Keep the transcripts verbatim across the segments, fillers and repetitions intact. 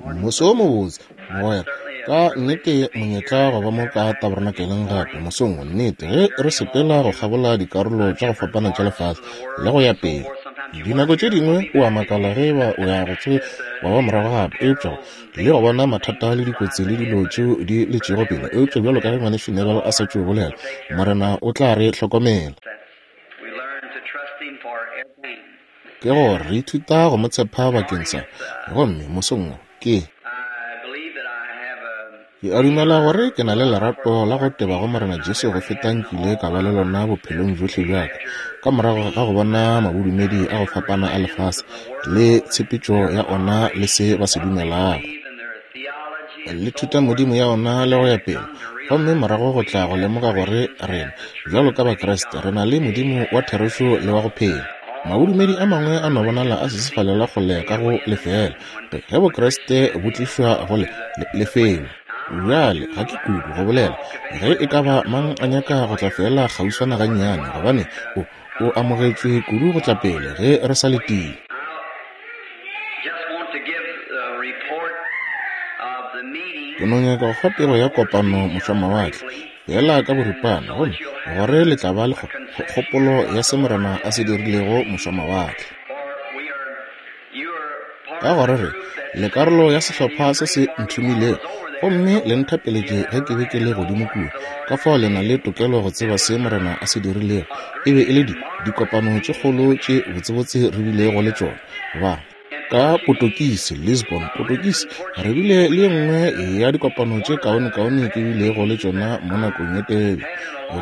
Moso o mobotse, mogwera. Ka nnete monyetla go ba mo ka tabernakeleng gape mosong wo, nnete, ge re sepela go kgabola dikarolo tša go fapana tša lefase le go ya pele. Dinako tše dingwe o a makala ge eba o ya go tsoge wa ba morago gape, eupša le go bona mathata le dikotsi le dilo tšeo di letšego pele. Eupša bjalo ka ge Ngwanešu Neville a sa tšo bolela, Morena o tla re hlokomela. Ke gore re ithuta go mo tshepa bakeng sa, gomme mosong wo ke ke a dumela gore ke na le lerato la go teba go Morena Jesu go feta nkile ka ba le lona bophelong bjohle bja ka, ka morago ga go bona mabodumedi a go fapana a lefase le tshepetšo ya ona le se ba se dumelago le thutamodimo ya ona le go ya pele. Gomme morago go tla go lemoga gore rena bjalo ka Bakriste re na le Modimo wa therešo le wa go phela. Mabodumedi a mangwe a no bonala a sesefalela kgole ka go lefela ge Bokriste bo tlišwa go le lefelo. Bjale ga ke kudu go bolela ge e ka ba mang a nyaka go tla fela kgauswana gannyane, gobane o o amogetšwe kudu go tla pele ge re sa letile. Ke no nyaka go fa pego ya kopano mošwamawatle fela ka boripana, gomme gore le tla ba le kgopolo ya se Morena a se dirilego mošwamawatle. Ka gore re le karolo ya sehlopha se se nthomilego, gomme le nthapeletše ge ke be ke le godimo kua. Ka fao le na le tokelo go tseba se Morena a se dirilego. E be e le di dikopano tše kgolo tše botsebotse re bilego le tšona. Ba ka Potokisi, Lisbon, Potokisi, re bile le ye nngwe ya dikopano tše kaonekaone ke bilego le tšona mo nakong ye telele.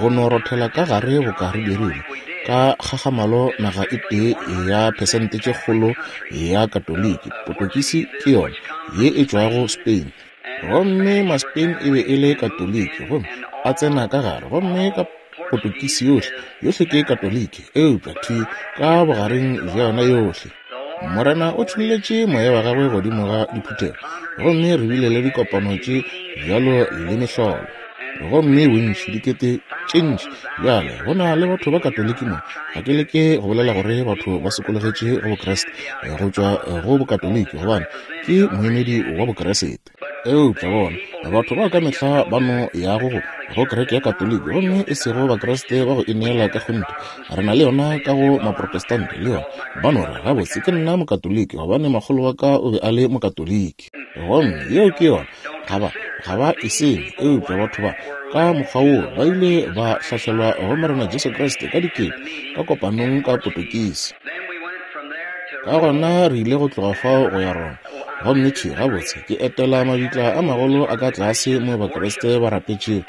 Go no rothela ka gare boka re dirile ka kgagamalo naga e tee ya phesente tše kgolo ya Katoliki. Potokisi ke yona ye e tšwago Spain, gomme ma-Spain e be e le Katoliki, gomme a tsena ka gare, gomme ka Potokisi yohle yohle ke Katoliki, eupša thwi ka bogareng bja yona yohle Morena o tšholletše moya wa gagwe godimo ga diphuthego, gomme re bile le dikopano tše bjalo le mehlolo, gomme bontši dikete tše ntši. Bjale go na le batho ba Katoliki mo. Ga ke leke go bolela gore batho ba sokologetše go Bokreste go tšwa go Bokatoliki, gobane ke moemedi wa Bokreste. Eupša bona batho bao ka mehla ba no yago go go kereke ya Katoliki, gomme e sego Bakreste ba go ineela ka kgonthe. Re na le yona ka go Maprotestante le yona. Ba no re, gabotse ke nna Mokatoliki gobane makgolo wa ka o be a le Mokatoliki, gomme yeo ke yona. Ga ba ga ba e senye. Eupša batho ba ka mokgwa woo ba ile ba hlahlelwa go Morena Jesu Kriste ka dikete ka kopanong ka Potokisi. Ka gona re ile go tloga fao go ya Roma, gomme thwi gabotse ke etela mabitla a magolo a ka tlase mo Bakriste ba rapetšego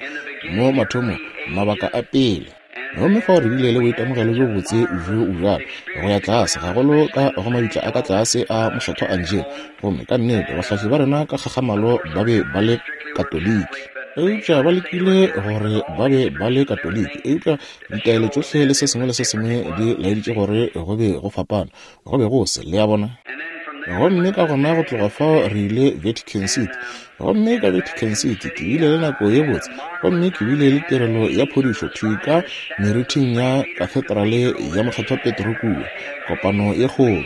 mo mathomong mabaka a pele. Gomme fao re bile le boitemogelo bjo botse bjo bjalo go ya tlase gagolo ka go mabitla a ka tlase a Mokgethwa Angelo. Gomme ka nnete bahlahli ba rena ka kgagamalo ba be ba le Katoliki, eupša ba lekile gore ba be ba le Katoliki, eupša ditaelo tšohle le se sengwe le se sengwe di laeditše gore go be go fapana, go be go se, le a bona. Gomme ka gona go tloga fao re ile Vatican City, gomme ka Vatican City ke bile le nako ye botse, gomme ke bile le tirelo ya phodišo thwi ka meriting ya kathedrale ya Mokgethwa Petro kua, kopano ye kgolo.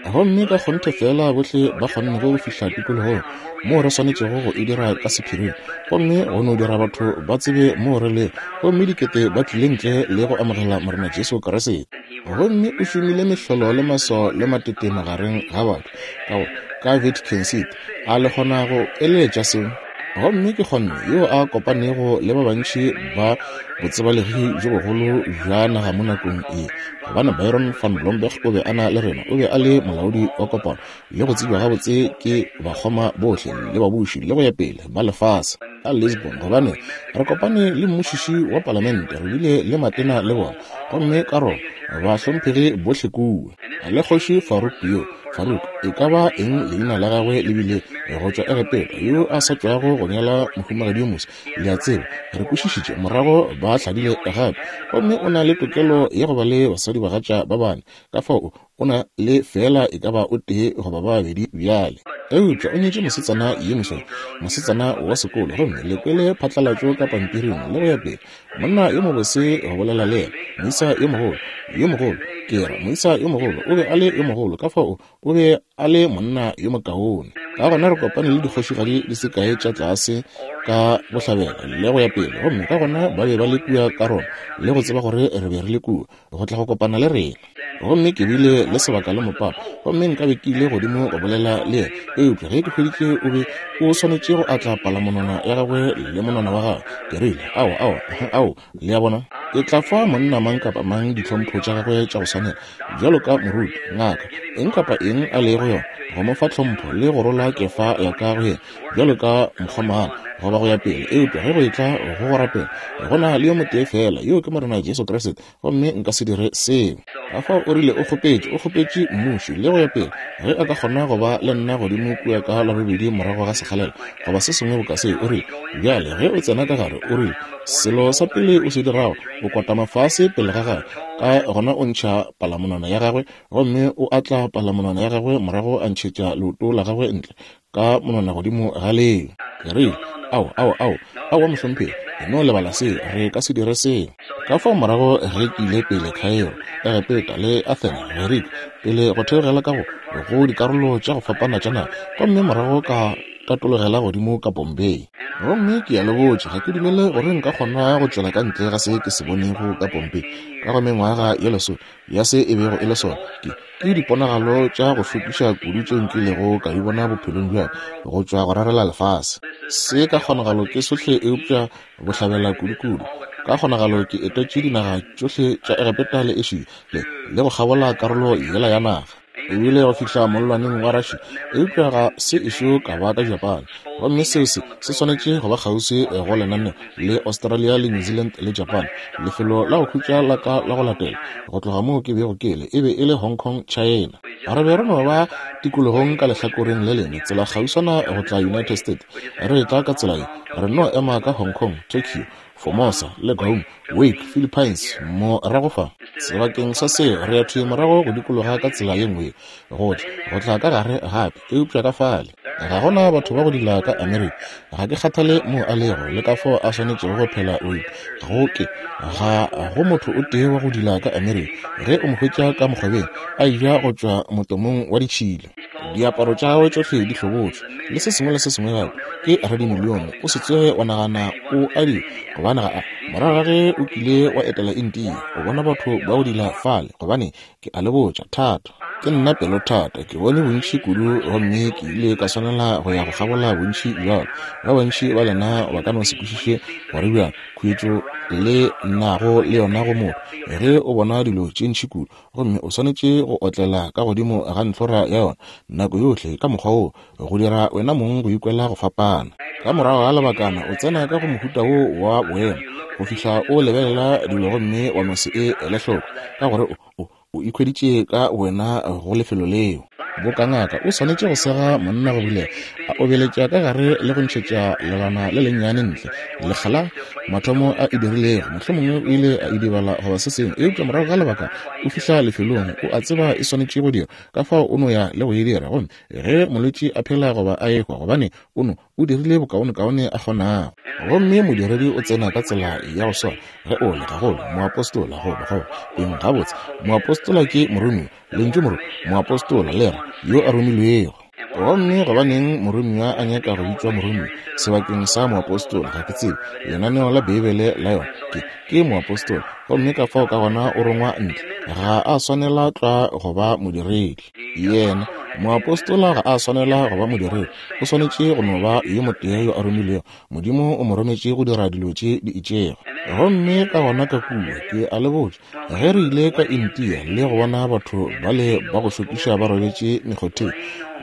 Gomme ka kgonthe fela bohle ba kgonnego go fihla tikologong moo re swanetšego go e dira ka sephiring, gomme go no dira batho ba tsebe moo re lego, gomme dikete ba tlile ntle le go amogela Morena Jesu Kriste. Gomme o šomile mehlolo le maswao le matete magareng ga batho ka go ka Vatican City. A le kgona go eleletša seo? Gomme ke kgonne yo a kopanego le ba bantši ba botsebalegi bjo bogolo bja naga mo nakong ye, gobane Byron van Blomberg o be a na le rena, o be a le molaodi wa kopano le go tsebja gabotse ke bakgoma bohle le babuši le go ya pele ba lefase ka Lisbon, gobane re kopane le mmušiši wa palamente, re bile le matena le bona, gomme ka Roma bahlomphegi bohle kua le kgoši Farouk yo Farouk e ka ba eng leina la gagwe le bile go tšwa Egepeta, yo a sa tšwago go nyala mohumagadi yo moswa. Le a tseba, re kwešišitše morago ba hladile gape, gomme o na le tokelo ya go ba le basadi bagatša ba bane. Ka fao o na le fela e ka ba o tee goba ba babedi bjale. Eupša o nyetše mosetsana yo mosweu, mosetsana wa sekolo, gomme le kwele phatlalatšo ka pampiring le go ya pele. Monna yo mobose go bolela le yena, moisa yo mogolo, yo mogolo, ke ra moisa yo mogolo, o be a le yo mogolo, ka fao o be a le monna yo mokaone. Ka gona re kopane le dikgošigadi di se kae tša tlase ka bohlabela le go ya pele, gomme ka gona ba be ba le kua ka Roma le go tseba gore re be re le kua go tla go kopana le rena. Gomme ke bile le sebaka le mopapa, gomme nkabe ke ile godimo go bolela le yena, eupša ge ke hweditše o be o swanetše go atla palamonwana ya gagwe le monwana wa gagwe. Ke rile, ao, ao, ao, le a bona, ke tla fa monna mang kapa mang ditlhompho tša gagwe tša go swanela, bjalo ka moruti, ngaka, eng kapa eng a lego yona, go mo fa tlhompho le go rola kefa ya ka go yena bjalo ka mokgomana goba go ya pele. Eupša ge go etla go go rapela, go na le yo motee fela, yo ke Morena Jesu Kriste, gomme nka se dire seo. Ka fao o rile o kgopetše, o kgopetše mmuši le go ya pele, ge a ka kgona go ba le nna godimo kua ka Labobedi morago ga sekgalela goba se sengwe boka seo. O rile, bjale ge o tsena ka gare, o rile, selo sa pele o se dirago, o kotama fase pele ga gagwe, ka gona o ntšha palamonwana ya gagwe, gomme o atla palamonwana ya gagwe morago a ntšhetša leoto la gagwe ntle ka monwana godimo ga leo. Ke rile, ao, ao, ao, aowa mohlomphegi, no lebala se, re ka se dire seo. Ka fao morago ge ke ile pele Cairo, Egepeta le Athene, Gerika, pele go theogela ka go go dikarolo tša go fapana tša naga, gomme morago ka tatologela godimo ka Bombay. Gomme ke a le botša, ga ke dumele gore nka kgona go tšwela ka ntle ga se ke se bonego ka Bombay ka go mengwaga ye lesome ya se e bego e le sona. Ke ke diponagalo tša go šokiša kudu tše nkilego ka di bona bophelong bja go tšwa go rarela lefase. Se ka kgonagalo ke sohle eupša bohlabela kudu-kudu. Ka kgonagalo ke etetše dinaga tšohle tša Egepeta le Asia le le go kgabola karolo yela ya naga. Ebile go fihla mollwaneng wa Russia, eupša ga se ešo ka ba ka Japan. Gomme seo se se swanetše go ba kgauswi go lenaneo le Australia le New Zealand le Japan. Lefelo la go khutša la ka la go latela go tloga moo ke bego ke le e be e le Hong Kong, China. Re be re no ba tikologong ka lehlakoreng le lengwe, tsela kgauswana go tla United States. Re tla ka tsela ye, re no ema ka Hong Kong, Tokyo, Formosa le Guam, Wake, Philippines, morago fa. Sebakeng sa seo re ya thwi morago go dikologa ka tsela ye nngwe, go tla go tla ka gare gape, eupša ka fale ga gona batho ba go dila ka Amerika. Ga ke kgathale moo a lego le ka fao a swanetšego go phela o go ke ga go motho o tee wa go dila ka Amerika ge o mo hwetša ka mokgobeng a eja go tšwa motomong wa ditšhila, diaparo tša gagwe tšohle di hlobotšwe le se sengwe le se sengwe gape. Ke radimilione, o se tsoge wa nagana o a di, gobane ga a. Morago ga ge o kile wa etela India, o bona batho ba go dila fale, gobane ke a le botša, thata ke nna pelothata. Ke bone bontši kudu, gomme ke ile ka swanela go ya go kgabola bontši bjalo. Ba bantši ba lena ba ka no se kwešiše gore bjang khuetšo le nago le yona go motho ge o bona dilo tše ntši kudu, gomme o swanetše go otlela ka godimo ga ntlhora ya yona nako yohle ka mokgwa woo go dira wena mong go ikwela go fapana. Ka morago ga lebakana o tsena ka go mohuta wo wa boemo go fihla o lebelela dilo gomme wa no se e ele hloko, ka gore o o ikhweditše ka wena go lefelo leo. Boka ngaka o swanetše go sega monna go bulega, a obeletša ka gare le go ntšhetša lebana le lennyane ntle. Lekgala mathomo a e dirilego, mohlomongwe o ile a idibala goba se sengwe, eupša morago ga lebaka o fihla lefelong o a tseba e swanetše go dira, ka fao o no ya le go e dira. Gomme ge molwetši a phela goba a ehwa, gobane o no o dirile bokaonekaone a kgonago. Gomme modiredi o tsena ka tsela ya go swana ge o le gagolo moapostola goba goba eng. Gabotse, moapostola ke moromiwa, lentšu moro moapostola le re yo a romilwego. Gomme gobaneng moromiwa a nyaka go bitšwa moromiwa sebakeng sa moapostola? Ga ke tsebe. Lenaneo la Beibele la yona ke ke moapostola, gomme ka fao ka gona o rongwa ntle. Ga a swanela tlwa go ba modiredi. Yena moapostola ga a swanela go ba modiredi, o swanetše go no ba yo motee yo a romilwego. Modimo o mo rometše go dira dilo tše di itšego. Gomme ka gona ka kua, ke a le botša, ge re ile ka India le go bona batho bale ba go šokiša ba robetše mekgotheng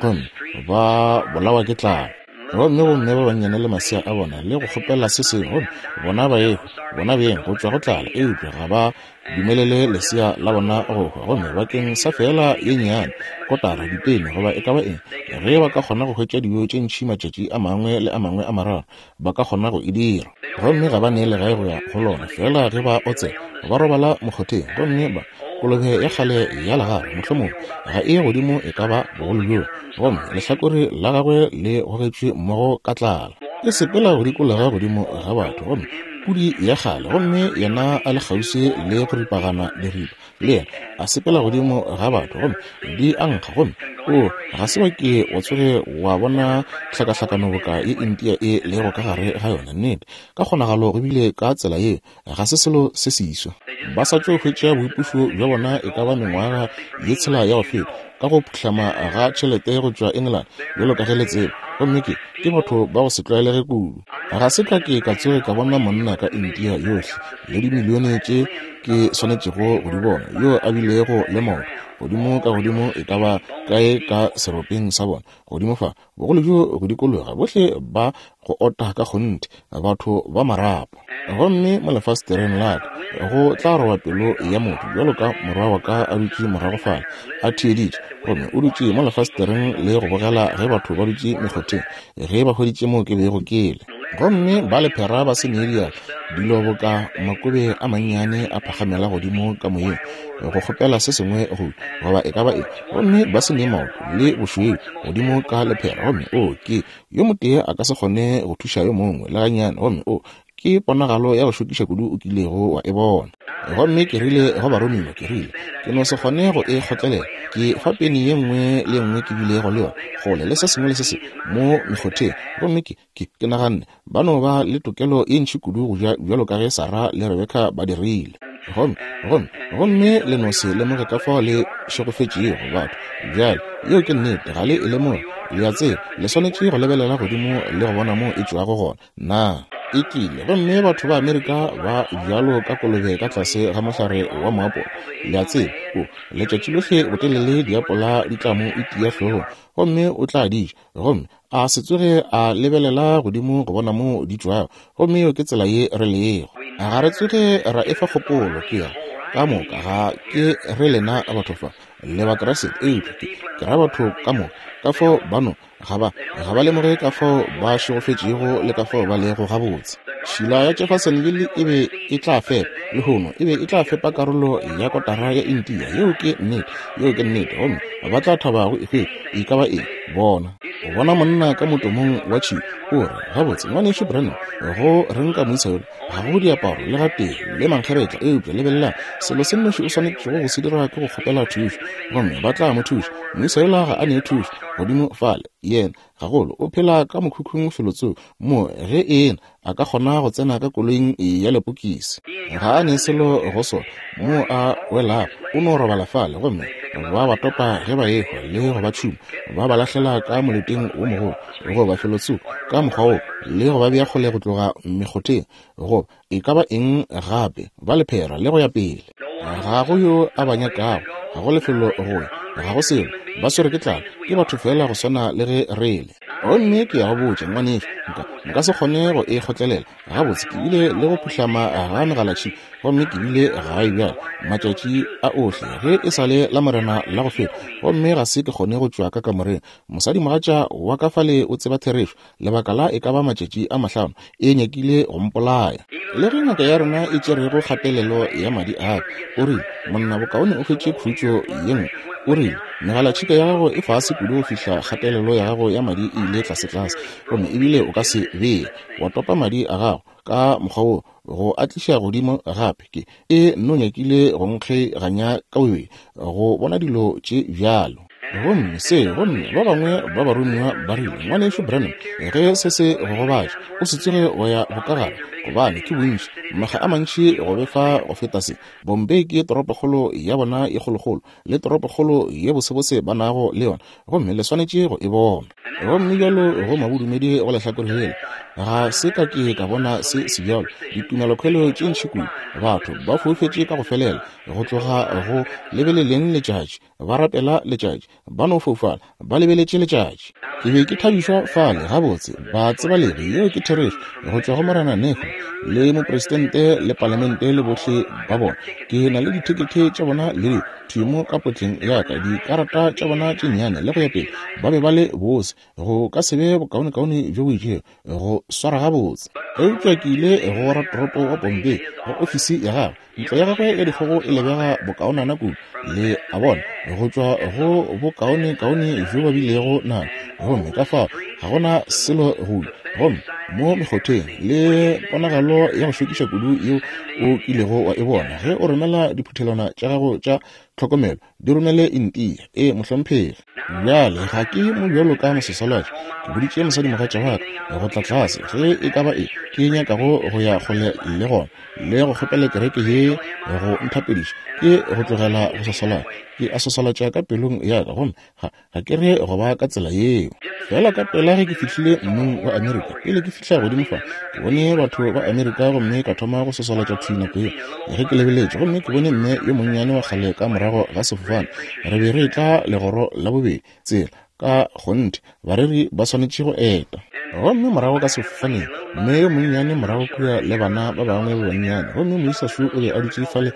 gomme ba bolawa ke tlala, gomme bomme ba bannyane le masea a bona le go kgopela se sengwe, gomme bona ba ehwa bona beng go tšwa go tlala, eupša ga ba dumelele lesea la bona go hwa. Gomme bakeng sa feela ye nnyane kotara, dipene goba e ka ba eng, ge ba ka kgona go hwetša dijo tše ntši matšatši a mangwe le a mangwe a mararo, ba ka kgona go e dira. Gomme ga ba ne legae go ya go lona, feela ge ba otsela ba robala mokgotheng. Gomme ba kolobe ya kgale ya legare mohlomongwe ga e godimo e ka ba bogolo bjoo, gomme lehlakore la gagwe le gogetšwe mmogo ka tlala. E sepela go dikologa godimo ga batho, gomme Pudi ya kgale, gomme yena a le kgauswi le go ripagana diripa, le yena a sepela godimo ga batho, gomme di a nkga, gomme o ga se wa ke wa tsoge wa bona hlakahlakano boka ye India e lego ka gare ga yona. Nnete, ka kgonagalo go bile ka tsela yeo, ga se selo se seswa. Ba sa tšo hwetša boipušo bja bona e ka ba mengwaga ye tshela ya go feta, ka go phuhlama ga tšhelete go tšwa England, bjalo ka ge le tseba. Gomme ke ke batho ba go se tlwaelege kudu. Ga se ka ke ka tsoge ka bona monna ka India yohle le dimilione tše ke swanetšego go di bona, yo a bilego le maoto godimo ka godimo e ka ba kae ka seropeng sa bona, godimo fa bogolo bjo go dikologa, bohle ba go ota ka kgonthe, batho ba marapo. Gomme mo lefastereng la ka go tla roba pelo ya motho, bjalo ka morwa wa ka a dutše morago fale a theeditše, gomme o dutše mo lefastereng le go bogela ge batho ba dutše mekgotheng, ge ba hweditše mo ke bego ke le. Gomme ba lephera ba se nee diatla, dilo boka makobe a mannyane a phagamela godimo ka moyeng go kgopela se sengwe go goba e ka ba eng, gomme ba se nee maoto le bošweu godimo ka lephera. Gomme o ke yo motee a ka se kgone go thuša yo mongwe le gannyane, gomme o ke ponagalo ya go šokiša kudu o kilego wa e bona. Gomme ke rile go baromiwa, ke rile ke no se kgone go e kgotlelela, ke fa peni ye nngwe le nngwe ke bilego le yona kgole le se sengwe le se sengwe mo mekgotheng. Gomme ke ke ke naganne ba no ba le tokelo ye ntši kudu go ja bjalo ka ge Sarah le Rebecca ba dirile. Gomme gomme gomme le no se lemoge ka fao le šegofetšego batho. Bjale yeo ke nnete, ga le e lemoge. Le a tseba, le swanetše go lebelela godimo le go bona mo e tšwago gona. Na e tlile? Gomme batho ba Amerika ba bjalo ka kolobe ka tlase ga mohlare wa moapola. Le a tseba, o letšatši lohle botelele diapola di tla mo itia hlogong, gomme o tla di ja, gomme a se tsoge a lebelela godimo go bona mo di tšwago. Gomme yeo ke tsela ye re lego. Ga re tsoge ra efa kgopolo ke ya ka moka, ga ke re lena batho fa le Bakriste, eupša ke ke ra batho ka moka ka fao ba no ga ba ga ba lemoge ka fao ba šegofetšego le ka fao ba lego gabotse. Tšhila ya Jeffersonville e be e tla fepa lehono, e be e tla fepa karolo ya kotara ya India. Yeo ke nnete, yeo ke nnete. Gomme ba tla thaba go e hwetša e ka ba eng. Bona, o bona monna ka motomong wa tšhila, o re, gabotse ngwanešu Branham, go reng ka moisa yola? Ga go diaparo le gatee le mankgeretla, eupša lebelelang, selo se nnoši o swanetšego go se dira ke go kgopela thušo, gomme ba tla mo thuša. Moisa yola ga a nee thušo godimo fale, yena gagolo o phela ka mokhukhung felotsoko mo ge ena a ka kgona go tsena ka koloing ya lepokisi. Ga a ne selo go sona mo a welago, o no robala fale, gomme ba ba topa ge ba ehwa le go ba tšhuma, ba ba lahlela ka moleteng wo mogolo goba felotsoko ka mokgwa wo, le go ba bea kgole go tloga mekgotheng goba e ka ba eng gape, ba lephera le go ya pele. Ga go yo a ba nyakago, ga go lefelo go ya, ga go selo, ba swere ke tlala, ke batho fela go swana le ge re le. Gomme ke ya go botša ngwanešu, nka nka se kgone go e kgotlelela. Gabotse ke bile le go phuhlama ga megalatšhika, gomme ke bile gae bjale matšatši a ohle ge e sa le la morena la go feta, gomme ga se ke kgone go tšwa ka kamoreng. Mosadimogatša wa ka fale o tseba therešo, lebaka la e ka ba matšatši a mahlano e nyakile go mpolaya. Le ge ngaka ya rena e tšerego kgatelelo ya madi a ka, o rile, monna bokaone o hwetše khutšo ye nngwe. O rile, megalatšhika ya gago e fase kudu go fihla kgatelelo ya gago ya madi e ile tlasetlase, gomme ebile o ka se bee wa topa madi a gago ka mokgwa wo go a tliša godimo gape. Ke e nno nyakile go nkgeganya ka bobedi go bona dilo tše bjalo. Gomme se, gomme ba bangwe ba baromiwa ba rile, ngwanešu Branham, ge se se go gobatša, o se tsoge go ya bokagare, gobane ke bontši makga a mantši go befa go feta se. Bombay ke toropokgolo ya bona e kgolokgolo le toropokgolo ye bosebose ba nago le yona, gomme le swanetše go e bona. Gomme bjalo go mabodumedi go lehlakore lela, ga se ka ke ka bona se se bjalo. Ditumelokhwelo tše ntši kudu, batho ba foufetše ka go felela go tloga go lebeleleng letšatši, ba rapela letšatši, ba no foufala ba lebeletše letšatši. Ke be ke thabišwa fale gabotse ba tsebalegi, yeo ke therešo, go tšwa go Morena Nehru le mopresidente le palamente le bohle ba bona. Ke na le dithekethe tša bona le thimo ka potleng ya ka, dikarata tša bona tše nnyane le go ya pele. Ba be ba le bose, go ka se be bokaonekaone bjo bo itšego go swara gabotse. Eupša ke ile go ratoropo wa Bombay go ofisi ya gagwe. Ntlo ya gagwe ya dikgogo e lebega bokaonana kudu, le a bona, go tšwa go bokaonekaone bjo ba bilego nalo. Gomme ka fao ga gona selo go gomme mo mekgotheng le ponagalo ya go šokiša kudu yeo o kilego wa e bona. Ge o romela diphuthelwana tša gago tša tlhokomelo, di romele India. E mohlomphegi. Bjale ga ke mo bjalo ka mososalatši. Ke boditše mosadimogatša wa ka go tla tlase ge e ka ba e ke nyakago go ya kgole le gona le go kgopela kereke ye go nthapediša ke go tlogela go sosalatša. Ke a sosalatša ka pelong ya ka gomme ga ga ke re go ba ka tsela yeo. Fela ka pela ge ke fihlile mmung wa Amerika, pele ke fihla godimo fa, ke bone batho ba Amerika gomme ka thoma go sosalatša thwi nako yeo. Ge ke lebeletše gomme ke bone mme yo monnyane wa kgale ka morago ga sefofane, re be re etla legoro la bobedi tsela ka kgonthe bareri ba swanetše go eta. Gomme morago ka sefofaneng, mme yo monnyane morago kua le bana ba bangwe ba bannyane, gomme moisa šo o be a dutše fale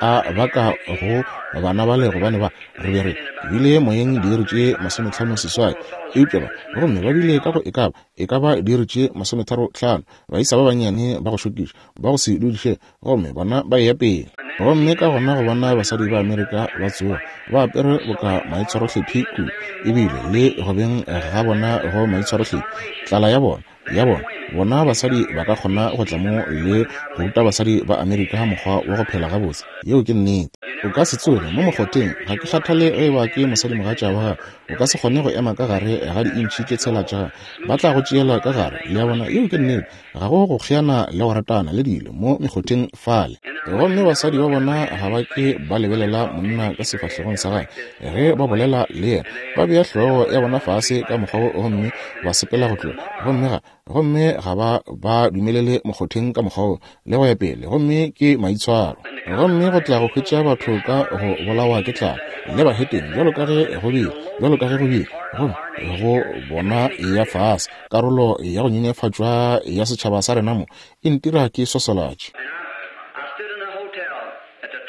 a baka go bana bale gobane ba re be re bile moyeng diiri tše masometlhano seswai, eupša ba gomme ba bile ka go e ka ba e ka ba diiri tše masometharo tlhano, baisa ba bannyane ba go šokiša ba go se dudiše, gomme bona ba eya pele. Gomme ka gona go bona basadi ba Amerika ba tsoga ba apere boka maitshwarohlephi kudu, ebile le go beng ga bona go maitshwarohlephi, tlala ya bona ya bona bona basadi ba ka kgona go tla mo le go ruta basadi ba Amerika mokgwa wa go phela gabotse. Yeo ke nnete. O ka se tsoge mo mokgotheng, ga ke kgathale ge eba ke mosadimogatša wa gago, o ka se kgone go ema ka gare ga diintšhi tše tshela tša gago, ba tla go tšeela ka gare. Le a bona, yeo ke nnete. Ga go go kgeana le go ratana le dilo mo mekgotheng fale. Gomme basadi ba bona ga ba ke ba lebelela monna ka sefahlegong sa gagwe ge ba bolela le yena, ba bea hlogo ya bona fase ka mokgwa wo gomme ba sepela go tloga, gomme ga gomme ga ba ba dumelele mokgotheng ka mokgwa wo le go ya pele, gomme ke maitshwaro. Gomme go tla go hwetša batho ka go bolawa ke tlala le bahetene bjalo ka ge go bile, bjalo ka ge go bile, gomme go bona ya fase karolo ya go nyenyefatšwa ya setšhaba sa rena mo e ntira ke sosolatše.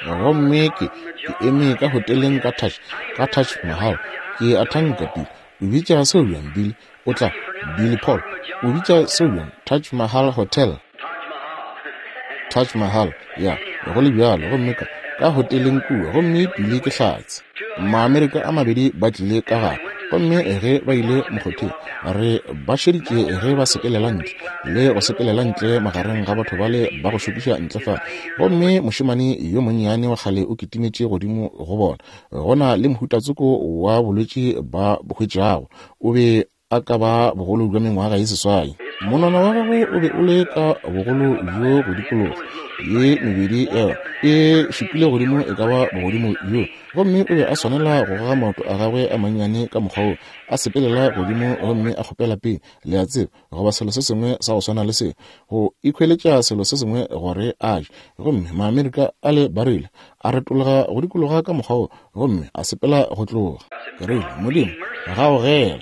Gomme ke ke eme ka hoteleng ka Taj ka Taj Mahal, ke a thanka Bill o bitša seo bjang? Bill o tla Billy Paul o bitša seo bjang? Taj Mahal Hotel, Taj Mahal, ya go le bjalo. Gomme ka ka hoteleng kua, gomme Billy ke hlatse. Maamerika a mabedi ba tlile ka gare, gomme ge ba ile mokgotheng re ba šeditše ge ba sepelela ntle le go sepelela ntle magareng ga batho bale ba go šokiša ntle fa. Gomme mošemane yo monnyane wa kgale o kitimetše godimo go bona, go na le mohutatsoko wa bolwetši ba bo hwetšago, o be a ka ba bogolo bja mengwaga ye seswai. Monwana wa gagwe o be o le ka bogolo bjo go dikologa ye mebedi yona e šupile godimo e ka ba bogodimo bjo, gomme o be a swanela go goga maoto a gagwe a mannyane ka mokgwa wo, a sepelela godimo gomme a kgopela pele, le a tseba, goba selo se sengwe sa go swana le se, go ikhweletša selo se sengwe gore a je. Gomme Maamerika a le ba rile a retologa go dikologa ka mokgwa wo gomme a sepela go tloga. Ke rile, Modimo gaogela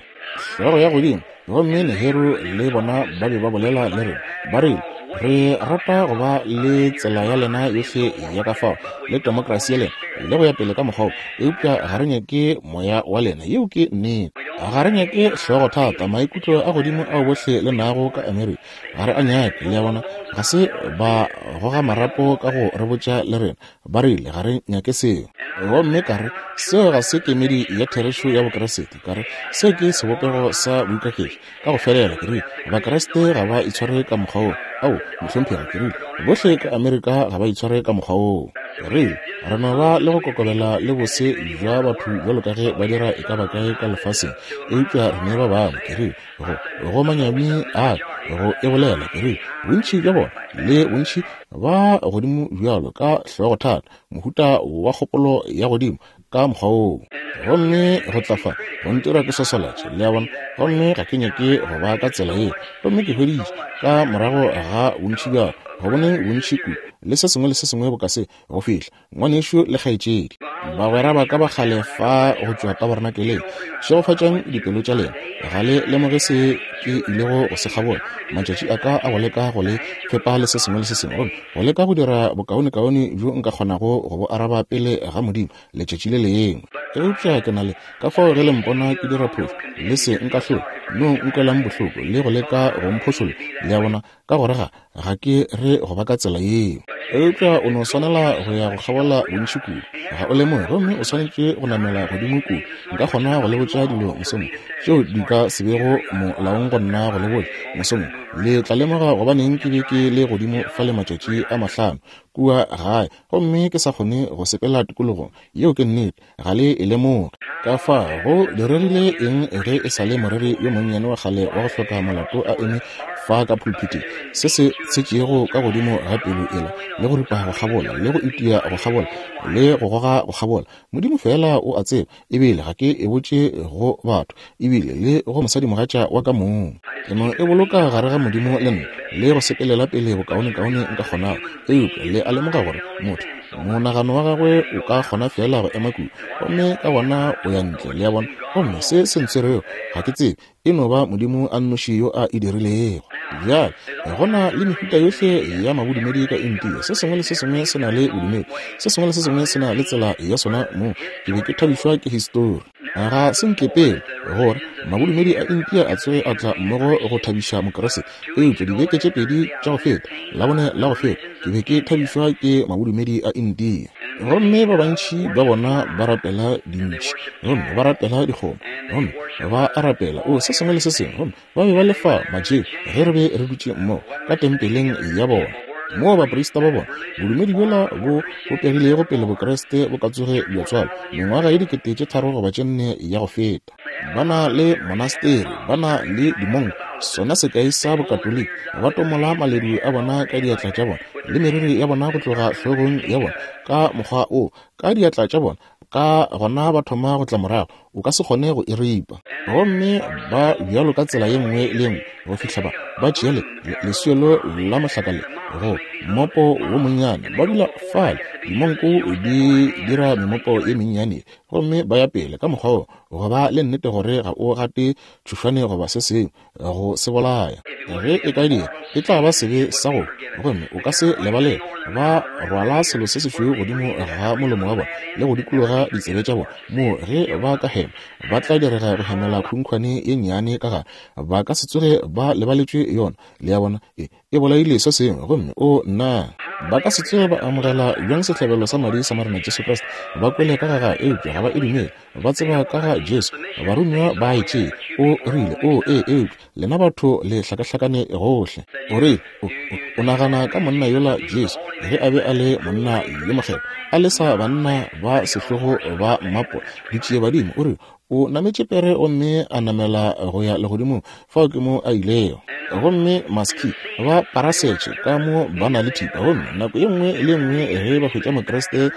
hlogo ya godimo. Gomme Nehru le bona ba be ba bolela le rena, ba rile re rata go ba le tsela ya lena yohle ya ka fao le demokrasi ya lena le go ya pele ka mokgwa wo, eupša ga re nyake moya wa lena. Yeo ke nnete. Ga re nyake hlogo thata, maikutlo a godimo ao bohle le nago ka Amerika ga re a nyake. Le a bona, ga se ba goga marapo ka go re botša le rena, ba rile ga re nyake seo. Gomme ka re seo ga se kemedi ya therešo ya Bokreste. Ka re seo ke sebopego sa boikaketši ka go felela. Ke rile Bakreste ga ba itshware ka mokgwa wo. Ao mohlomphegi, ke rile bohle ka Amerika ga ba itshware ka mokgwa woo. Ke rile re no ba le go kokobela le bose bja batho bjalo ka ge ba dira e ka ba kae ka lefaseng, eupša re ne ba bangwe. Ke rile go go manyami a go e bolela, ke rile bontši bja bona le bontši ba godimo bjalo ka hlogo thata, mohuta wa kgopolo ya godimo ka mokgwa woo. Gomme go tla fa go ntira ke sosolatše, le a bona, gomme ga ke nyake go ba ka tsela yeo. Gomme ke hweditše ka morago ga bontši bjalo go bone bontši kudu le se sengwe le se sengwe boka se go fihla ngwanešu le kgaetšedi bagwera ba ka ba kgale fa go tšwa tabernakeleng. Šegofatšang dipelo tša lena, ga le lemoge se ke ilego go se kgabola. Matšatši a ka a go leka go le fepa le se sengwe le se sengwe, gomme go leka go dira bokaonekaone bjo nka kgonago go bo araba pele ga Modimo letšatši le lengwe. Eupša ke na le ka fao ge le mpona ke dira phošo, le se nkahlole, no nkwelang bohloko le go leka go mphošolla, le a bona, ka gore ga ga ke re go ba ka tsela yeo. Eupša o no swanela go ya go kgabola bontši kudu. Ga o lemoge, gomme o swanetše go namela godimo kudu. Nka kgona go le botša dilo mosong tšeo di ka se bego molaong go nna go le botša mosong. Le tla lemoga gobaneng ke be ke le godimo fale matšatši a mahlano kua gae, gomme ke sa kgone go sepela tikologong. Yeo ke nnete, ga le e lemoge. Ka fa go diregile eng ge e sa le moreri yo monnyane wa kgale wa go hloka molato a eme fa ka pulpiteng, se se tshetšego ka godimo ga pelo ela, le go ripa go kgabola, le go itia go kgabola, le go goga go kgabola. Modimo fela o a tseba, ebile ga ke e botše go batho, ebile le go mosadimogatša wa ka mong. Ke no e boloka gare ga Modimo le nna, le go sepelela pele bokaonekaone nka kgonago. Eupša le a lemoga gore motho monagano wa gagwe o ka kgona fela go ema kudu, gomme ka gona o ya ntle, le a bona. Gomme se se ntshwerego ga ke tsebe, e no ba Modimo a nnoši yo a e dirilego. Bjale go na le mehuta yohle ya mabodumedi ka India. Se sengwe le se sengwe se na le bodumedi, se sengwe le se sengwe se na le tsela ya sona. Mo ke be ke thabišwa ke histori. Ga se nkepele gore mabodumedi a India a tsoge a tla mmogo go thabiša Mokeresete. Eupša dibeke tše pedi tša go feta, Labone la go feta, ke be ke thabišwa ke mabodumedi a India. Gomme ba bantši ba bona ba rapela dintši, gomme ba rapela dikgomo, gomme ba a rapela o se sengwe le se sengwe. Gomme ba be ba lefa majeo ge re be re dutše mmogo ka tempeleng ya bona, moo baprista ba bona bodumedi bjola bo bopegilego pele Bokreste bo ka tsoge bja tswalwa mengwaga ye dikete tše tharo goba tše nne ya go feta. Ba na le monasteri, ba na le dimonko, sona sekai sa Bokatoliki. Ba tomola maledu a bona ka diatla tša bona, le meriri ya bona go tloga hlogong ya bona ka mokgwa o, ka diatla tša bona. Ka gona ba thoma go tla morago, o ka se kgone go e ripa. Gomme ba bjalo ka tsela ye nngwe le nngwe go fihla ba ba tšea le leswelo la mohlaka le go mmopo wo monnyane, ba dula fale. Dimonko di dira memopo ye mennyane, gomme ba ya pele ka mokgwa wo go ba le nnete gore ga o gate tšhošwane goba se sengwe go se bolaya. Ge e ka dira, e tla ba sebe sa go, gomme o ka se lebalele. Ba rwala selo se sešweu godimo ga molomo wa bona le go dikologa ditsebe tša bona, moo ge ba ka hema ba tla direga go hemela khunkhwane ye nnyane ka gare. Ba ka se tsoge ba lebaletšwe yona, le a bona. E e bolaile se sengwe, gomme o nna ba ka se tsoge ba amogela bjang sehlabelo sa madi sa Morena Jesu Kriste. Ba kwele ka ga ga, eupša ga ba e dumele. Ba tseba ka ga Jesu, baromiwa ba e tšee. O rile, o e eupša lena batho le hlakahlakane gohle. O rile, o, o, o nagana ka monna yola Jesu ge a be a le monna yo mokgethwa, a le sa banna ba sehlogo ba mmapo ditšie badimo. O rile, o nametše pere gomme a namela go ya legodimong, fao ke mo a ilego. Gomme maski ba parasetše ka mo ba na le thipa, gomme nako ye nngwe le nngwe ge ba hwetša Mokreste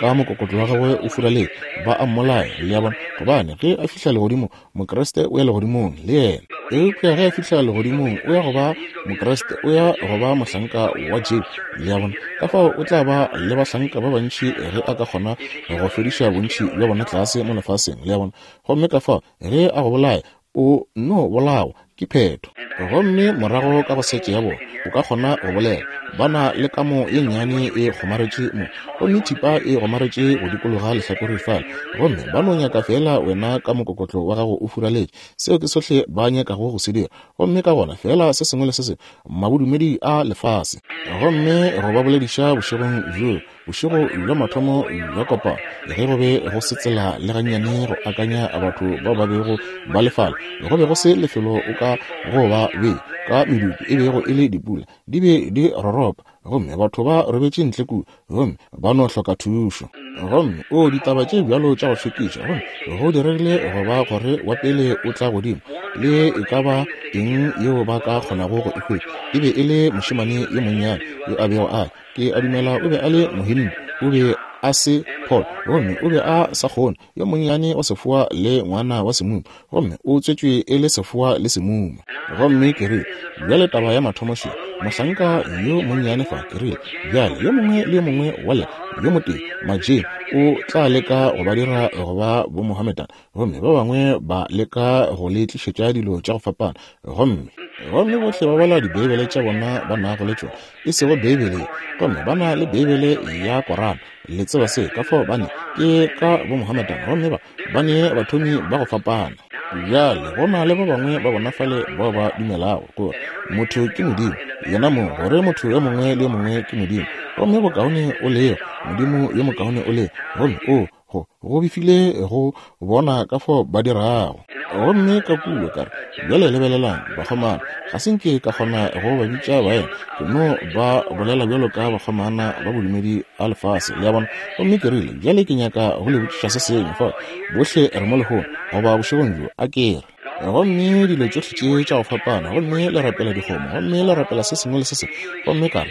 ka mokokotlo wa gagwe o furaletše, ba a mmolaya, le a bona. Gobane ge a fihla legodimong, Mokreste o ya legodimong le yena. Eupša ge a fihla legodimong, o ya go ba Mokreste, o ya go ba mohlanka wa Jesu, le a bona. Ka fao o tla ba le bahlanka ba bantši ge a ka kgona go fediša bontši bja bona tlase mo lefaseng, le a bona. Gomme ka fao ge a go bolaya, o no bolawa, ke phetho. Gomme morago ka go setše ya bona, o ka kgona go bolela. Ba na le kamo ye nnyane e kgomaretše mo, gomme thipa e kgomaretše go dikologa lehlakore fale, gomme ba no nyaka fela wena ka mokokotlo wa gago o furaletše. Seo ke sohle ba nyakago go se dira. Gomme ka gona fela se sengwe le se sengwe, mabodumedi a lefase. Gomme go ba bolediša bošegong bjo, bošego bja mathomo bja kopano, ge go be go se tsela le gannyane go akanya batho bao ba bego ba le fale, go be go se lefelo o ka go ba be ka medupi e bego e le dipula, di be di roropa, gomme batho ba robetše ntle kua, gomme ba no hloka thušo. Gomme o ditaba tše bjalo tša go šokiša, gomme go diregile go ba gore wa pele o tla godimo le e ka ba eng yeo ba ka kgonago go e hwetša. E be e le mošemane yo monnyane yo a bego a ke a dumela o be a le Mohindu, o be a se Paul, gomme o be a sa kgone, yo monnyane wa sefoa le ngwana wa semuma, gomme o tswetšwe e le sefoa le semuma. Gomme ke rile, bjale taba ya mathomo še, mohlanka yo monnyane fa, ke rile, bjale yo mongwe le yo mongwe wa lena yo motee Majee o tla leka go ba dira go ba bo Mohammedan, gomme ba bangwe ba leka go le tlišetša dilo tša go fapana, gomme gomme bohle ba bala dibeibele tša bona ba nago le tšona, e sego Beibele, gomme ba na le Beibele ya Korana. Le tseba se ka fao bane ke ka bo Mohammedan, gomme ba ba ne bathomi ba go fapana. Bjale go na le ba bangwe ba bona fale bao ba dumelago gore motho ke modimo yena mong, gore motho yo mongwe le yo mongwe ke modimo, gomme bokaone o lego modimo yo mokaone o lego, gomme o go go befile go bona ka fao ba dirago. Gomme ka kua ka re, bjale lebelelang bakgomana, ga se nke ka kgona go ba bitša baena, ke no ba bolela bjalo ka bakgomana ba bodumedi a lefase, le a bona. Gomme ke rile, bjale ke nyaka go le botšiša se sengwe fa, bohle re mo lehono goba bošegong bjo, a ke re. Gomme dilo tšohle tše tša go fapana, gomme le rapela dikgomo, gomme le rapela se sengwe le se sengwe, gomme ka re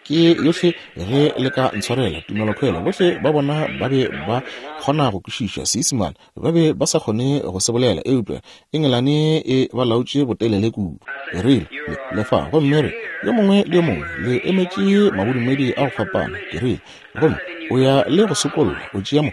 ke yohle ge le ka ntshwarela tumelokhwelo. Bohle ba bona ba be ba kgona go kwešiša Seisemane, ba be ba sa kgone go se bolela, eupša Engelane e ba laotše botelele kudu. Ke rile, le fa, gomme re yo mongwe le yo mongwe le emetše mabodumedi a go fapana. Ke rile, gomme o ya le go sokolla, o tšea mo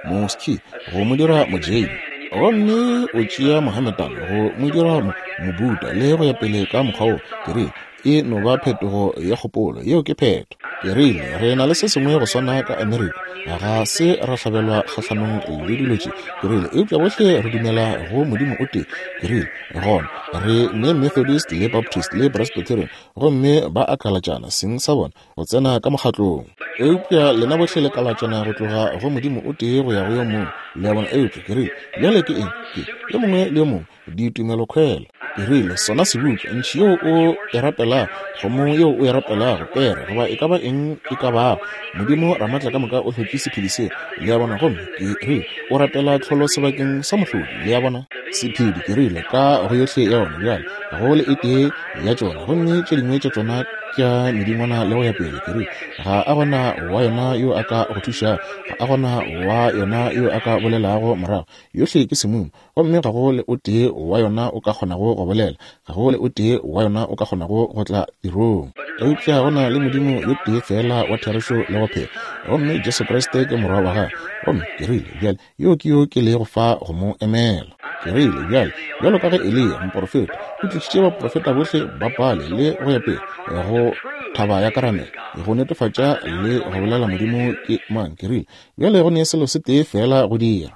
moski go mo dira mojeini, gomme o tšea Mohammedan go mo dira mobuda, le go ya pele ka mokgwa wo. Ke rile, e no ba phetogo ya kgopolo, yeo ke phetho. Ke rile, re na le se sengwe go swana ka Amerika, ga se ra hlabelwa kgahlanong le dilo tše. Ke rile, eupša bohle re dumela go Modimo o tee. Ke rile, gona re ne Methodist le Baptist le Presbyterian, gomme ba akalatšana seng sa bona go tsena ka mokgatlong, eupša lena bohle le kalatšana go tloga go Modimo o tee go ya go yo mongwe, le a bona. Eupša ke rile, bjale ke eng? Ke yo mongwe le yo mongwe ditumelokhwelo. Ke rile, sona sebutša ntšhi yeo o e rapelago, kgomo yeo o e rapelago, pere goba e ka ba eng e ka bago, Modimo Ramatla ka moka o hlotše sephedi seo, le a bona. Gomme ke rile, o rapela tlholo sebakeng sa mohlodi, le a bona, sephedi. Ke rile, ka go yohle ya ona bjale ga go le e tee ya tšona, gomme tše dingwe tša tšona tša medingwana le go ya pele. Ke rile, ga a gona wa yona yo a ka go thušago, ga a gona wa yona yo a ka bolelago morago, yohle ke semumu, gomme ga go le o tee wa yona o ka kgonago go bolela, ga go le o tee wa yona o ka kgonago go tla tirong. Eupša go na le Modimo yo tee fela wa therešo le go phela, gomme Jesu Kriste ke morwa wa gagwe. Gomme ke rile, bjale yo ke yo ke lego fa go mo emela. Ke rile, bjale bjalo ka ge Eliya moprofeta o tlišitše baprofeta bohle ba Baale le go ya pele go thaba ya Karamele go netefatša le go bolela Modimo ke mang, ke rile, bjale go ne selo se tee fela go dira.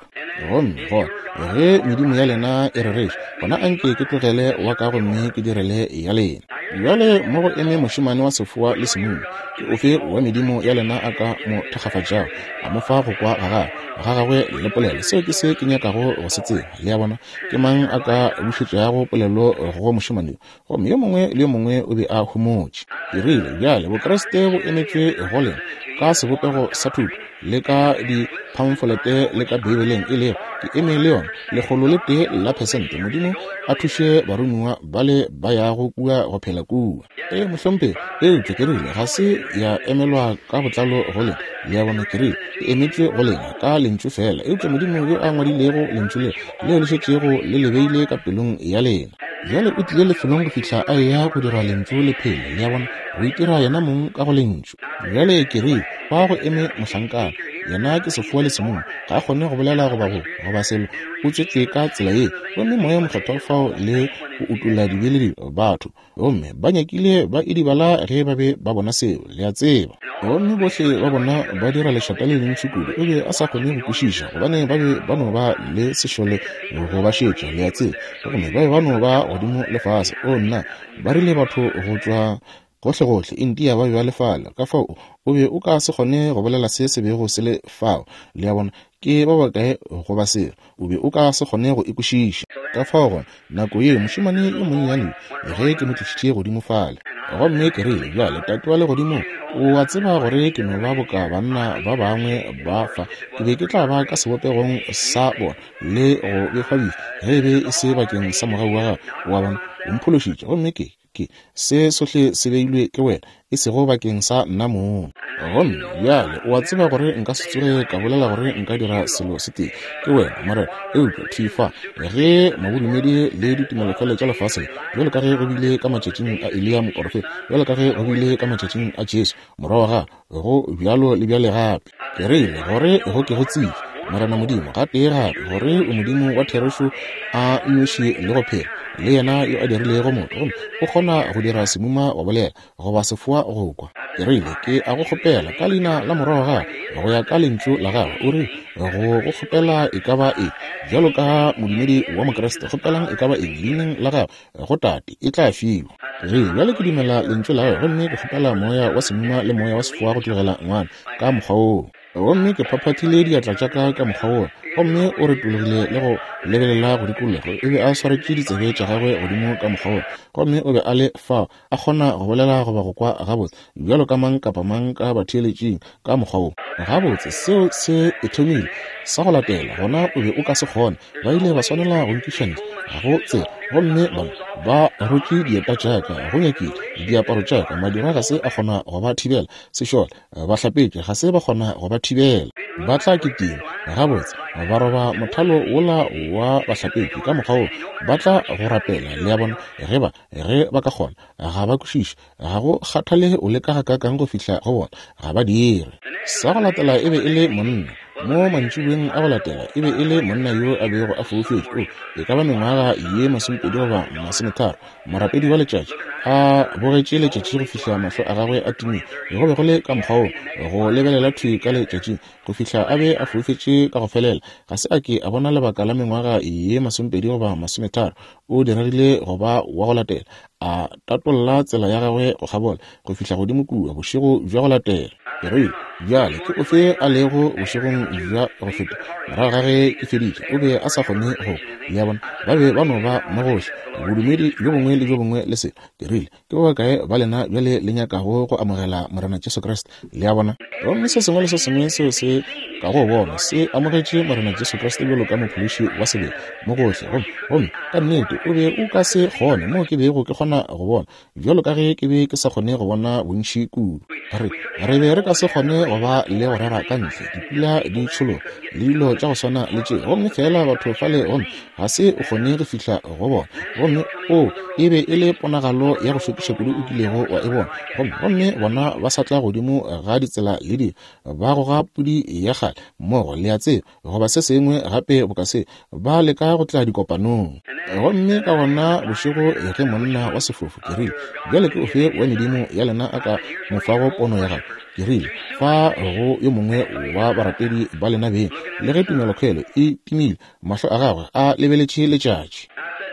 Gomme gona ge medimo ya lena e rereša, gona anke ke tlogele wa ka gomme ke direle ya lena. Bjale mo go eme mošemane wa sefoa le semumu, ke ofe wa medimo ya lena a ka mo thakgafatšago, a mo fa go kwa ga gagwe ga gagwe le polelo? Seo ke se ke nyakago go se tseba, le a bona. Ke mang a ka bušetšago polelo go mošemane yo? Gomme yo mongwe le yo mongwe o be a homotše. Ke rile, bjale Bokriste bo emetšwe go lena ka sebopego sa thuto le ka diphamfolete le ka Beibeleng, e lego ke eme le yona lekgolo le tee la phesente. Modimo a thuše baromiwa bale ba yago kua go phela kua. Ee mohlomphegi, eupša ke rile ga se ya emelwa ka botlalo go lena, le a bona. Ke rile e emetšwe go lena ka lentšu fela, eupša Modimo yo a ngwadilego lentšu leo leo le šetšego le le beile ka pelong ya lena. Bjale o tlile lefelong go fihla a eya go dira lentšu le phele, le a bona, go itira yena mong ka go lentšu. Bjale ke rile, fa go eme mohlankana, yena ke sefoa le semumu, ga a kgone go bolela goba go goba selo, o tswetšwe ka tsela ye, gomme Moya Mokgethwa fao le go utolla dibe le dilo batho, gomme ba nyakile ba idibala ge ba be ba bona seo, le a tseba. Gomme bohle ba bona ba dira lešata le lentši kudu, o be a sa kgone go kwešiša, gobane ba be ba no ba le sešole go ba šetša, le a tseba, gomme ba be ba no ba godimo le fase. O nna, ba rile batho go tšwa gohlegohle India ba be ba le fale, ka fao o be o ka se kgone go bolela se se bego se le fao, le a bona, ke ba bakae go ba selo, o be o ka se kgone go e kwešiša. Ka fao gona nako ye mošemane yo monnyane ge ke mo tlišitše godimo fale, gomme ke rile, bjale Tate wa legodimo, o a tseba gore ke no ba boka banna ba bangwe ba fa, ke be ke tla ba ka sebopegong sa bona le go befabifa ge e be e se bakeng sa mogau wa gago, wa bona, o mphološitše, gomme ke ke se sohle se beilwe ke wena, e sego bakeng sa nna mong. Gomme bjale o a tseba gore nka se tsoge ka bolela gore nka dira selo se tee, ke wena Morena, eupša thwi fa ge mabodumedi le ditumelokhwele tša lefase, bjalo ka ge go bile ka matšatšing a Eliya moprofeta, bjalo ka ge go bile ka matšatšing a Jesu morwa wa gagwe, go bjalo le bjale gape. Ke rile gore go ke go tsebe Morena Modimo, gatee gape, gore o Modimo wa therešo a nnoši le go phela, le yena yo a dirilego motho, gomme o kgona go dira semuma wa bolela goba sefoa go kwa. Ke rile, ke a go kgopela ka leina la morwa wa gago, go ya ka lentšu la gago. O rile, go go kgopela e ka ba eng, bjalo ka modumedi wa Mokriste, kgopelang e ka ba eng leineng la gago go Tate, e tla fiwa. Ke rile, bjale ke dumela lentšu la gago, gomme ke kgopela moya wa semuma le moya wa sefoa go tlogela ngwana ka mokgwa woo. Gomme ke phaphathile diatla tša ka ka mokgwa woo, gomme o retologile le go lebelela go dikologa. O be a swaretše ditsebe tša gagwe godimo ka mokgwa woo, gomme o be a le fao a kgona go bolela goba go kwa gabotse bjalo ka mang kapa mang ka batheeletšing ka mokgwa woo. Gabotse seo se e thomile. Sa go latela gona o be o ka se kgone. Ba ile ba swanela go nkiša ntle, ga go tsela. Gomme bona ba rotše dieta tša ka, go nyakile diaparo tša ka, madira ga se a kgona go ba thibela, sešole ba hlapetše ga se ba kgona go ba thibela. Ba tla kitima gabotse, ba roba mothalo wola wa bahlapetši ka mokgwa woo, ba tla go rapela, le a bona, ge ba ge ba ka kgona. Ga ba kwešiše, ga go kgathale o leka gakaakang go fihla go bona, ga ba dire. Sa go latela e be e le monna. Mo mantšiboeng a go latela e be e le monna yo a bego a foufetše, o e ka ba mengwaga ye masomepedi goba masometharo, morapedi wa letšatši, a bogetše letšatši go fihla mahlo a gagwe a timile. Go be go le ka mokgwa woo, go lebelela thwi ka letšatšing go fihla a be a foufetše ka go felela. Ga se a ke a bona lebaka la mengwaga ye masomepedi goba masometharo. O diregile go ba wa go latela, a tatolla tsela ya gagwe go kgabola go fihla godimo kua bošego bja go latela. Ke rile, bjale ke ofe a lego bošegong bja go feta morago ga ge ke feditše? O be a sa kgone go, le a bona, ba be ba no ba mo gohle, bodumedi bjo bongwe le bjo bongwe le selo. Ke rile, ke ba bakae ba lena bjale le nyakago go amogela Morena Jesu Kriste? Le a bona? Gomme se sengwe le se sengwe seo se ka go bona se amogetše Morena Jesu Kriste bjalo ka mophološi wa sebele mo gohle. Gomme gomme ka nnete o be o ka se kgone mo ke bego ke kgona go bona, bjalo ka ge ke be ke sa kgone go bona bontši kudu. Re re be re ka se kgone go ba le go rera ka ntle, dipula di tšhologa le dilo tša go swana le tše, gomme fela batho fale, gomme ga se o kgone go fihla go bona. Gomme o e be e le ponagalo ya go šokiša kudu o kilego wa e bona. Gomme gomme bona ba sa tla godimo ga ditsela le dilo, ba goga pudi ya kgale mmogo, le a tseba, goba se sengwe gape boka se, ba leka go tla dikopanong. Gomme ka gona bošego ge monna wa sefofu, ke rile, bjale ke ofe wa medimo ya lena a ka mo fago pono ya gagwe? Ke rile, fa go yo mongwe wa barapedi ba lena beng, le ge tumelokhwelo e timile, mahlo a gagwe a lebeletše letšatši.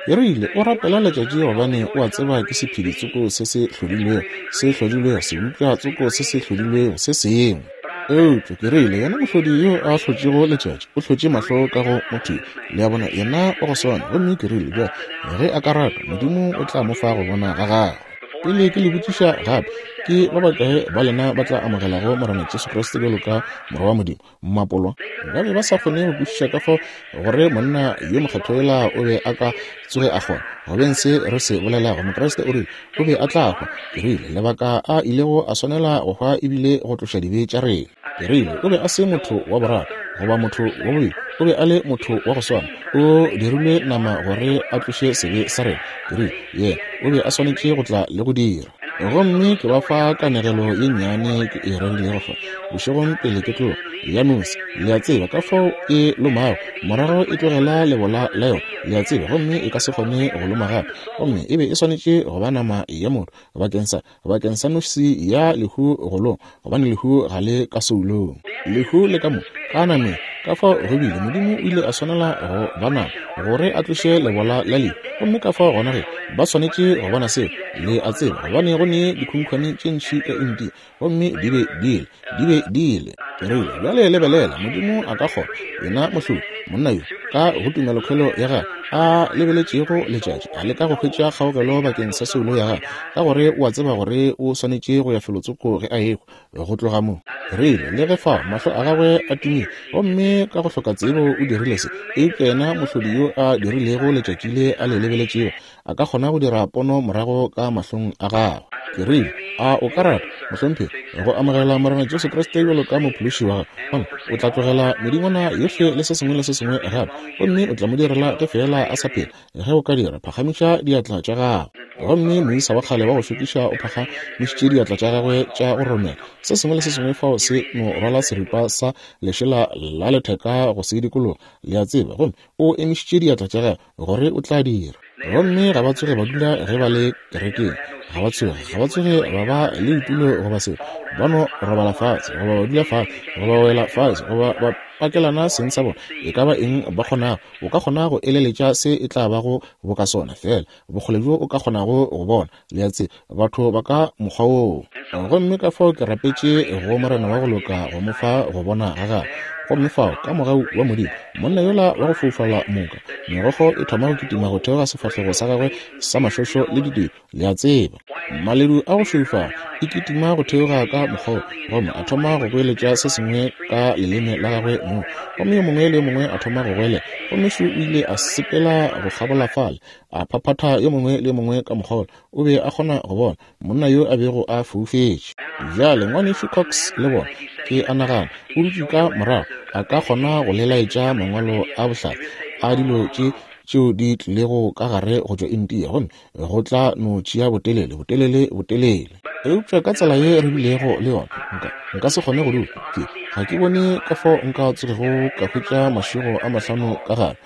Ke rile, o rapela letšatši gobane o a tseba ke sephedi tsoko se se hlodilwego, se hlodilwego, sebopša tsoko se se hlodilwego se sengwe. Eupša ke rile, yena mohlodi yo a hlotšego letšatši o hlotše mahlo ka go motho, le a bona, yena o go swana. Gomme ke rile, bjale ge a ka rata, Modimo o tla mo fa go bona ga gagwe. Pele ke le botšiša gape, ke ba bakae ba lena ba tla amogelago Morena Jesu Kriste bjalo ka Morwa wa Modimo? Mmapolwa ba be ba sa kgone go kwešiša ka fao gore monna yo mokgethwa yola o be a ka tsoge a kgona go beng se re se bolelago. Mokriste o rile o be a tla hwa. Ke rile, lebaka a ilego a swanela go hwa ebile go tloša dibe tša rena. Ke rile, o be a se motho wa boraro goba motho wa bobedi, o be a le motho wa go swana, o dirilwe nama gore a tloše sebe sa rena. Ke rile, yena o be a swanetše go tla le go dira. Gomme ke ba fa kanegelo ye nnyane ke e rerilego fa bošegong pele ke tloga, ya nosi, le a tseba ka fao e lomago, morago e tlogela lebola la yona, le a tseba, gomme e ka se kgone go loma gape. Gomme e be e swanetše go ba nama ya motho bakeng sa bakeng sa nosi ya lehu go loma, gobane lehu ga le ka soulong, lehu le ka mo ka nameng. Ka fao go bile Modimo o ile a swanela go ba nama gore a tloše lebola la lehu. Gomme ka fao gona ge ba swanetše go bona seo, le a tseba, gobane go ne dikhunkhwane tše ntši ka India, gomme di be di ile, di be di ile. Ke rile, bjale lebelela, Modimo a ka kgona, yena mohlodi, monna yo ka go tumelokhwelo ya gagwe a lebeletšego letšatši, a leka go hwetša kgaogelo bakeng sa soulo ya gagwe, ka gore o a tseba gore o swanetše go ya felotsoko ge a ehwa go tloga mo. Rile, le ge fao mahlo a gagwe a timile, gomme ka go hloka tsebo o dirile se, eupša yena mohlodi yo a dirilego letšatši le a le lebeletšego a ka kgona go dira pono morago ka mahlong a gagwe. Ke rile, a o ka rata, mohlomphegi, go amogela Morena Jesu Kriste bjalo ka mophološi wa gago? O tla tlogela medingwana yohle le se sengwe le se sengwe gape, gomme o tla mo direla ge fela a sa phela. Ge o ka dira, phagamiša diatla tša gago. Gomme moisa wa kgale wa go šokiša o phagamišitše diatla tša gagwe tša go romela. Se sengwe le se sengwe fao se no rwala seripa sa lešela la letheka go se dikologa, le a tseba. Gomme o emišitše diatla tša gagwe gore o tla dira. Gomme ga ba tsoge ba dula ge ba le kerekeng. Ga ba tsoge, ga ba tsoge ba ba le ditulo goba selo. Ba no robala fatshe, goba ba dula fatshe, goba ba wela fatshe, goba ba pakelana seng sa bona. E ka ba eng ba kgonago, o ka kgona go eleletša se e tla bago boka sona, fela bokgole bjo o ka kgonago go bona, le a tseba, batho ba ka mokgwa woo. Gomme ka fao ke rapetše go Morena wa go loka go mo fa go bona ga gagwe. Gomme fao, ka mogau wa Modimo, monna yola wa go foufala moka, megokgo e thoma go kitima go theoga sefahlego sa gagwe sa mašošo le ditedu, le a tseba. Maledu a go šweufala e kitima go theoga ka mokgwa, gomme a thoma go goeletša se sengwe ka leleme la gagwe mong. Gomme yo mongwe le yo mongwe a thoma go goelela. Gomme šo o ile a sepela go kgabola fale, a phaphatha yo mongwe le yo mongwe ka mokgwa. O be a kgona go bona monna yo a bego a foufetše. Bjale ngwanešu Cox le bona, ke a nagana, o dutše ka morago, a ka kgona go lelaetša mangwalo a bohlale a dilo tše tšeo di tlilego ka gare go tšwa India, gomme go tla no tšea botelele, botelele, botelele. Eupša ka tsela ye re bilego le yona, nka, nka se kgone go dula. Ke, ga ke bone ka fao nka tsogego ka hwetša mašego a mahlano ka gare,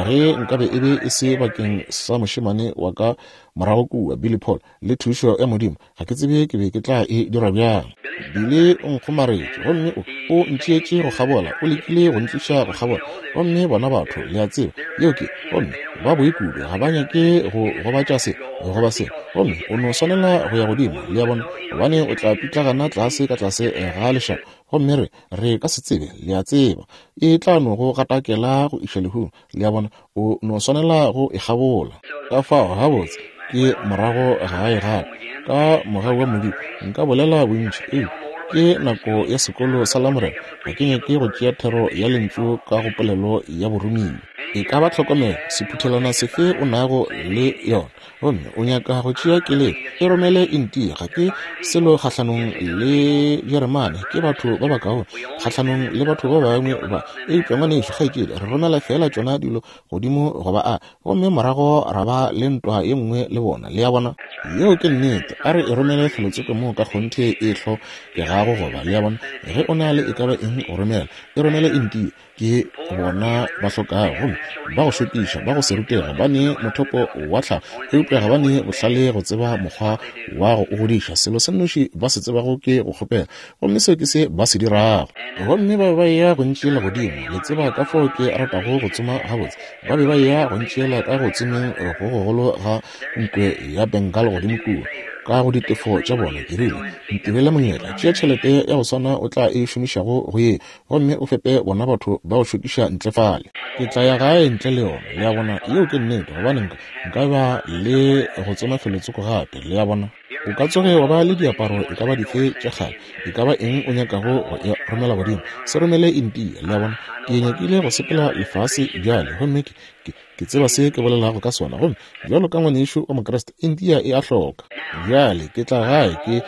ge nkabe e be e se bakeng sa mošemane wa ka morago kua, Billy Paul, le thušo ya Modimo. Ga ke tsebe ke be ke tla e dira bjang. Billy o nkgomaretše, gomme o, o ntšeetše go kgabola, o lekile go ntliša go kgabola. Gomme bona batho, le a tseba, yeo ke, gomme ba boi kudu, ga ba nyake go gobatša se, goba se. Gomme o no swanela go ya godimo, le a bona, gobane o tla pitlagana tlase ka tlase ga lešaba. Gomme re, re ka se tsebe, le a tseba, e tla no go gatakela go iša lehung, le a bona, o no swanela go e kgabola. Ka fao gabotse ke morago gae gape, ka mogau wa Modimo, nka bolela bontši, eupša ke nako ya sekolo sa Lamorena. Ga ke nyake go tšea thero ya lentšu ka go polelo ya boromiwa. E ka ba tlhokomelo sephuthelwana sefe o nago le yona, gomme o nyaka go tšea keletšo, e romele India. Ga ke selo kgahlanong le Jeremane, ke batho ba bakaone kgahlanong le batho ba bangwe ba, eupša ngwanešu kgaetšedi, re romela fela tšona dilo godimo goba a, gomme morago ra ba le ntwa ye nngwe le bona, le a bona. Yeo ke nnete. A re e romele felotsoko moo ka kgonthe e hlokegago goba, le a bona. Ge o na le e ka ba eng go romela, e romele India. Ke bona ba hlokago, gomme ba go šokiša, ba go se rutega, ba ne mothopo wa tlhago, eupša ga ba ne bohlale go tseba mokgwa wa go o godiša. Selo se nnoši ba se tsebago ke go kgopela, gomme seo ke se ba se dirago. Gomme ba be ba eya go ntšeela godimo, le tseba ka fao ke ratago go tsoma gabotse. Ba be ba eya go ntšeela ka go tsomeng go gogolo ga nkwe ya Bengal godimo kua, ka go ditefo tša bona. Ke rile, ntirele monyetla, tšea tšhelete ya go swana o tla e šomišago go ye, gomme o fepe bona batho ba go šokiša ntle fale. Ke tla ya gae ntle le yona, le a bona. Yeo ke nnete, gobane nka, nka ba le go tsoma felotsoko gape, le a bona. O ka tsoge wa ba le diaparo e ka ba dife tša kgale, e ka ba eng o nyakago go e romela godimo, se romele India, le a bona. Ke nyakile go sepela lefase bjale, gomme ke, ke, ke tseba se ke bolelago ka sona. Gomme bjalo ka ngwanešu wa Mokriste, India e a hloka. Bjale ke tla gae, ke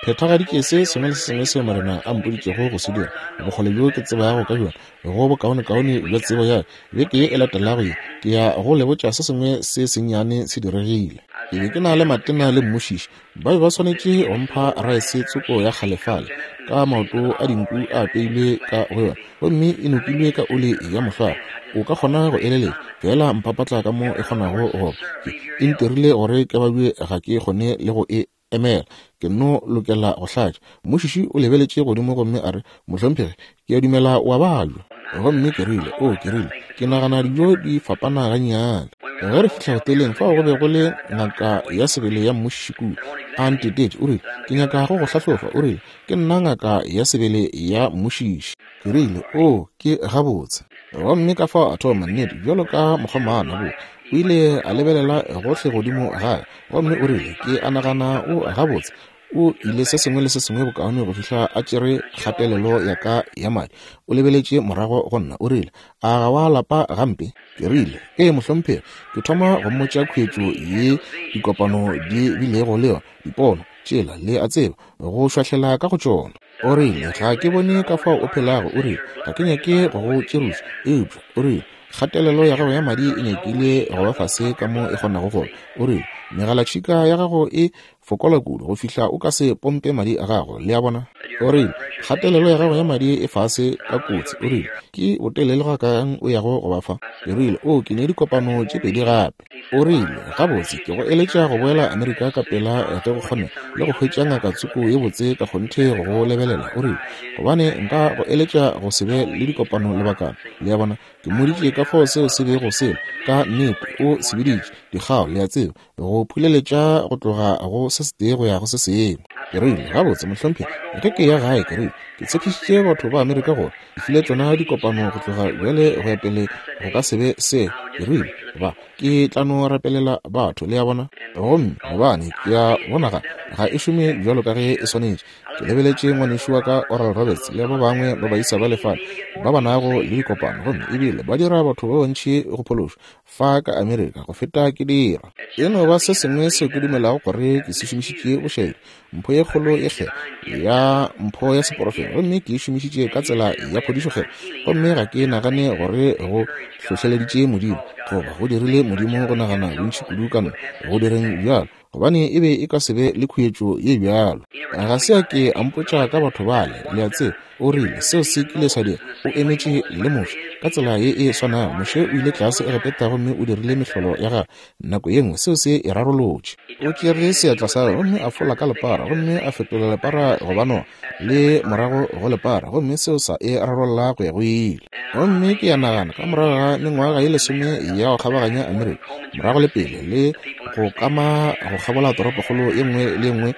phethagaditše se sengwe le se sengwe seo Morena a mpoditšego go se dira, bokgole bjo ke tsebago ka bjona, go bokaonekaone bja tsebo ya ka. Beke ye e latelago ye, ke ya go le botša se sengwe se sennyane se diregile. Ke be ke na le matena le mmušiši, ba be ba swanetše go mpha raese tsoko ya kgale fale, ka maoto a dinku a apeilwe ka go yona, gomme e nokilwe ka oli ya mohlware. O ka kgona go eleletša fela mpapatla ka mo e kgonago go ba. E ntirile gore ke babje, ga ke kgone le go e emela, ke no lokela go hlatša. Mmušiši o lebeletše godimo gomme a re, mohlomphegi, ke a dumela o a babja. Gomme ke rile, o ke rile, ke nagana dijo di fapana gannyane. Ge re fihla hoteleng, fao go be go le ngaka ya sebele ya mmušiši kua, a ntetetše. O rile, ke nyaka go go hlahlofa. O rile, ke nna ngaka ya sebele ya mmušiši. Ke rile, o ke gabotse. Gomme ka fao a thoma, nnete, bjalo ka mokgomana bo. O ile a lebelela gohle godimo gae, gomme o rile, ke a nagana o gabotse. O ile se sengwe le se sengwe bokaone go fihla a tšere kgatelelo ya ka ya madi. O lebeletše morago go nna, o rile, a ga wa lapa gampe? Ke rile, ee mohlomphegi. Ke thoma go mmotša khuetšo ye dikopano di bilego le yona, dipono tšela, le a tseba, go šwahlela ka go tšona. O rile, ga ke bone ka fao o phelago. O rile, ga ke nyake go go tširoša, eupša o rile, kgatelelo ya gago ya madi e nyakile go ba fase ka mo e kgonago go. O rile, Megalatšhika ya gago e fokola kudu go fihla o ka se pompe madi a gago. Le a bona? O rile, kgatelelo ya gago ya madi e fase ka kotsi. O rile, ke botelele ga kang o yago go ba fa? Ke rile, o ke ne dikopano tše pedi gape. O rile, gabotse, ke go eletša go boela Amerika ka pela ge go kgone le go hwetša ngaka tsoko ye botse ka kgonthe go go lebelela. O rile, gobane nka go eletša go se be le dikopano lebakana. Le a bona? Ke mmoditše ka fao seo se bego se ka nnete o se biditše dikgao, le a tseba, go phuleletša go tloga go se setee go ya go se sengwe. Ke rile, gabotse mohlomphegi, ge ke ya gae, ke rile, ke tshepišitše batho ba Amerika gore ke file tšona dikopano go tloga bjale go ya pele go ka se be se. Ke rile, ba ke tla no rapelela batho, le a bona, gomme gobane ke a bona ga ga e šome bjalo ka ge e swanetše. Ke lebeletše ngwanešu wa ka Oral Roberts le ba bangwe ba baisa ba lefale ba ba nago le dikopano, gomme ebile ba dira batho ba bantši go phološwa fa ka Amerika go feta ke dira. E no ba se sengwe seo ke dumelago gore ke se šomišitše bošaedi, mpho ye kgolo ye kgethwa ya mpho ya seporofeto, gomme ke e šomišitše ka tsela ya phodišo kgethwa, gomme ga ke nagane gore go hlohleleditše Modimo goba go dirile Modimo go nagana bontši kudu ka nna go direng bjalo, gobane e be e ka se be le khuetšo ye bjalo. Ga se a ke a mpotša ka batho bale, le a tseba. O rile seo se kile sa dira, o emetše le Moshe ka tsela ye e swanago. Moshe o ile tlase Egepeta gomme o dirile mehlolo ya gagwe. Nako ye nngwe seo se e rarolotše. O tšere seatla sa gagwe gomme a fola ka lepara, gomme a fetola lepara go ba noga le morago go lepara, gomme seo sa e rarolla go ya go ile. Gomme ke ya nagana ka morago ga mengwaga ye lesome ya go kgabaganya Amerika morago le pele le go kama go kgabola toropokgolo ye nngwe le ye nngwe,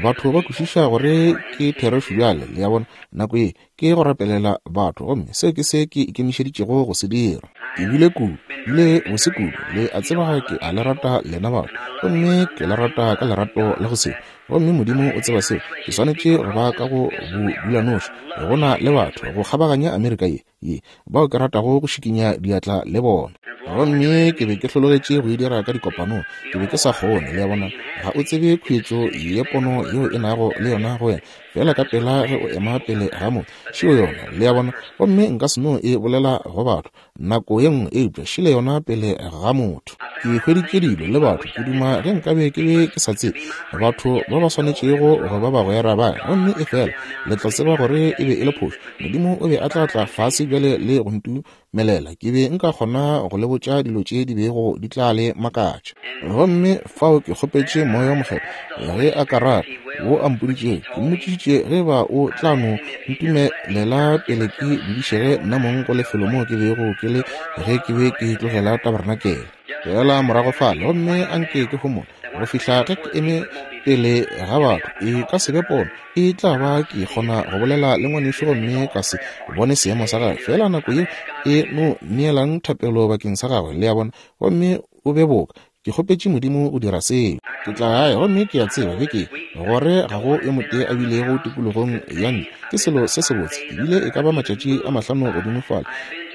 batho ba kwešiša gore ke therešo bjale. Le a bona? Nako ye ke go rapelela batho, gomme seo ke se ke ikemišeditšego go se dira. Ke bile kudu, bile bose kudu, le a tseba ke a le rata lena batho, gomme ke le rata ka lerato la go se, gomme Modimo o tseba seo. Ke swanetše go ba ka go bodulanoši go na le batho go kgabaganya Amerika ye ye bao ke ratago go šikinya diatla le bona. Gomme ke be ke hlologetše go e dira ka dikopanong, ke be ke sa kgone. Le a bona? Ga o tsebe khuetšo ye pono yeo e nago le yona go wena fela ka pela ge o ema pele ga motho, šeo yona. Le a bona? Gomme nka se no e bolela go batho nako ye nngwe, eupša šile yona pele ga motho. Ke hweditše dilo le batho, ke duma ge nkabe ke be ke sa tsebe batho ba ba swanetšego go ba bagwera ba, gomme e fela le tla tseba gore e be e le phošo. Modimo o be a tla tla fase bjale le go ntumelela, ke be nka kgona go le botša dilo tše di bego di tla le makatša. Gomme fao ke kgopetše Moya wo Mokgethwa ge a ka rata wo a mpoditšego. Ke mmotšišitše ge ba o tla no ntumelela pele ke dudišege nna mong go lefelo moo ke bego ke le ge ke be ke tlogela tabernakel. Fela morago fale, gomme anke ke homole go fihla ge ke eme pele ga batho. E ka se be pono, e tla ba ke kgona go bolela le ngwanešu gomme ka se bone seemo sa gagwe. Fela nako ye e no neelang thapelo bakeng sa gagwe, le a bona, gomme o be boka. Ke kgopetše Modimo go dira seo. Ke tla gae gomme ke a tseba beke gore ga go yo motee a bilego tikologong ya nna. Ke selo se sebotse. Ke bile e ka ba matšatši a mahlano godimo fale.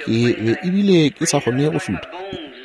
Ke be ebile ke sa kgone go šutha.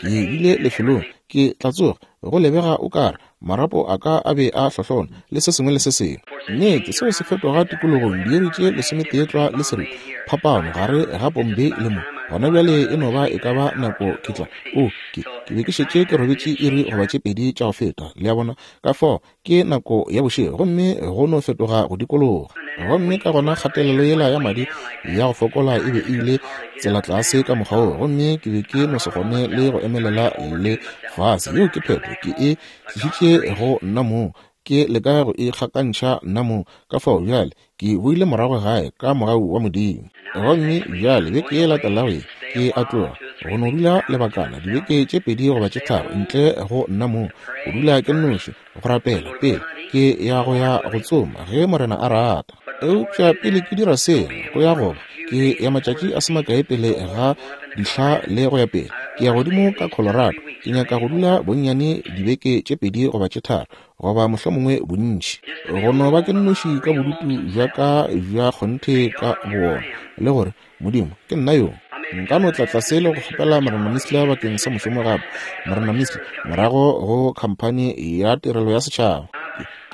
Ke bile lefelong, ke tla tsoga go lebega o kare marapo a ka a be a hlohlona le se sengwe le se sengwe. Nnete seo se fetoga tikologong diiri tše lesometee tlwa le seripa phapano gare ga Bombay le mo. Gona bjale e no ba e ka ba nako ke tla. O ke ke be ke šetše ke robetše iri goba tše pedi tša go feta. Le a bona? Ka fao ke nako ya bošego gomme go no fetoga go dikologa. Gomme ka gona kgatelelo yela ya madi ya go fokola e be e ile tsela tlase ka mokgwa wo, gomme ke be ke no se kgone le go emelela le fase. Yeo ke phetho, ke e tlišitše go nna mong, ke leka go e kgakantšha nna mong. Ka fao bjale ke boile morago gae ka mogau wa Modimo. Gomme bjale beke ye latelago ye ke a tloga go no dula lebakana dibeke tše pedi goba tše tharo ntle go nna mong, go dula ke nnoši go rapela pele ke ya go ya go tsoma ge Morena a rata. Eupša pele ke dira seo, go ya goba ke ya matšatši a se makae pele ga dihla le go ya pele, ke ya godimo ka Colorado. Ke nyaka go dula bonnyane dibeke tše pedi goba tše tharo goba mohlomongwe bontši, go no ba ke nnoši ka bodutu bja ka bja kgonthe ka bowona, le gore Modimo ke nna yo. Nka no tla tlase le go kgopela Morena Missler bakeng sa mošomo gape, Morena Missler morago go khamphani ya tirelo ya setšhaba.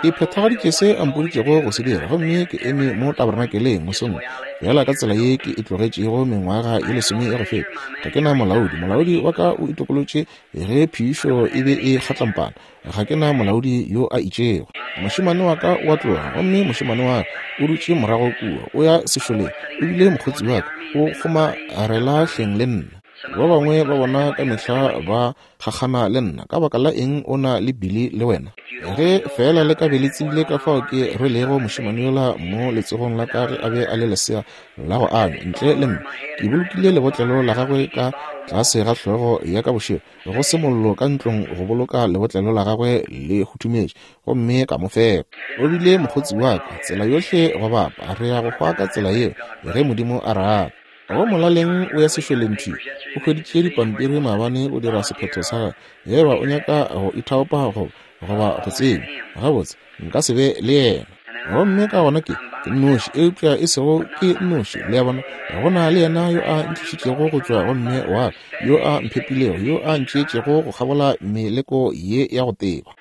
Ke phethagaditše se a mpoditšego go se dira, gomme ke eme mo tabernakeleng mosong bjala ka tsela ye ke e tlogetšego mengwaga ye lesome ya go feta. Ga ke na molaodi. Molaodi wa ka o itokolotše ge phišo e be e kgatlampana. Ga ke na molaodi yo a itšego. Mošemane wa ka o a tloga, gomme mošemane wa ka o dutše morago kua, o ya sešoleng, ebile mokgotsi wa ka o kgomarela hleng le nna. Ba bangwe ba bona ka mehla ba kgakgana le nna. Ka baka la eng o na le Billy le wena? Ge fela le ka be le tsebile ka fao ke rwelego mošemane yola mo letsogong la ka ge a be a le lesea la go anywa ntle le mme. Ke bolokile lebotlelo la gagwe ka tlase ga hlogo ya ka bošego, go se mollo ka ntlong go boloka lebotlelo la gagwe le hutumetše, gomme ka mo fepa. O bile mokgotsi wa ka tsela yohle go bapa. Re ya go hwa ka tsela yeo ge Modimo a rata. Go molaleng o ya sešoleng thwi. O hweditše dipampiri maabane go dira sephetho sa gagwe. Ge eba o nyaka go ithaopa go goba go tseba, gabotse nka se be le yena. Gomme ka gona ke ke nnoši, eupša e sego ke nnoši. Le a bona, go na le yena yo a ntlišitšego go tšwa go mme wa ka, yo a mphepilego, yo a ntšeetšego go kgabola meleko ye ya go teba.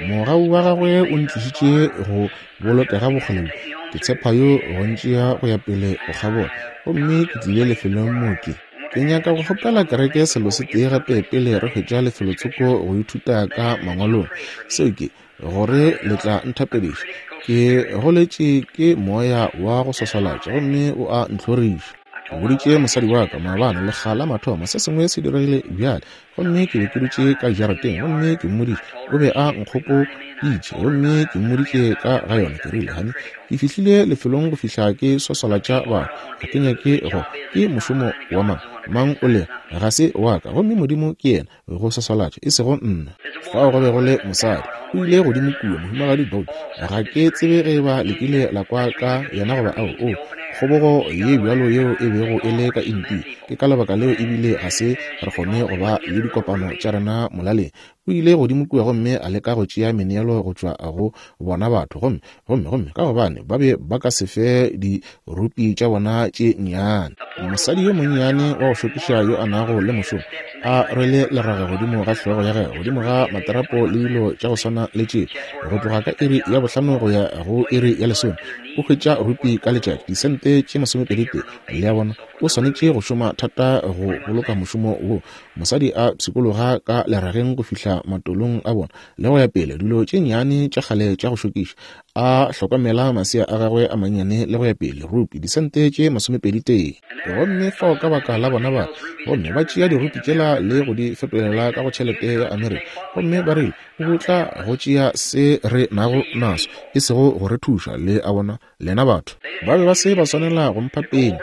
Mogau wa gagwe o ntlišitše go bolokega bokgole. Ke tshepa yo go ntšea go ya pele go kgabola, gomme ke tlile lefelong mo ke. Ke nyaka go kgopela kereke selo se tee gape pele re hwetša lefelotsoko go ithuta ka mangwalong. Seo ke gore le tla nthapediša. Ke goletše ke moya wa go swaswalatša, gomme o a ntlhoriša. Ke boditše mosadi wa ka maabane lekga la mathomo se sengwe se diregile bjale, gomme ke be ke dutše ka jarateng, gomme ke mmoditše. O be a nkgopoditše, gomme ke mmoditše ka ga yona. Ke rile, honey, ke fihlile lefelong go fihla ke swaswalatša batho. Ga ke nyake go, ke mošomo wa mang mang o le ga se wa ka, gomme Modimo ke yena go swaswalatša, e sego nna. Fao go be go le mosadi o ile godimo kua, mohumagadi Bolt. Ga ke tsebe ge ba lekile la kwa ka yena goba ao. O kgobogo ye bjalo yeo e bego e le ka India. Ke ka lebaka leo ebile ga se re kgone go ba le dikopano tša rena molaleng. O ile godimo kua gomme a leka go tšea meneelo go tšwa go bona batho, gomme gomme gomme ka gobane ba be ba ka se fe dirupi tša bona tše nnyane. Mosadi yo monnyane wa go šokiša yo a nago le mošomo a rwele leraga godimo ga hlogo ya gagwe, godimo ga materapo le dilo tša go swana le tše, go tloga ka iri ya bohlano go ya go iri ya lesome, o hwetša rupi ka letšatši, disente tše masomepedi tee. Le a bona, o swanetše go šoma thata go boloka mošomo wo. Mosadi a pshikologa ka lerageng go fihla matolong a bona le go ya pele, dilo tše nnyane tša kgale tša go šokiša, a hlokomela masea a gagwe a mannyane le go ya pele, rupi disente tše masomepedi tee. Gomme fao ka baka la bona ba, gomme ba tšea dirupi tšela le go di fetolela ka go tšhelete ya Amerika, gomme ba rile o tla go tšea se re nago naso, e sego go re thuša. Le a bona, lena batho ba be ba se ba swanela go mpha peni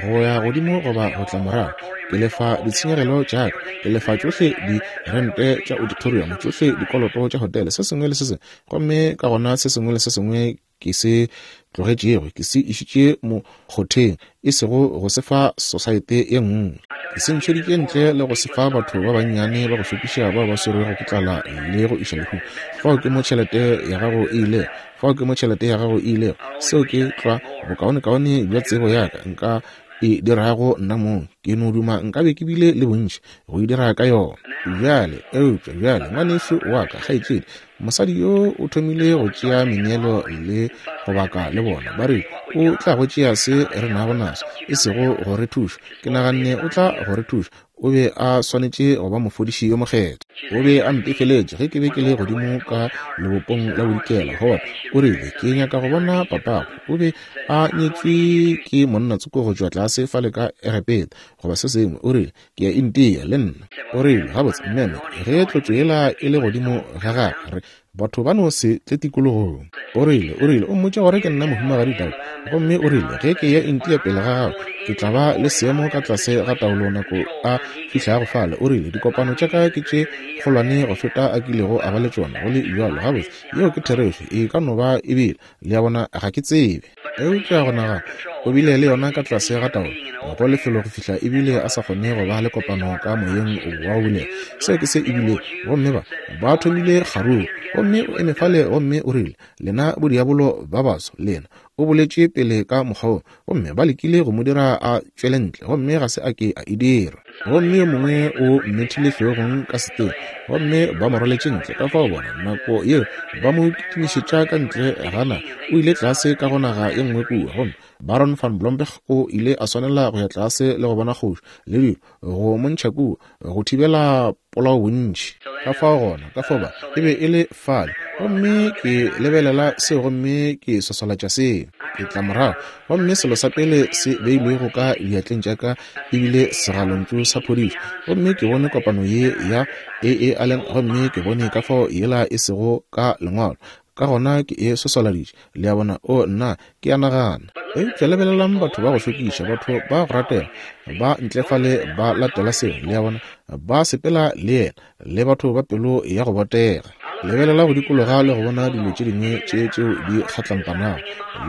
go ya godimo goba go tla morago. Ke lefa ditshenyegelo tša ka, ke lefa tšohle dirente tša auditorium, tšohle dikoloto tša hotele, se sengwe le se sengwe. Gomme ka gona se sengwe le se sengwe ke se tlogetšego ke se išitše mokgotheng, e sego go se fa sosaete ye nngwe. Ke se ntšheditše ntle le go se fa batho ba bannyane ba go šokiša bao ba swerwego ke tlala le go iša lehung. Fao ke mo tšhelete ya gago e ilego, fao ke mo tšhelete ya gago e ilego. Seo ke tlwa bokaonekaone bja tsebo ya ka nka e dirago nna mong. Ke no duma nkabe ke bile le bontši go e dira ka yona bjale. Eupša bjale ngwanešu wa ka, kgaetšedi, mosadi yo o thomile go tšea meneelo le go baka le bona. Ba re o tla go tšea se re nago naso, e sego go re thuša. Ke naganne o tla go re thuša. O be a swanetše go ba mofodiši yo mokgethwa. O be a mpefeletše ge ke be ke le godimo ka lebopong la bodikela. Howard o rile, ke nyaka go bona papago. O be a nyetšwe ke monna tsoko go tšwa tlase fale ka Egepeta goba se sengwe. O rile, ke ya India le nna. O rile, gabotse mmeme, ge tlotšo yela e le godimo ga gagwe, re batho ba no se tle tikologong. O rile, o rile, o mmotša gore ke nna mohumagadi Daud. Gomme o rile, ge ke ya India pele ga gago, ke tla ba le seemo ka tlase ga taolo nako a fihlago fale. O rile, dikopano tša ka ke tše kgolwane go feta a kilego a ba le tšona. Go le bjalo, gabotse, yeo ke therešo, e ka no ba e bile. Le a bona, ga ke tsebe. Eupša go nagana, o bile le yona ka tlase ga taolo go lefelo go fihla ebile a sa kgone go ba le kopano ka moyeng wa go bulega. Seo ke se ebile. Gomme ba ba thomile kgaruru, gomme o eme fale gomme o rile, lena bodiabolo ba baso, lena. O boletše pele ka mokgwa wo, gomme ba lekile go mo dira a tšwele ntle, gomme ga se a ke a e dira. Gomme yo mongwe o mmethile hlogong ka seteng, gomme ba mo roletše ntle. Ka fao bona nako yeo ba mo kitimišetša ka ntle gana, o ile tlase ka go naga ye nngwe kua. Gomme Baron van Blomberg o ile a swanela go ya tlase le go bona kgoši le dilo go mo ntšha kua go thibela polao bontši. Ka fao gona, ka fao ba e be e le fale, gomme ke lebelela seo gomme ke swaswalatša seo. Ke tla morago, gomme selo sa pele se beilwego ka diatleng tša ka ebile segalontšu sa phodišo. Gomme ke bone kopano ye ya A A Allen, gomme ke bone ka fao yela e sego ka lengwalo. Ka gona ke e swaswaladitše. Le a bona? O nna, ke a nagana. Eupša lebelelang batho ba go šokiša, batho ba go ratega, ba ntle fale ba latela seo. Le a bona? Ba sepela le yena, le batho ba pelo ya go botega. Lebelela go dikologa le go bona dilo tše dingwe tše tšeo di kgatlampanago,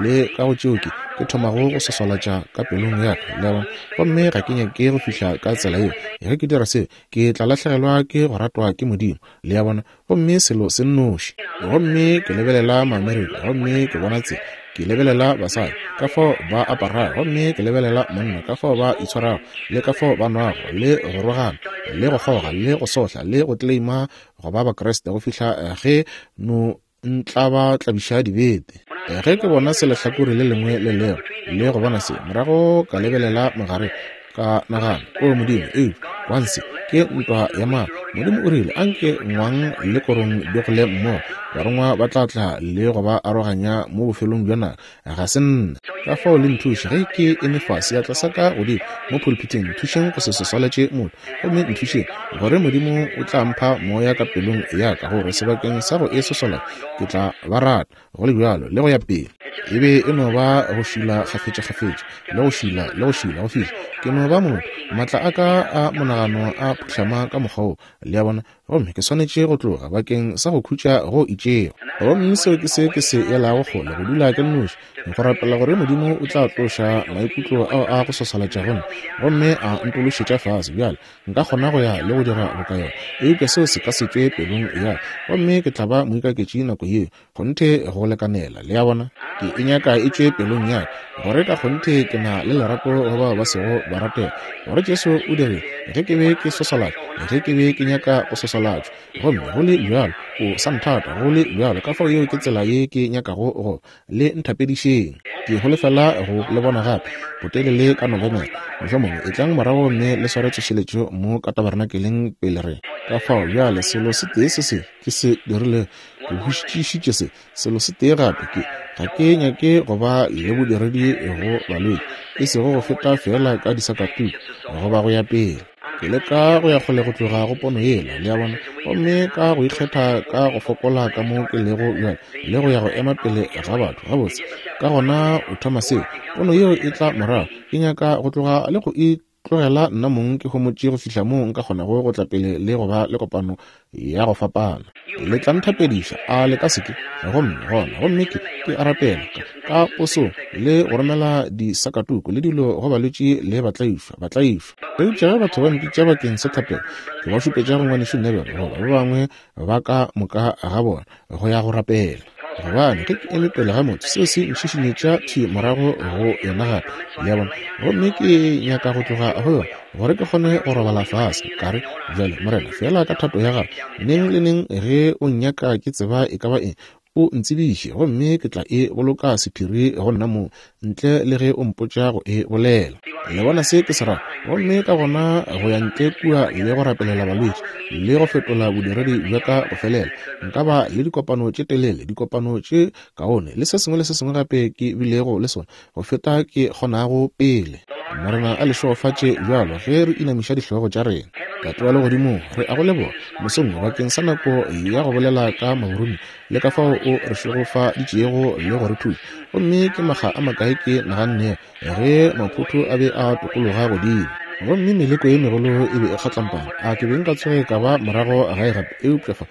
le ka go tšeo ke ke thomago go swaswalatša ka pelong ya ka. Le a bona? Gomme ga ke nyake go fihla ka tsela yeo. Ge ke dira seo, ke tla lahlegelwa ke go ratwa ke Modimo. Le a bona? Gomme selo se nnoši. Gomme ke lebelela Maamerika, gomme ke bona tsela. Ke lebelela basadi, ka fao ba aparago, gomme ke lebelela monna, ka fao ba itshwarago, le ka fao ba nwago, le go rogana, le go kgoga, le go sohla, le go tleleima go ba Bakriste go fihla ge no ntla ba tlabiša dibete. Ge ke bona se lehlakore le lengwe le leo, le go bona se, morago ka lebelela mogare, ka nagana, o Modimo, eupša kwanse ke ntwa ya maatla. Modimo o rile, anke ngwang le korong di gole mmogo, barongwa ba tla tla le go ba aroganya mo bofelong bja naga. Ga se nna. Ka fao le nthuše ge ke eme fase, seatla sa ka godimo mo pulpiteng, nthušeng go se swaswalatše motho, gomme nthušeng gore Modimo o tla mpha moya ka pelong ya ka, gore sebakeng sa go e swaswalatša ke tla ba rata go le bjalo le go ya pele. E be e no ba go šila kgafetša-kgafetša, le go šila le go šila go fihla ke no ba motho. Maatla a ka a monagano a phuhlama ka mokgwa wo. Le a bona? Gomme ke swanetše go tloga bakeng sa go khutša go itšego. Gomme seo ke se ke se elago kgole, go dula ke nnoši, go rapela gore Modimo o tla tloša maikutlo ao a go swaswalatša go nna, gomme a ntološetša fase. Bjale nka kgona go ya le go dira boka yona, eupša seo se ka se tšwe pelong ya ka, gomme ke tla ba moikaketši nako yeo, kgonthe go lekanela. Le a bona? Ke e nyaka e tšwe pelong ya ka, gore ka kgonthe ke na le lerato go bao ba sego ba ratega, gore Jesu o dirile ge ke be ke swaswalatšwa, ge ke be ke nyaka go swaswalatšwa, gomme go le bjalo o sa nthata go le bjalo. Ka fao yeo ke tsela ye ke nyakago go le nthapedišeng. Ke holofela go le bona gape botelele ka Nofemere, mohlomongwe e tlang morago mme le sware tsošeletšo mo ka tabernakeleng pele re. Ka fao bjale selo se tee se se ke se dirile, ke hwetšišitše se selo se tee gape, ke ga ke nyake go ba le bodiredi go balwetši, e sego go feta feela ka disakatuku goba go ya pele. Ke leka go ya kgole go tloga go pono yela, le a bona, gomme ka go ikgetha ka go fokola ka mo ke lego bjale, le go ya go ema pele ga batho gabotse. Ka gona o thoma seo, pono yeo e tla morago. Ke nyaka go tloga le go itlogela nna mong ke homotše go fihla moo nka kgonago go tla pele le go ba le kopano ya go fapana. Le tla nthapediša, a le ka se ke? Gomme gona, gomme ke ke a rapela ka, ka posong le go romela disakatuku le dilo go balwetši le batlaišwa, batlaišwa. Eupša ge batho ba mpitša bakeng sa thapelo, ke ba šupetša go ngwanešu Neville goba ba bangwe ba ka moka ga bona go ya go rapela. Gobane ge ke eme pele ga motho, seo se ntšhišinyetša thwi morago go yona gape. Le a bona? Gomme ke nyaka go tloga go yona gore ke kgone go robala fase. Ka re, bjale Morena, feela ka thato ya gago, neng le neng ge o nnyaka ke tseba e ka ba eng, o ntsebiše, gomme ke tla e boloka sephiri go nna mo, ntle le ge o mpotša go e bolela. Le bona se ke se rago? Gomme ka gona go ya ntle kua le go rapelela balwetši le go fetola bodiredi bja ka go felela. Nka ba le dikopano tše telele, dikopano tše kaone, le se sengwe le se sengwe gape ke bilego le sona go feta ke kgonago pele. Morena a le šegofatše bjalo ge re inamiša dihlogo tša rena. Tate wa legodimong, re a go leboga mosong bakeng sa nako ya go bolela ka maurumi le ka fao o re šegofaditšego le go re thuša. Gomme ke makga a makae ke naganne ge maphuthu a be a tokologa godimo, gomme meleko ye megolo e be e kgatlampana, a ke be nka tsoge ka ba morago gae gape? Eupša fa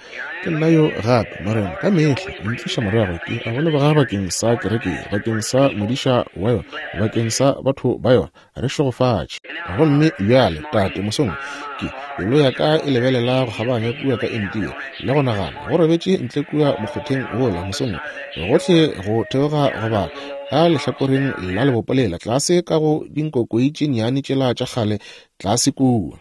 ke nna yo gape, Morena, ka mehla o ntliša morago. Ke a go leboga bakeng sa kereke, bakeng sa modiša wa yona, bakeng sa batho ba yona. Re šegofatše. Gomme bjale, Tate, mosong ke pelo ya ka e lebelela go kgabaganya kua ka India le go nagana go robetše ntle kua mokgotheng wola mosong, gohle go theoga go bala. ka lehlakoreng la lebopo lela, tlase ka go dinkokoi tše nnyane tšela tša kgale tlase kua.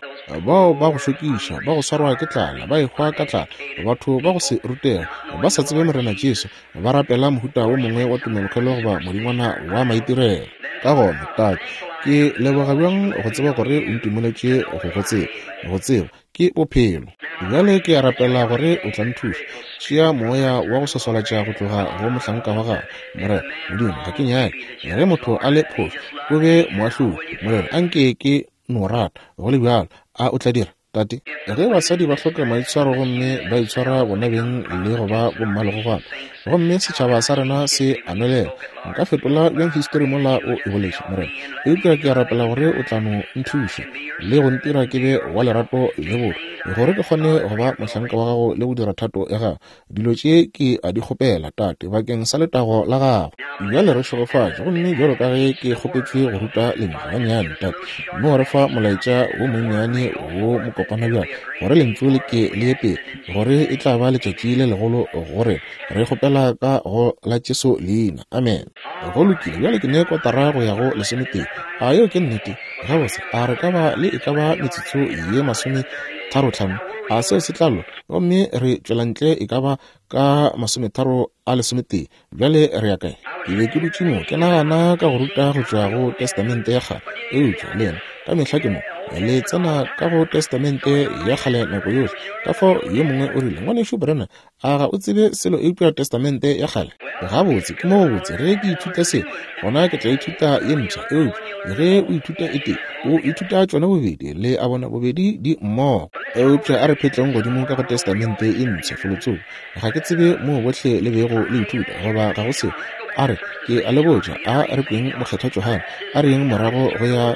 Bao ba go šokiša, ba go swarwa ke tlala, ba ehwa ka tlala, batho ba go se rutega, ba sa tsebe Morena Jesu, ba rapela mohuta wo mongwe wa tumelokhwelo goba modingwana wa maitirelo. Ka gona, Tate, ke leboga bjang go tseba gore o ntumeletše go go tseba, go tseba ke bophelo. Bjale ke a rapela gore o tla nthuša. Tšea moya wa go swaswalatša go tloga go mohlanka wa gago, Morena Modimo. Ga ke nyake ge motho a le phošo, o be moahlodi, Morena. Anke ke no rata go le bjalo. A o tla dira, Tate? Ge basadi ba hloka maitshwaro gomme ba itshwara bona beng le go ba bommalegogwana, gomme setšhaba sa rena se a nwelela, nka fetola bjang histori mola o e boletše, Morena? Eupša ke a rapela gore o tla no nthuša le go ntira ke be wa lerato le botho, gore ke kgone go ba mohlanka wa gago le go dira thato ya gago. Dilo tše ke a di kgopela, Tate, bakeng sa letago la gago. Bjale re šegofatše, gomme bjalo ka ge ke kgopetšwe go ruta lentšu gannyane, Tate, no re fa molaetša wo monnyane wo mokopana bjale, gore lentšu le ke le ye pele, gore e tla ba letšatši le legolo go rena. Re kgopela ka go la Jesu leina. Amen. Go lokile, bjale ke ne kotara go ya go lesometee. A yeo ke nnete? Gabotse, a re ka ba le e ka ba metsotso ye masome tharo tlhano? A seo se tla loka? Gomme re tšwela ntle e ka ba ka masometharo a lesometee. Bjale re ya kae? Ke be ke dutše mo ke nagana ka go ruta go tšwa go Testamente ya Kgale, eupša le yena ka mehla ke mo le tsena ka go Testamente ya Kgale nako yohle. Ka fao yo mongwe o rile, Ngwanešu Branham, a ga o tsebe selo eupša Testamente ya Kgale? Gabotse, ke mo botse ge ke ithuta se, gona ke tla ithuta ye mpsha. Eupša ge o ithuta e tee, o ithuta tšona bobedi, le a bona, bobedi di mmogo. Eupša a re phetleng godimo ka go Testamente e mpsha felotsoko. Ga ke tsebe moo bohle le bego le ithuta, goba ga go seo. A re, ke a le botša, a re kweng Mokgethwa Johane, a re yeng morago go ya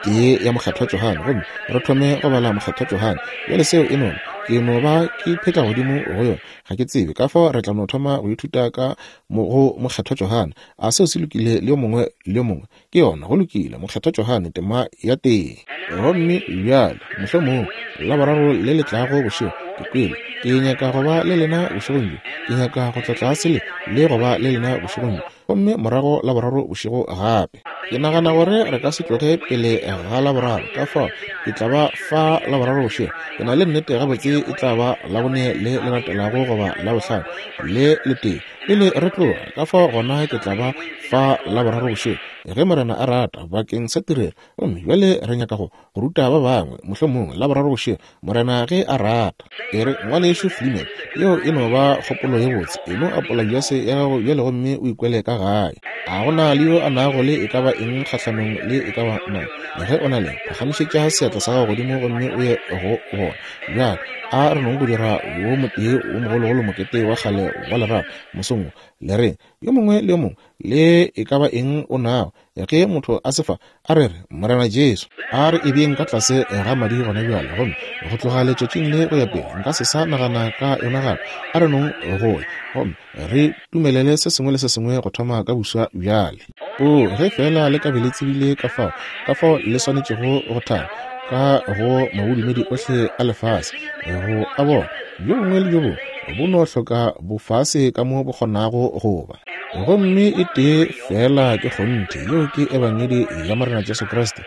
tee ya Mokgethwa Johane, gomme re thome go bala Mokgethwa Johane. Bjale seo e nona, ke no ba ke phetla godimo go yona, ga ke tsebe. Ka fao re tla no thoma go ithuta ka mo go Mokgethwa Johane. A seo se lokile le yo mongwe le yo mongwe? Ke yona, go lokile. Mokgethwa Johane, tema ya tee. Gomme bjale, mohlomongwe Laboraro le le tlago bošego, ke kwele ke nyaka go ba le lena bošegong bjo. Ke nyaka go tla tlase le le go ba le lena bošegong bjo, gomme morago Laboraro bošego gape. Ke nagana gore re ka se tloge pele ga Laboraro, ka fao ke tla ba fa Laboraro bošego. Ke na le nnete gabotse e tla ba Labone le le latelago goba Labohlano le letee pele re tloga. Ka fao gona ke tla ba fa Laboraro bošego, ge Morena a rata, bakeng sa tirelo. Gomme bjale re nyaka go go ruta ba bangwe, mohlomongwe Laboraro bošego, Morena ge a rata. E re, Ngwanešu Fleeman, yeo e no ba kgopolo ye botse. E no apola jase ya gago bjale gomme o ikwele ka gae. A go na le yo a nago le e ka ba eng kgahlanong le e ka ba mang? Ge o na le, phagamišetša seatla sa gago godimo gomme o ye go bona. Bjale a re nong go dira wo motee wo mogologolo mokete wa kgale wa lerato mosong wo. Le reng yo mongwe le yo mongwe le e ka ba eng o nago, ge motho a se fa, a re re, Morena Jesu, a re e beeng ka tlase ga madi gona bjale, gomme go tloga letšatšing le go ya pele nka se sa nagana ka yona gape. A re nong go ya, gomme re tumelele se sengwe le se sengwe go thoma ka buswa bjale. O ge fela le ka be le tsebile ka fao, ka fao le swanetšego go thaba ka go mabodumedi ohle a lefase, go a bona bjo bongwe le bjo bongwe bo no hloka bofase ka mo bo kgonago go ba. Gomme e tee fela ke kgonthe, yeo ke Ebangedi ya Morena Jesu Kriste,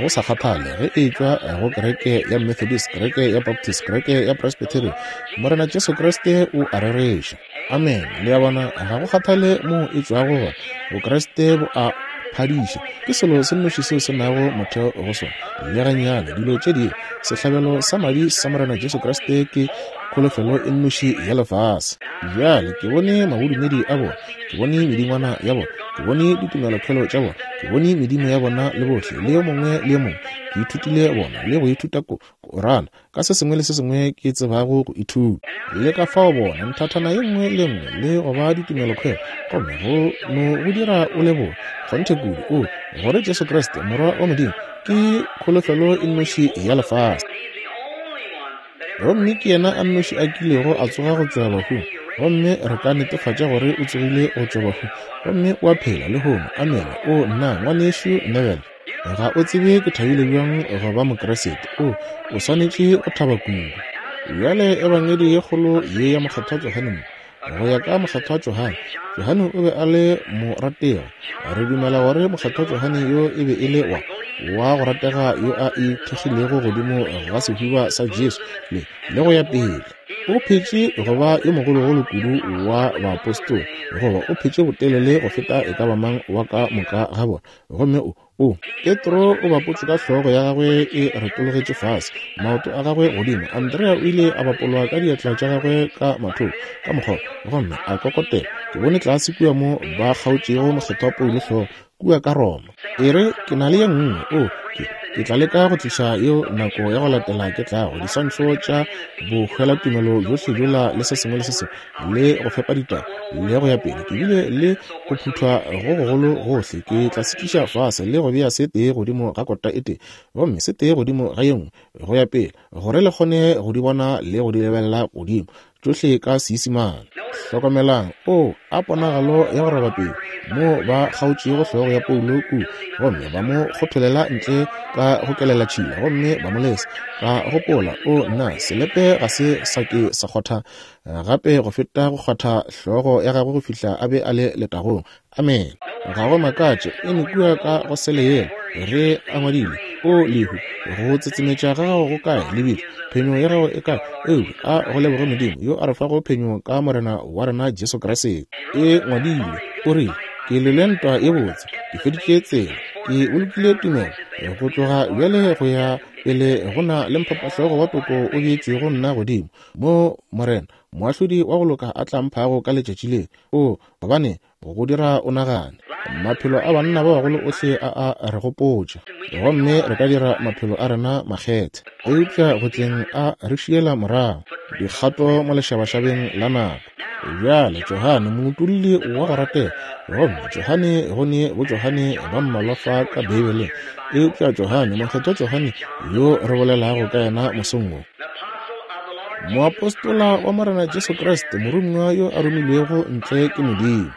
go sa kgathale ge e tšwa go kereke ya Methodist, kereke ya Baptist, kereke ya Presbyterian, Morena Jesu Kriste o a rereša. Amen. Le a bona, ga go kgathale mo e tšwago gona, Bokriste bo a phadiša. Ke selo se nnoši seo se nago motheo go sona. Le gannyane dilo tše dingwe, sehlabelo sa madi sa Morena Jesu Kriste ke kholofelo e nnoši ya lefase. Bjale ke bone mabodumedi a bona, ke bone medingwana ya bona, ke bone ditumelokhwelo tša bona, ke bone medimo ya bona le bohle, le yo mongwe le yo mongwe. Ke ithutile bona le go ithuta Korana ka se sengwe le se sengwe ke tsebago go ithuta. Le ka fao bona nthathana ye nngwe le nngwe le go ba ditumelokhwelo, gomme go no go dira o leboge kgonthe kudu o gore Jesu Kriste Morwa wa Modimo ke kholofelo e nnoši ya lefase. Gomme ke yena a nnoši a kilego a tsoga go tšwa bahung, gomme re ka netefatša gore o tsogile go tšwa bahung, gomme o a phela lehono. Amen. O nna, Ngwanešu Neville, ga o tsebe ke thabile bjang go ba Mokriste. O o swanetše go thaba kudu. Bjale Ebangedi ye kgolo ye ya Mokgethwa Johane mo, Go ya ka Mokgethwa Johane, Johane o be a le morategi. Re dumela gore Mokgethwa Johane yo e be e le wa wa go ratega yo a ithekgilego godimo ga sehuba sa Jesu le le go ya pele. O phetše go ba yo mogologolo kudu wa baapostola, goba o phetše botelele go feta e ka ba mang wa ka moka ga bona. Gomme o o Petro o bapotšwe ka hlogo ya gagwe e retologetše fase, maoto a gagwe godimo. Andrea o ile a bapolwa ka diatla tša gagwe ka mathoko ka mokgwa, gomme a kokotela. Ke bone tlase kua mo ba kgaotšego Mokgethwa Paulo hlogo kua ka Roma. E re ke na le ye nngwe, o ke ke tla leka go tliša yeo nako ya go latela ke tlago, diswantšho tša bohwelatumelo bjohle bjola le se sengwe le se sengwe, le go fepa ditaba le go ya pele. Ke bile le go phuthwa go gogolo gohle. Ke tla se tliša fase le go bea se tee godimo ga kota e tee, gomme se tee godimo ga ye nngwe, go ya pele, gore le kgone go di bona le go di lebelela godimo tšohle ka Seisemane. Hlokomelang, o a ponagalo ya go roba pelo mo ba kgaotšego hlogo ya Paulo kua, gomme ba mo kgotholela ntle ka go kelela tšhila, gomme ba mo lesa. Ka gopola, o nna, selepe ga se sa ke sa kgotha gape go feta go kgwatha hlogo ya gagwe go fihla a be a le letagong. Amen. Ga go makatše e kua ka go sele yela ge a ngwadile, o lehu, go tsetsemetša ga gago go kae, lebitla, phenyo ya gago e kae? Eupša a go leboge Modimo yo a re fago phenyo ka Morena wa rena Jesu Kriste. E ngwadile, o rile, ke lwele ntwa ye botse, ke feditše tsela, ke bolokile tumelo. Go tloga bjale go ya pele go na le mphapahlogo wa toko o beetšwego nna godimo, mo Morena moahlodi wa go loka a tla mphago ka letšatši le. O gobane go dira o nagane. Maphelo a banna ba bagolo ohle a a re gopotša, gomme re ka dira maphelo a rena makgethe, eupša go tleng a re šiela morago dikgato mo lešabašabeng la nako. Bjale Johane moutulli wa go ratega, gomme Johane go ne bo Johane ba mmalwa fa ka Beibeleng, eupša Johane Mokgethwa Johane yo re bolelago ka yena mosong wo, moapostola wa Morena Jesu Kriste, moromiwa yo a romilwego ntle ke Modimo.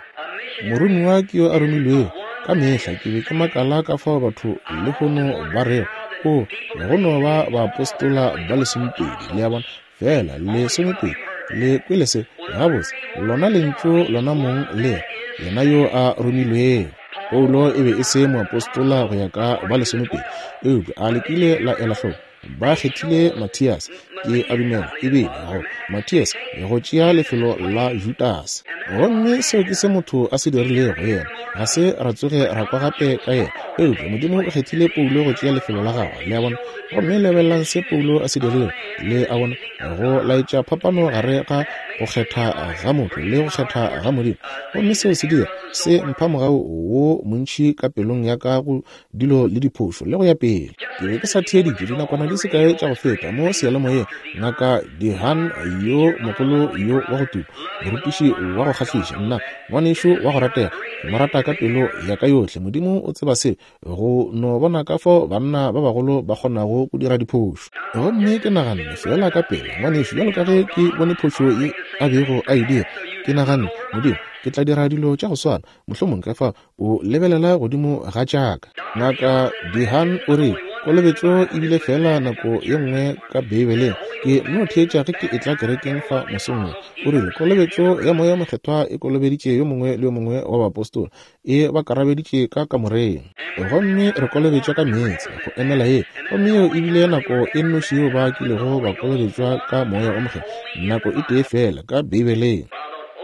Moromiwa ke yo a romilwego. Ka mehla ke be ke makala ka fao batho lehono ba rego, o go no ba baapostola ba lesomepedi, le a bona, fela lesomepedi. Le kwele se gabotse, lona lentšu lona mong le yena yo a romilwego. Paulo e be e se moapostola go ya ka ba lesomepedi, eupša a lekile la ela hloko. Ba kgethile Mathias, ke a dumela ebile go Mathias go tšea lefelo la Judas. Gomme seo ke se motho a se dirilego yena, ga se ra tsoge ra kwa gape ka yena, eupša Modimo o kgethile Paulo go tšea lefelo la gagwe, le a bona. Gomme lebelelang se Paulo a se dirilego, le a bona, go laetša phapano gare ga go kgetha ga motho le go kgetha ga Modimo. Gomme seo se dira se mpha mogau wo montši ka pelong ya ka go dilo le diphošo le go ya pele. Ke be ke sa theeditše dinakwana di se kae tša go feta mo seyalemoyeng, Ngaka Dehan yo mogolo yo wa go tuma, morutiši wa go kgahliša, nna ngwanešo wa go ratega, ke mo rata ka pelo ya ka yohle. Modimo o tseba se, go no bona ka fao banna ba bagolo ba kgonago go dira diphošo. Gomme ke naganne fela ka pele, ngwanešo, bjalo ka ge ke bone phošo ye a bego a e dira, ke naganne, Modimo, ke tla dira dilo tša go swana, mohlomong ka fa o lebelela godimo ga tšaka. Ngaka Dehan o re kolobetšo e bile fela nako ye nngwe ka Beibeleng. Ke no theetša ge ke etla kerekeng fa mosong wo. O rile kolobetšo ya Moya Mokgethwa e kolobeditše yo mongwe le yo mongwe wa baapostola, e ba karabeditše ka kamoreng, gomme re kolobetšwa ka meetse go emela ye. Gomme yeo e bile nako e nnoši yeo ba kilego ba kolobetšwa ka Moya o Mokgethwa, nako e tee fela ka Beibeleng.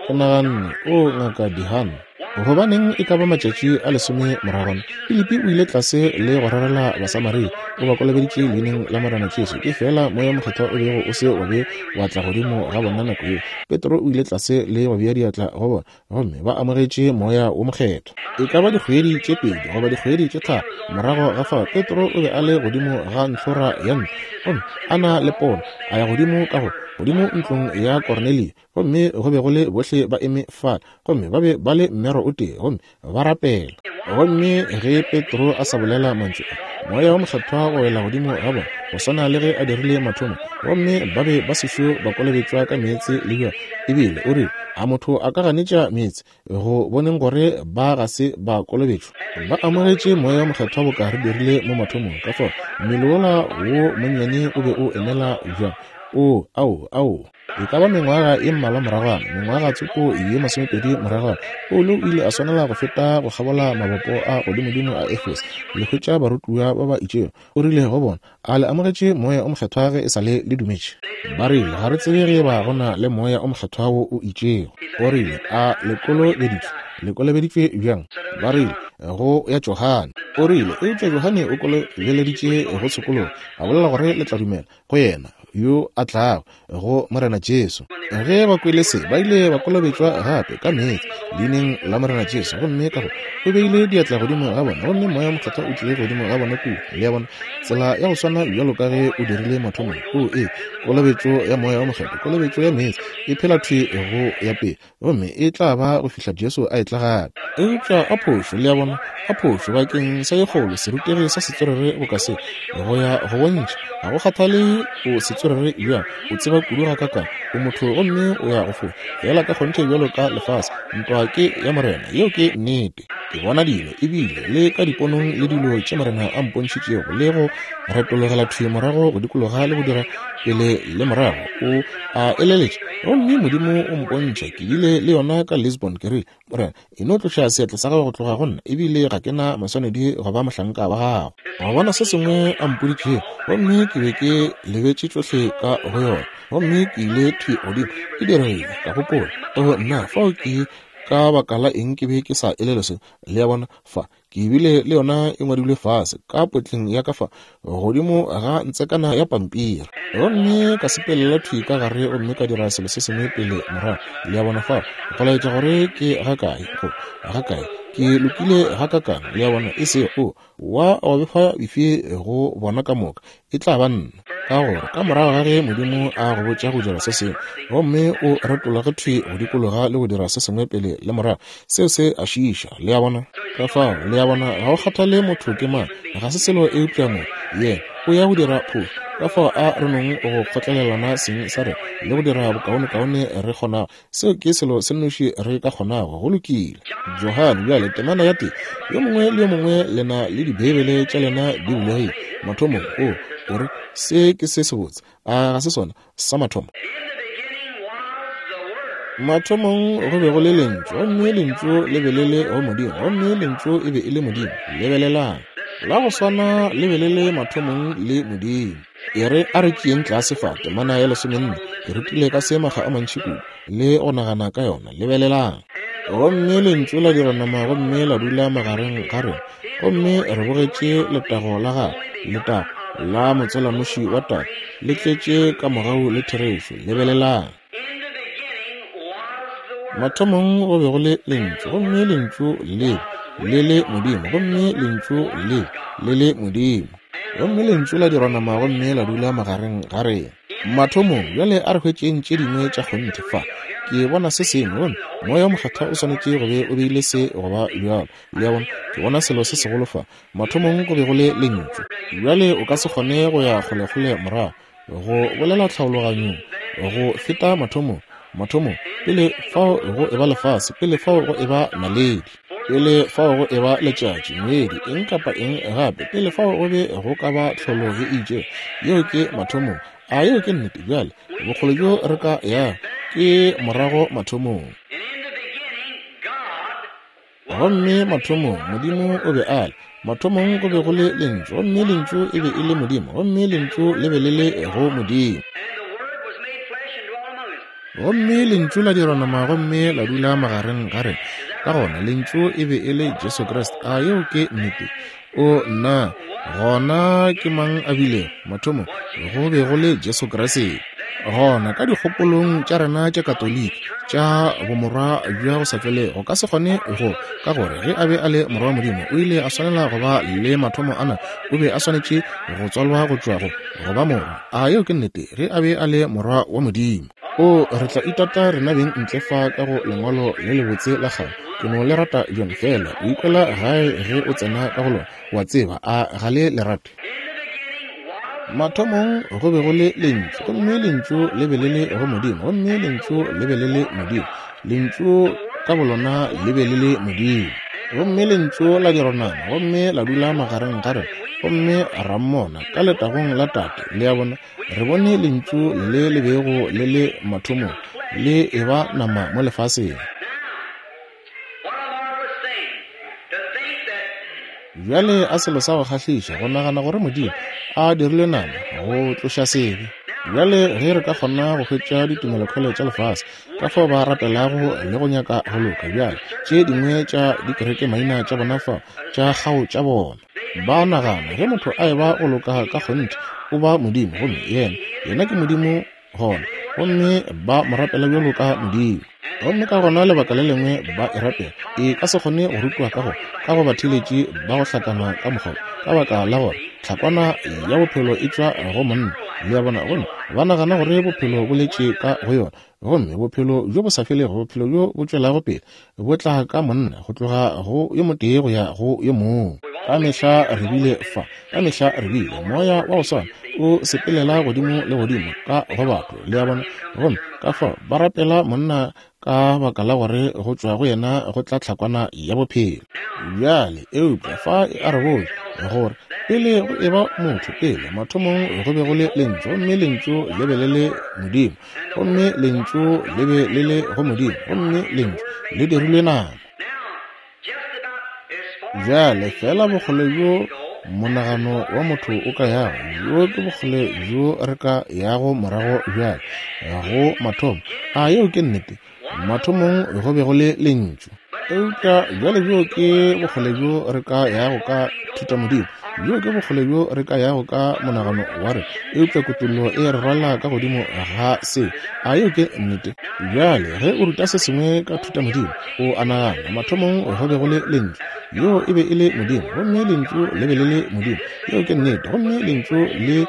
Ke naganne, o Ngaka Dehan, gobaneng e ka ba matšatši a lesome moragwana, Filipi o ile tlase le go rerela Basamaria, o ba kolobeditše leineng la Morena Jesu. Ke fela Moya Mokgethwa o bego o se wa be wa tla godimo ga bona nako yeo. Petro o ile tlase le go bea diatla go bona, gomme ba amogetše Moya wo Mokgethwa. E ka ba dikgwedi tše pedi goba dikgwedi tše tharo morago ga fao, Petro o be a le godimo ga ntlhora ya ntlo, gomme a na le pono, a ya godimo ka go godimo ntlong ya Kornelio, gomme go be go le bohle ba eme fale, gomme ba be ba le mmero o tee, gomme ba rapela. Gomme ge Petro a sa bolela mantšu a, Moya wo Mokgethwa wa wela godimo ga bona, go swana le ge a dirile mathomo, gomme ba be ba sešo ba kolobetšwa ka meetse le bjona. Ebile o rile, a motho a ka ganetša meetse go boneng gore ba ga se ba kolobetšwa? Ba amogetše Moya wo Mokgethwa boka re dirile mo mathomong. Ka fao mmele wola wo monnyane o be o emela bjang? O, ao, ao. E ka ba mengwaga e mmalwa moragwana, mengwaga tsoko ye masomepedi moragwana, Paulo o ile a swanela go feta go kgabola mabopo a godimodimo a Efeso le hwetša barutiwa ba ba itšego. O rile go bona, a le amogetše Moya o Mokgethwa ge e sa le le dumetše? Ba rile, ga re tsebe ge ba go na le Moya o Mokgethwa wo o itšego. O rile, a le kolobeditšwe? Le kolobeditšwe bjang? Ba rile, go ya Johane. O rile, eupša Johane o kolobeleditše go tshokologo, a bolela gore le tla dumela go yena yo a tlago, go Morena Jesu. Ge ba kwele se, ba ile ba kolobetšwa gape ka meetse leineng la Morena Jesu, gomme ka go o beile diatla godimo ga bona, gomme Moya Mokgethwa o tlile godimo ga bona kua. Le a bona, tsela ya go swana bjalo ka ge o dirile mathomong. O e kolobetšo ya Moya o Mokgethwa, kolobetšo ya meetse e phela thwi go ya pele, gomme e tla ba go fihla Jesu a etla gape. Eupša a phošo, le a bona, a phošo bakeng sa ye kgolo, serutegi sa setswerere boka se, go ya go bontšha, ga go kgathale o setswerere bjang, o tseba kudu ga kakang, o motho gomme o ya go fo fela ka kgonthe bjalo ka lefase. Ntwa ke ya Morena, yeo ke nnete. Ke bona dilo ebile le ka diponong le dilo tše Morena a mpontšhitšego, le go retologela thwi morago go dikologa le go dira pele le morago. O a eleletša, gomme Modimo o mpontšha. Ke bile le yona ka Lisbon, ke rile, Morena, e no tloša seatla sa gago go tloga go nna, ebile ga ke na maswanedi go ba mohlanka wa gago. Go bona se sengwe a mpoditšego, gomme ke be ke lebetše tšohle ka go yona, gomme ke ile thwi godimo ke diregile. Ka gopola, o nna, fao ke ka baka la eng ke be ke sa elele se? Le a bona, fa ke bile le yona e ngwadilwe fase ka potleng ya ka fa godimo ga ntsekana ya pampiri, gomme ka sepelela thwi ka gare gomme ka dira selo se sengwe pele morago. Le a bona, fa go laetša gore ke ga kae, go ga kae ke lokile ga kakang. Le a bona, e se o wa wa befa bife go bona ka moka, e tla ba nna. Ka gore ka morago ga ge Modimo a go botša go dira se sengwe, gomme o retologe thwi go dikologa le go dira se sengwe pele le morago, seo se a šiiša. Le a bona, ka fao, le a bona, ga o kgathale motho ke mang, ga se selo eupša mo yena o ya go dira phošo. Ka fao a re nong go kgotlelelana seng sa rena le go dira bokaonekaone re kgonago. Seo ke selo se nnoši re ka kgonago. Go lokile. Johane bjale temana ya tee, yo mongwe le yo mongwe le na le dibeibele tša lena di bulegile. Mathomong o o re se ke se sebotse, a ga se sona sa mathomo? Mathomong go be go le Lentšu, gomme Lentšu le be le le go Modimo, gomme Lentšu e be e le Modimo. Lebelelang, la go swana le be le le mathomong le Modimo. E re a re tšeeng tlase fa temana ya lesomenne. Ke rutile ka se makga a mantši kudu le go nagana ka yona. Lebelelang, gomme Lentšu la dira nama gomme la dula magareng ga rena, gomme re bogetše letago la gagwe, letago la motswalanoši wa Tate, le tletše ka mogau le therešo. Lebelelang, mathomong go be go le Lentšu, gomme Lentšu le le le Modimo, gomme Lentšu le le le Modimo, gomme Lentšu la dirwa nama gomme la dula magareng ga rena. Mathomong bjale a re hwetšeng tše dingwe tša kgonthe fa. Ke bona se sengwe, gomme Moya o Mokgethwa o swanetše go be o beile se go ba bjalo. Le a bona, ke bona selo se segolo fa. Mathomong go be go le Lentšu. Bjale o ka se kgone go ya kgolekgole morago go bolela tlhaologanyong go feta mathomong. Mathomong pele fao go eba lefase, pele fao go eba naledi, pele fao go eba letšatši, ngwedi, eng kapa eng gape, pele fao go be go ka ba tlholo ye itšego. Yeo ke mathomong. A yeo ke nnete? Bjale bokgole bjo re ka ya ke morago mathomong. Gomme mathomong Modimo o be a le. Mathomong go be go le Lentšu, gomme Lentšu e be e le Modimo, gomme Lentšu le be le le go Modimo. Gomme Lentšu la dirwa nama gomme la dula magareng ga rena. Ka gona Lentšu e be e le Jesu Kriste. A yeo ke nnete? O nna, gona ke mang a bilego? Mathomong go be go le Jesu Kriste. Gona ka dikgopolong tša rena tša Katoliki tša bomorwa bja go sa felego, go ka se kgone go, ka gore ge a be a le morwa wa Modimo, o ile a swanela go ba le mathomo ana, o be a swanetše go tswalwa go tšwa go go ba morwa. A yeo ke nnete? Ge a be a le morwa wa Modimo. O re tla itata rena beng ntle fa ka go lengwalo le lebotse la kgale. Ke no le rata bjang fela, o ikwela gae ge o tsena ka go lona, wa tseba, a ga le le rate? Mathomong go be go le Lentšu, gomme Lentšu le be le le go Modimo, gomme Lentšu le be le le Modimo. Lentšu ka bolona le be le le Modimo. Gomme Lentšu la dirwa nama gomme la dula magareng ga rena, gomme ra mmona ka letagong la Tate. Le a bona, re bone lentšu le le bego le le mathomong le eba nama mo lefaseng. Bjale a selo sa go kgahliša go nagana gore Modimo a dirile nama go tloša sebe. Bjale ge re ka kgona go hwetša ditumelokhwele tša lefase ka fao ba rapelago le go nyaka go loka, bjale tše dingwe tša dikereke maina tša bona fa tša kgao tša bona, ba nagana ge motho a eba go loka ka kgonthe o ba Modimo, gomme yena yena ke Modimo gona, gomme ba mo rapela bjalo ka Modimo. Gomme ka gona lebaka le lengwe ba e rapela e ka se kgone go rutwa ka go ka go batheeletši ba go hlakana ka mokgwa, ka baka la gore tlhakwana ya bophelo e tšwa go monna. Le a bona, gomme ba nagana gore bophelo bo letše ka go yona, gomme bophelo bjo bo sa felego, bophelo bjo bo tšwelago pele bo tla ka monna go tloga go yo motee go ya go yo mongwe. Ka mehla re bile fa, ka mehla re bile moya wa go swana o sepelela godimo le godimo ka go batho. Le a bona, gomme ka fao ba rapela monna ka baka la gore go tšwa go yena go tla tlhakwana ya bophelo. Bjale eupša fa a re botša gore pele go eba motho, pele mathomong go be go le lentšu, gomme lentšu le be le le Modimo, gomme lentšu le be le le go Modimo, gomme lentšu le dirilwe nama. Bjale fela bokgole bjo monagano wa motho o ka yago, bjo ke bokgole bjo re ka yago morago bjale go mathomo. A yeo ke nnete? Mathomong go be go le lentšu. Eupša bjale bjo ke bokgole bjo re ka yago ka thutamodimo, bjo ke bokgole bjo re ka yago ka monagano wa re, eupša kutollo e re rwala ka godimo ga se. A yeo ke nnete? Bjale ge o ruta se sengwe ka thutamodimo, o a nagana mathomong go be go le lentšu, yo e be e le Modimo, gomme lentšu le be le le Modimo. Yeo ke nnete. Gomme lentšu le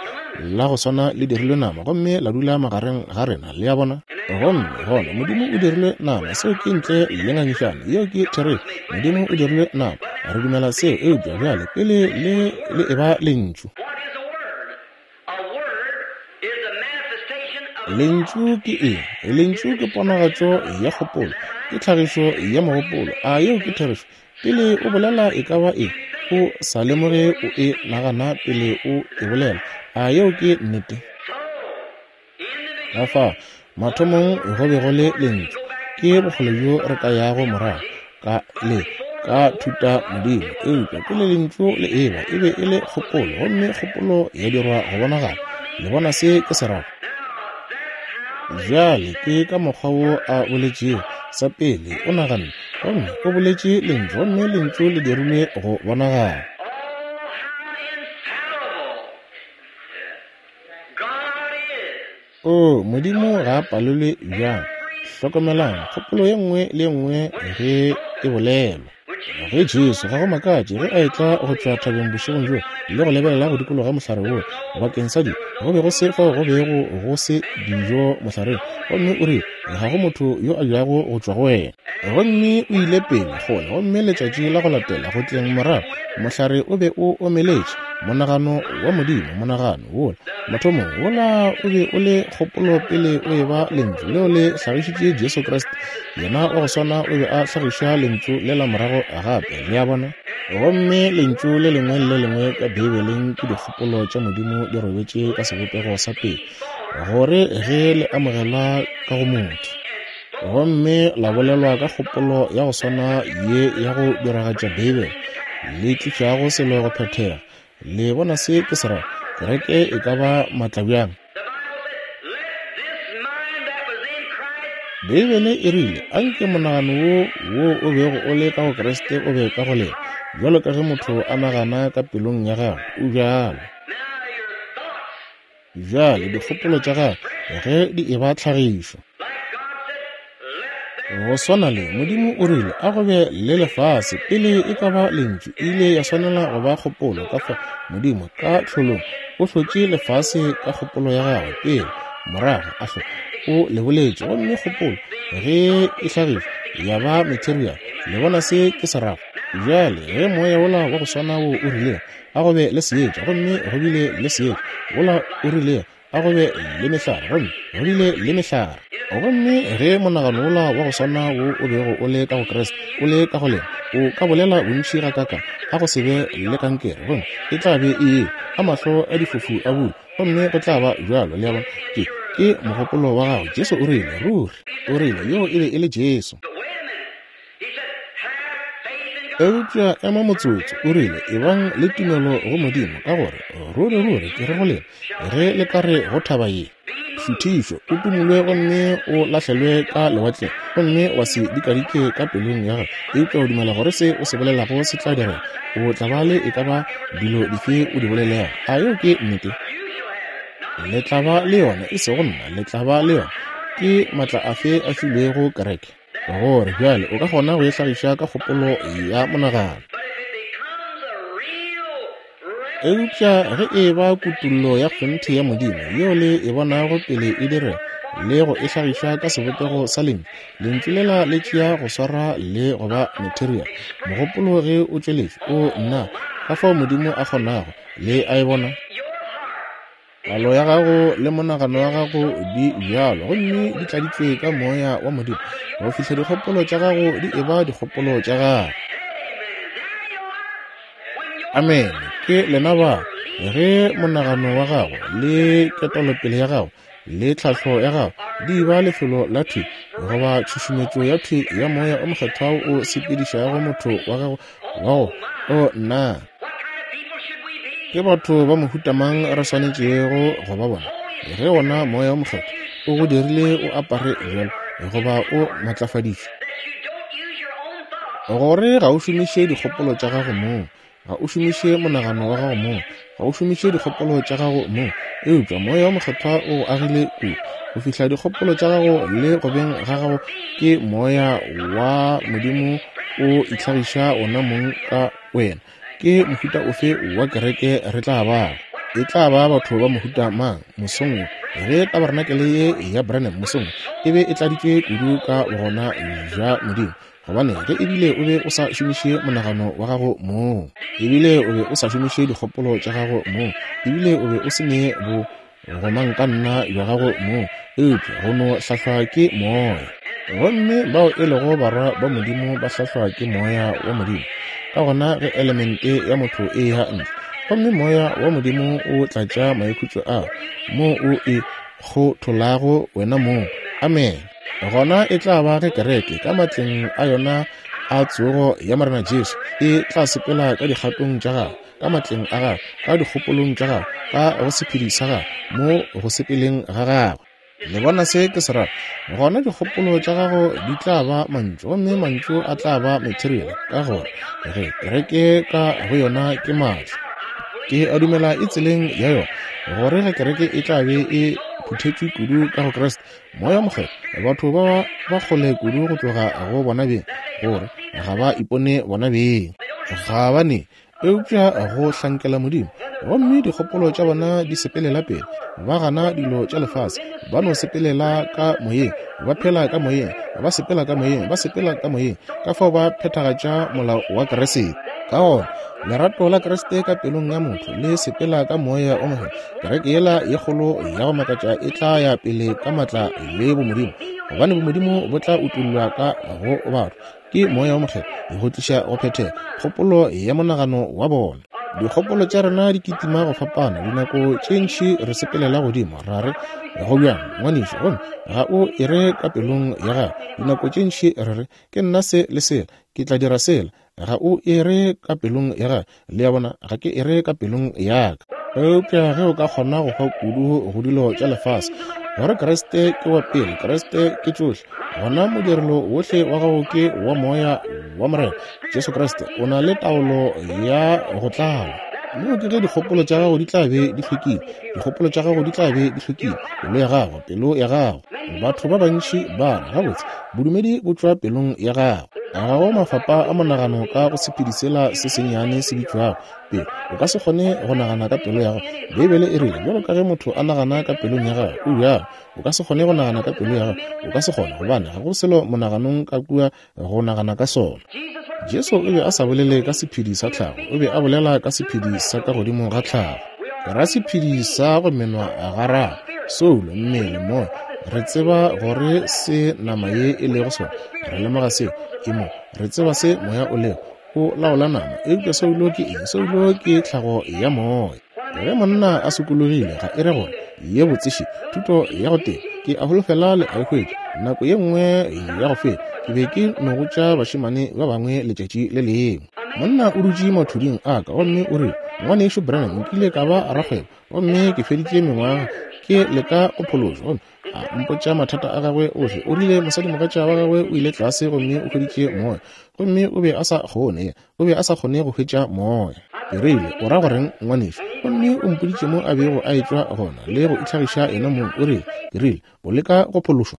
la go swana le dirilwe nama gomme la dula magareng ga rena. Le a bona, gomme gona Modimo o dirilwe nama. Seo ke ntle le ngangišano, yeo ke therešo. Modimo o dirilwe nama, re dumela seo. Eupša bjale pele le le eba lentšu, lentšu ke eng? Lentšu ke ponagatšo ya kgopolo, ke tlhagišo ya mogopolo. A yeo ke therešo? Pele o bolela e ka ba eng, o sa lemoge o e nagana pele o e bolela. A yeo ke nnete? Ka fao mathomong go be go le lentšu. Ke bokgole bjo re ka yago morago ka le ka thuta modimo. Eupša pele lentšu le eba, e be e le kgopolo, gomme kgopolo ya dirwa go bonagala. Le bona se ke se rago? Bjale ke ka mokgwa wo a boletšego. Sa pele o naganne, gomme o boletše lentšu, gomme lentšu le dirilwe go bonagala. O Modimo ga a palelwe bjang. Hlokomelang kgopolo ye nngwe le ye nngwe ge e bolelwa. Ge Jesu, ga go makatše ge a etla go tšwa thabeng bošegong bjo le go lebelela go dikologa mohlare wo bakeng sa di, go be go se fao go bego go se dijo mohlareng, gomme o rile ga go motho yo a jago go tšwa go wena. Gomme o ile pele kgole, gomme letšatši la go latela go tleng morago mohlare o be o omeletše. Monagano wa Modimo, monagano wola mathomong wola o be o le kgopolo pele o eba lentšu leo le hlagišitše Jesu Kriste. Yena wa go swana o be a hlagiša lentšu le la morago gape. Le a bona? Gomme lentšu le lengwe le le lengwe ka Beibeleng ke dikgopolo tša Modimo di robetše ka sebopego sa pele, gore ge le amogelwa ka go motho, gomme la bolelwa ka kgopolo ya go swana ye ya go diragatša Beibele, le tlišago selo go phethega. Le bona se ke se rago? Kereke e ka ba maatla bjang? Beibele e rile, anke monagano wo wo o bego o le ka go Kriste o be ka go lena, bjalo ka ge motho a nagana ka pelong ya gagwe, o bjalo. Bjale dikgopolo tša gagwe ge di eba tlhagišo, go swana le Modimo o rile a go be le lefase pele e ka ba lentšu, e ile ya swanela go ba kgopolo. Ka fa Modimo ka tlholong o hlotše lefase ka kgopolo ya gagwe pele, morago a hlo o le boletše, gomme kgopolo ge e hlagišwa ya ba material. Le bona se ke se rago? Bjale ge moya wola wa go swana wo o rilego a go be le seetša, gomme go bile le seetša, wola o rilego a go be le mehlare, gomme go bile le mehlare. Gomme ge monagano wola wa go swana wo o bego o le ka go Kriste o le ka go lena, o ka bolela bontši gakaka a go se be le kankere, gomme e tla be e a mahlo a difofu a bula, gomme go tla ba bjalo. Le a bona? Ke ke mogopolo wa gago. Jesu o rile, ruri o rile, yo e be e le Jesu. Eupša ema motsotso, o rile, ebang le tumelo go Modimo, ka gore ruri ruri ke re go lena, ge le ka re go thaba ye, šuthišo, o tumulwe gomme o lahlelwe ka lewatleng, gomme wa se dikadike ka pelong ya gago, eupša o dumela gore se o se bolelago se tla direga, o tla ba le e ka ba dilo dife o di bolelago. A yeo ke nnete? Le tla ba le yona, e sego nna, le tla ba le yona. Ke matla afe a filwego kereke? Gore bjale o ka kgona go e hlagiša ka kgopolo ya monagano. Eupša ge e ba kutullo ya kgonthe ya Modimo yeo le e bonago pele e direga le go e hlagiša ka sebopego sa lentšu, lentšu lela le tšea go swara le go ba material. Mogopolo ge o tšweletše, o nna, ka fao Modimo a kgonago, le a e bona. Palo ya gago le monagano wa gago di bjalo, gomme di tladitšwe ka moya wa Modimo go fihla dikgopolo tša gago di eba dikgopolo tša gago. Amen. Ke lena ba. Ge monagano wa gago le ketolopele ya gago le tlhahlo ya gago di ba lefelo la thwi goba tšhušumetšo ya thwi ya moya o mokgethwa o sepedišago motho wa gago wa go, o nna, ke batho ba mohuta mang re swanetšego go ba bona? Ge wona moya o mokgethwa o go dirile o apare bjalo goba o matlafaditšwe, gore ga o šomiše dikgopolo tša gago mong, ga o šomiše monagano wa gago mong, ga o šomiše dikgopolo tša gago mong, eupša moya o mokgethwa o go agile kudu go fihla dikgopolo tša gago le go beng ga gago ke moya wa Modimo o itlhagiša wona mong ka wena. Ke mohuta ofe wa kereke re tla bago? E tla ba batho ba mohuta mang mosong wo? Ge tabarenakele ye ya Branham mosong e be e tladitšwe kudu ka bogona bja Modimo, gobane ge ebile o be o sa šomiše monagano wa gago mong, ebile o be o sa šomiše dikgopolo tša gago mong, ebile o be o se ne bo gomangkanna bja gago mong, eupša go no hlahlwa ke moya. Gomme bao e lego barwa ba Modimo ba hlahlwa ke moya wa Modimo. Ka gona ge elemente ya motho e ya ntle, gomme moya wa Modimo o tlatša maikhutšo a mo o e kgotholago wena mong. Amen. Gona e tla ba ge kereke ka matleng a yona a tsogo ya Morena Jesu e tla sepela ka dikgatong tša gagwe, ka matleng a gagwe, ka dikgopolong tša gagwe, ka go sephedi sa gagwe, mo go sepeleng ga gagwe. Le bona se ke se rata? Gona dikgopolo tša gago di tla ba mantšu, gomme mantšu a tla ba material, ka gore ge kereke ka go yona ke maatla. Ke a dumela e tseleng ya yona, gore ge kereke e tla be e phuthetšwe kudu ka go Kriste, moya mokgethwa, batho ba ba kgole kudu go tloga go bona beng, gore ga ba ipone bona beng, ga ba ne eupša go hlankela Modimo, gomme dikgopolo tša bona di sepelela pele, ba gana dilo tša lefase, ba no sepelela ka moyeng, ba phela ka moyeng, ba sepela ka moyeng, ba sepela ka moyeng, ka fao ba phethagatša molao wa Kriste. Ka gona lerato la Kriste ka pelong ya motho le sepela ka moya o mokgethwa, kereke yela ye kgolo ya go makatša e tla ya pele ka matla le bomodimo, gobane bomodimo bo tla utollwa ka go batho ke moya o mokgethwa go tliša go phethega kgopolo ya monagano wa bona. Dikgopolo tša rena di kitima go fapana, dinako tše ntši re sepelela godimo ra re go bjang ngwanešu, gomme ga o e re ka pelong ya gago. Dinako tše ntši re re ke nna se le sela, ke tla dira sela, ga o e re ka pelong ya gago. Le a bona, ga ke e re ka pelong ya ka. Eupša ge o ka kgona go hwa kudu go dilo tša lefase, gore Kriste ke wa pele, Kriste ke tšohle, gona modirelo wohle wa gago ke wa moya wa Morena Jesu Kriste, o na le taolo ya go tlala. Moo ke ge dikgopolo tša gago di tla be di hlwekile, dikgopolo tša gago di tla be di hlwekile, pelo ya gago, pelo ya gago. Batho ba bantši ba re, gabotse, bodumedi bo tšwa pelong ya gago. Ga go mafapa a monagano ka go sephedi sela se sennyane se bitšwago pelo. O ka se kgone go nagana ka pelo ya gago. Beibele e rile, bjalo ka ge motho a nagana ka pelong ya gagwe, o bjalo. O ka se kgone go nagana ka pelo ya gago, o ka se kgone, gobane ga go selo monaganong ka kua go nagana ka sona. Jesu o be a sa bolele ka sephedi sa tlhago, o be a bolela ka sephedi sa ka godimo ga tlhago. Ke ra sephedi sa go menwa gararo, soulo, mmele, moya. Re tseba gore se nama ye e lego sona. Re lemoga seo. Ke mo. Re tseba se moya o lego. O laola nama. Eupša soulo ke eng? Soulo ke tlhago ya moya. Ge monna a sokologile, ga e re gore ye botseše thuto ya go teba. Ke a holofela le a e hwetša. Nako ye nngwe ya go feta, ke be ke no botša bašemane ba bangwe letšatši le lengwe. Monna o dutše mathuding a ka gomme o rile, Ngwanešu Branham, nkile ka ba rakgwebo gomme ke feditše mengwaga ke leka go phološwa. Gomme a mpotša mathata a gagwe ohle. O rile mosadimogatša wa gagwe o ile tlase gomme o hweditše moya, gomme o be a sa kgone, o be a sa kgone go hwetša moya. Ke rile, o ra goreng ngwanešu? Gomme o mpoditše mo a bego a etšwa gona le go itlhagiša yena mong. O rile, ke rile, o leka go phološwa?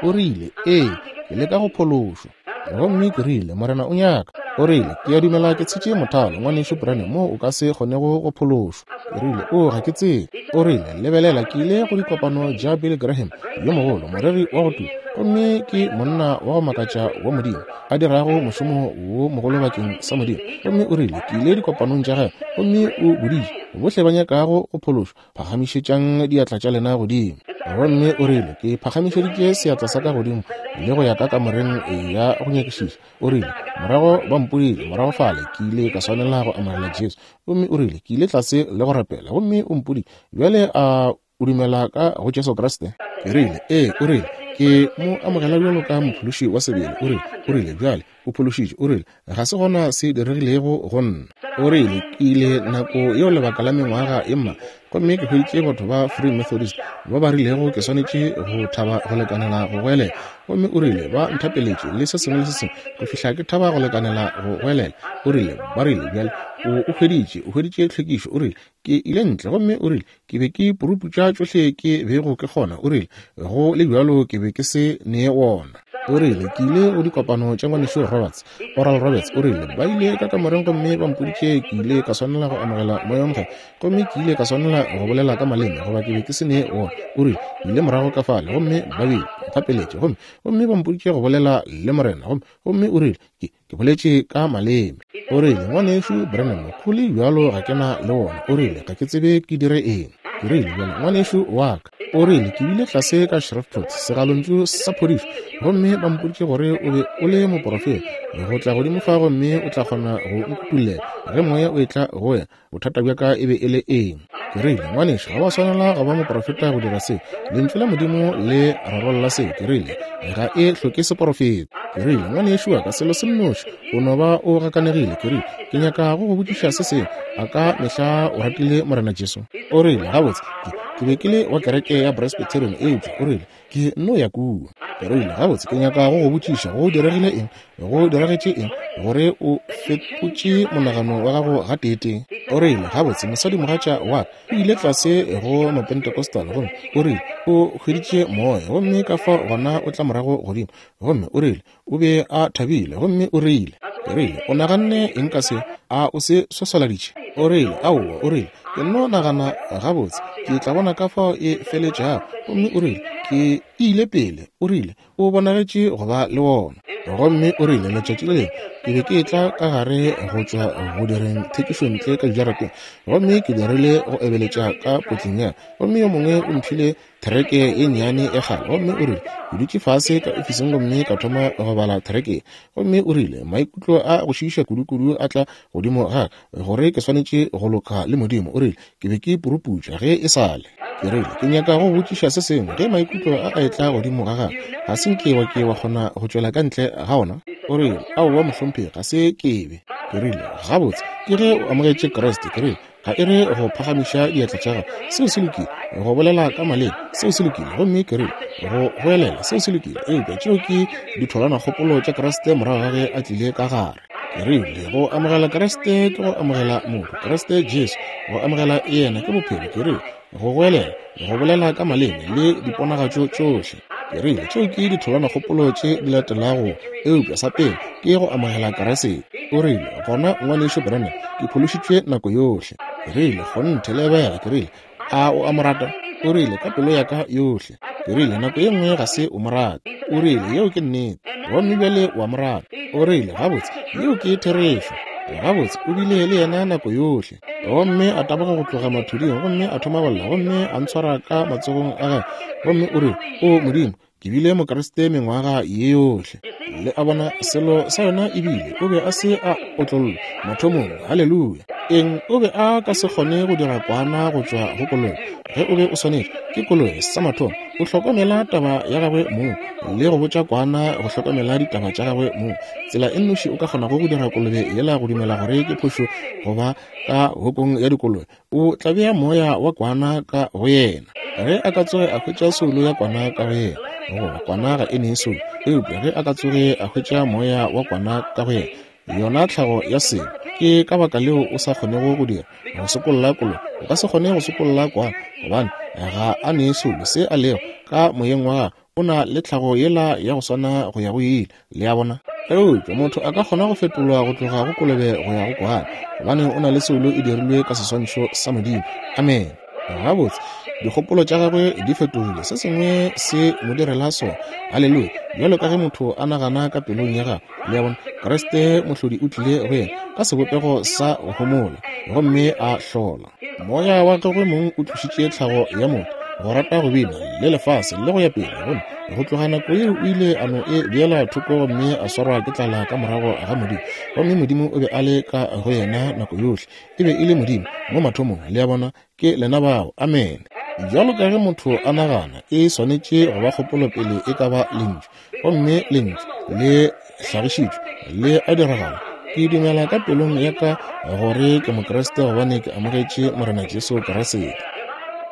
O rile, ee, ke leka go phološwa. Gomme ke rile, Morena o nyaka. O rile, ke a dumela ke tshetše mothalo, ngwanešu Branham, mo o ka se kgonego go phološwa. Ke rile, o ga ke tsebe. O rile, lebelela, ke ile go dikopano tša Billy Graham yo mogolo, moreri wa go tuma, gomme ke monna wa go makatša wa Modimo, a dirago mošomo wo mogolo bakeng sa Modimo. Gomme o rile, ke ile dikopanong tša gagwe, gomme o boditše bohle ba nyakago go phološwa, phagamišetšang diatla tša lena godimo. Gomme o rile, ke phagamišeditše seatla sa ka godimo le go ya ka kamoreng ya go nyakišiša. O rile, morago ba mpodile, morago fale ke ile ka swanela go amogela Jesu. Gomme o rile, ke ile tlase le go rapela, gomme o mpodile, bjale a o dumela ka go Jesu Kriste? Ke rile, ee. O rile, ke mo amogela bjalo ka mophološi wa sebele. O rile, o rile, bjale o phološitše. O rile, ga se gona se diregilego go nna. O rile, ke ile nako yeo lebaka la mengwaga e mma, gomme ke hweditše batho ba Free Methodist ba ba rilego ke swanetše go thaba go lekanela go goelela. Gomme o rile, ba nthapeletše le se sengwe le se sengwe go fihla ke thaba go lekanela go goelela. O rile, ba rile, bjale o o hweditše, o hweditše tlhwekišo. O rile, ke ile ntle, gomme o rile, ke be ke puruputša tšohle ke bego ke kgona. O rile, go le bjalo ke be ke se ne wona. O rile, ke ile go dikopano tša ngwanešu Roberts, Oral Roberts. O rile, ba ile ka kamoreng gomme ba mpoditše ke ile ka swanela go amogela moya o mokgethwa, gomme ke ile ka swanela go bolela ka maleme goba ke be ke se ne wona. O rile, ke ile morago ka fale gomme ba be ntapeletše, gomme gomme ba mpoditše go bolela le Morena, gomme gomme o rile, ke ke boletše ka maleme. O rile, ngwanešu Branham, go le bjalo ga ke na le wona. O rile, ga ke tsebe ke dire eng. Ke rile, bjale ngwanešu wa ka. O rile, ke bile tlase ka Shreveport, segalontšu sa phodišo, gomme ba mpoditše gore o be o le moporofeta go tla godimo fa, gomme o tla kgona go nkutollela ge moya o etla go wena bothata bja ka e be e le eng. Ke rile, ngwanešu, ga wa swanela go ba moporofeta go dira seo. Lentšu la Modimo le rarolla seo. Ke rile, ga e hloke seporofeta. Ke rile, ngwanešu wa ka, selo se nnoši, o no ba o gakanegile. Ke rile, ke nyaka go go botšiša se sengwe. A ka mehla o ratile Morena Jesu? O rile, gabotse, ke ke be ke le wa kereke ya Presbyterian, eupša o rile, ke nno ya kua. Ke rile, gabotse, ke nyaka go go botšiša, go diregile eng, go diragetše eng gore o fetotše monagano wa gago gateetee? O rile, gabotse, mosadimogatša wa ka o ile tlase go Mapentecostal, gomme o rile, o hweditše moya, gomme ka fao gona o tla morago godimo, gomme o rile, o be a thabile, gomme o rile, ke rile, o naganne eng ka se? A o se swaswaladitše? O rile, aowa. O rile, ke nno nagana, gabotse, ke tla bona ka fao e feletšago. Gomme o rile, ke ile pele. O rile, o bonagetše go ba le wona. Gomme o rile, letšatši le lengwe ke be ke etla ka gare go tšwa go direng thekišontle ka dijarateng, gomme ke dirile go ebeletša ka potleng ya, gomme yo mongwe o mphile thereke ye nnyane ya kgale. Gomme o rile, ke dutše fase ka ofising gomme ka thoma go bala thereke. Gomme o rile, maikutlo a go šiiša kudukudu a tla godimo ga ka gore ke swanetše go loka le Modimo. O rile, ke be ke puruputša ge e sale. Ke rile, ke nyaka go botšiša se sengwe. Ge maikutlo a a etla godimo ga gago, ga se nke wa ke wa kgona go tšwela ka ntle ga ona? O rile, aowa mohlomphegi, ga se ke be. Ke rile, gabotse, ke ge o amogetše Kriste. Ke rile, ga e re go phagamiša diatla tša gago, seo se lokile, go bolela ka maleme, seo se lokile, gomme ke rile, go goelela, seo se lokile, eupša tšeo ke ditholwanakgopolo tša Kriste morago ga ge a tlile ka gare. Ke rile, go amogela Kriste ke go amogela motho, Kriste Jesu, go amogela yena ke bophelo. Ke rile, go goelela, go bolela ka maleme le diponagatšo tšohle. Ke rile, tšeo ke ditholwanakgopolo tše di latelago, eupša sa pele ke go amogela Kriste. O rile, gona ngwanešu Branham, ke phološitšwe nako yohle. Ke rile, kgonthe, lebega. Ke rile, a o a mo rata? O rile, ka pelo ya ka yohle. Ke rile, nako ye nngwe ga se o mo rate. O rile, yeo ke nnete, gomme bjale o a mo rata. O rile, gabotse, yeo ke therešo. Gabotse, o bile le yena nako yohle. Gomme a taboga go tloga mathuding, gomme a thoma go lla, gomme a ntshwara ka matsogong a gagwe, gomme o re, O Modimo, ke bile Mokriste mengwaga ye yohle. Le a bona, selo sa yona ebile o be a se a otlollwa mathomong. Haleluya! Eng? O be a ka se kgone go dira kwana go tšwa go kolobe. Ge o be o swanetše ke kolobe sa mathomo, o hlokomela taba ya gagwe mong, le go botša kwana go hlokomela ditaba tša gagwe mong. Tsela e nnoši o ka kgonago go dira kolobe yela go dumela gore ke phošo goba ka hokong ya dikolobe, o tla bea moya wa kwana ka go yena. Ge a ka tsoge a hwetša soulo ya kwana ka go yena, goba kwana ga e ne soulo, eupša ge a ka tsoge a hwetša moya wa kwana ka go yena, yona tlhago ya selo. Ke ka baka leo o sa kgonego go dira go sokolla kolobe. O ka se kgone go sokolla kwana, gobane ga a ne soulo. Se a lego ka moyeng wa gagwe, o na le tlhago yela ya go swana go ya go ile. Le a bona? Eupša motho a ka kgona go fetolwa go tloga go kolobe go ya go kwana, gobane o na le soulo e dirilwe ka seswantšho sa Modimo. Amen. Gabotse, dikgopolo tša gagwe di fetogile, se sengwe se mo direla sona. Haleluya! Bjalo ka ge motho a nagana ka pelong ya gagwe, le a bona, Kriste mohlodi o tlile go yena ka sebopego sa go homola, gomme a hlola. Moya wa gagwe mong o tlošitše tlhago ya motho, go rata go bina le lefase le go ya pele, gomme go tloga nako yeo o ile a no e beela thoko, gomme a swarwa ke tlala ka morago ga Modimo. Gomme Modimo o be a le ka go yena nako yohle. E be e le Modimo mo mathomong. Le a bona, ke lena bao. Amen. Bjalo ka ge motho a nagana, e swanetše go ba kgopolo pele e ka ba lentšu, gomme lentšu le hlagišitšwe le a diragala. Ke dumela ka pelong ya ka gore ke Mokriste, gobane ke amogetše Morena Jesu Kriste.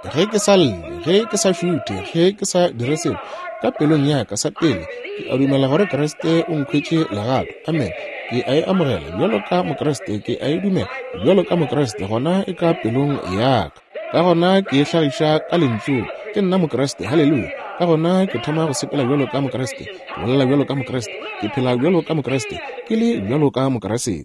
Ge ke sa lle, ge ke sa šuthe, ge ke sa dire selo, ka pelong ya ka sa pele ke a dumela gore Kriste o nkhwetše legato. Amen. Ke a e amogela bjalo ka Mokriste, ke a e dumela bjalo ka Mokriste, gona e ka pelong ya ka. Ka gona ke e hlagiša ka lentšung, ke nna Mokriste. Haleluya! Ka gona ke thoma go sepela bjalo ka Mokriste, ke bolela bjalo ka Mokriste, ke phela bjalo ka Mokriste, ke le bjalo ka Mokriste.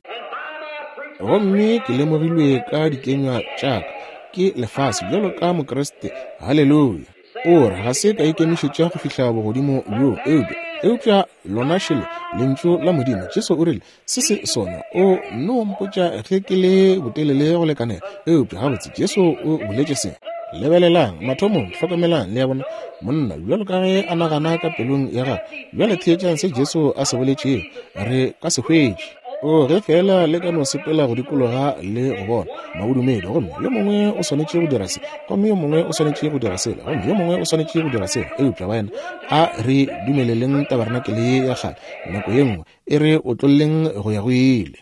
Gomme ke lemogilwe ka dikenywa tša ka ke lefase bjalo ka Mokriste. Haleluya! O re ga se ka ikemišetša go fihla bogodimo bjo, eupša eupša lona šele lentšu la Modimo. Jesu o rile se se sona, o no mpotša ge ke le botelele go lekanela. Eupša gabotse Jesu o boletše se. Lebelelang mathomong, hlokomelang, le a bona, monna bjalo ka ge a nagana ka pelong ya gagwe. Bjale theetšang se Jesu a se boletšego, re ka se hwetše. O ge fela le ka no sepela go dikologa le go bona mabodumedi, gomme yo mongwe o swanetše go dira se, gomme yo mongwe o swanetše go dira sela, gomme yo mongwe o swanetše go dira sela. Eupša baena, a re dumeleleng tabarenakele ye ya kgale nako ye nngwe e re otlolleng go ya go ile.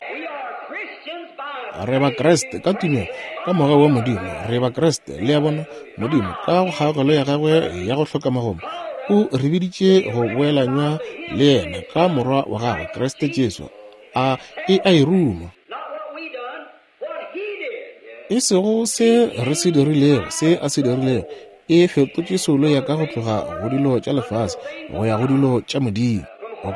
Re Bakriste ka tumelo, ka mogau wa Modimo, re Bakriste. Le a bona, Modimo ka go kgaogelo ya gagwe ya go hloka magomo o re biditše go boelanywa le yena ka morwa wa gagwe Kriste Jesu. A e a e ruma. E sego se re se dirilego, se a se dirilego, e fetotše soulo ya ka go tloga go dilo tša lefase go ya go dilo tša Modimo.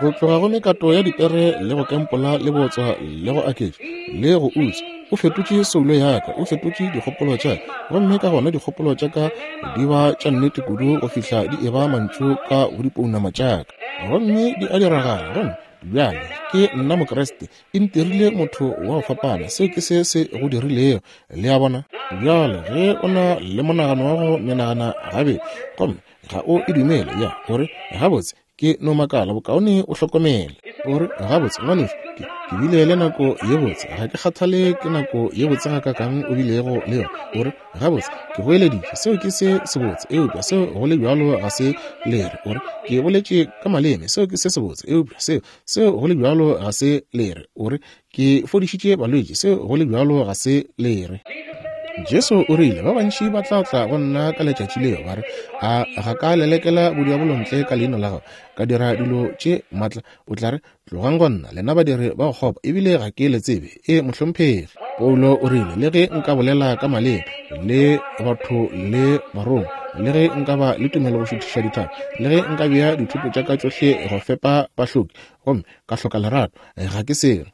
Go tloga go mekato ya dipere le go kempola le botswa le go aketša le go utswa, o fetotše soulo ya ka, o fetotše dikgopolo tša ka, gomme ka gona dikgopolo tša ka di ba tša nnete kudu go fihla di eba mantšu ka go dipounama tša ka, gomme di a diragala. Gomme bjale ke nna Mokriste, e ntirile motho wa go fapana. Seo ke se se go dirilego. Le a bona? Bjale ge o na le monagano wa go menagana gabedi, gomme ga o e dumele, ya gore gabotse ke no makala, bokaone o hlokomele. O re gabotse ngwanešu, ke ke bile le nako ye botse, ga ke kgathale ke nako ye botse gakakang o bilego le yona. O re gabotse ke goeleditše, seo ke se sebotse, eupša seo go le bjalo ga se lere. O re ke boletše ka maleme, seo ke se sebotse, eupša seo seo go le bjalo ga se lere. O re ke fodišitše balwetši, seo go le bjalo ga se lere. Jesu o rile ba bantši ba tla tla go nna ka letšatši leo ba re, a ga ka lelekela bodiabolo ntle ka leina la gago, ka dira dilo tše maatla? O tla re, tlogang go nna, lena badiri ba go kgopa, ebile ga ke le tsebe. E mohlomphegi. Paulo o rile, le ge nka bolela ka maleme le batho le barongwa, le ge nka ba le tumelo go šuthiša dithaba, le ge nka bea dithoto tša ka tšohle go fepa bahloki, gomme ka hloka lerato, ga ke selo.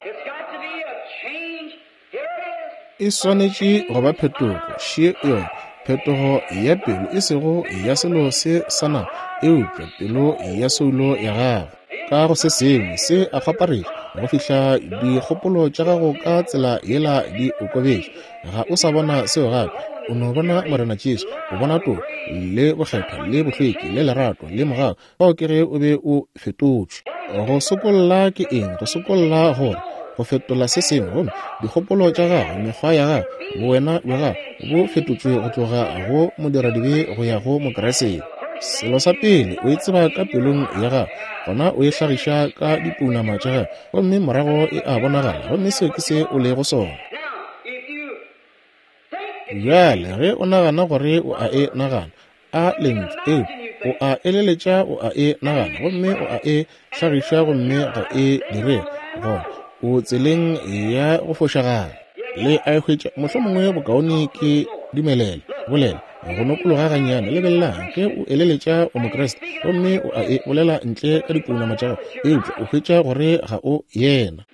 E swanetše go ba phetogo, še yona, phetogo ya pelo, e sego ya selo se sa nama, eupša pelo ya soulo ya gago. ka go se sengwe se a kgwaparetša go fihla dikgopolo tša gago ka tsela yela di okobetše. Ga o sa bona seo gape, o no bona Morena Jesu, o bona toka le bokgethwa le bohlweki le lerato le mogau. Fao ke ge o be o fetotšwe. Go sokolla ke eng? Go sokolla gore go fetola se sengwe, gomme dikgopolo tša gago, mekgwa ya gago, bowena bja gago bo fetotšwe go tloga go modiradibe go ya go Mokriste. Selo sa pele o e tseba ka pelong ya gago, gona o e hlagiša ka dipounama tša gago, gomme morago e a bonagala, gomme seo ke se o lego sona. Bjale ge o nagana gore o a e nagana, a lentšu eo o a eleletša, o a e nagana, gomme o a e hlagiša, gomme ga e direge, gona o tseleng ya go fošagala. Le a e hwetša? Mohlomongwe bokaone ke dumelele bolela go nokologa gannyane. Lebelelang, ge o eleletša o Mokriste gomme o a e bolela ntle ka dipounama tša gago, eupša o hwetša gore ga o yena.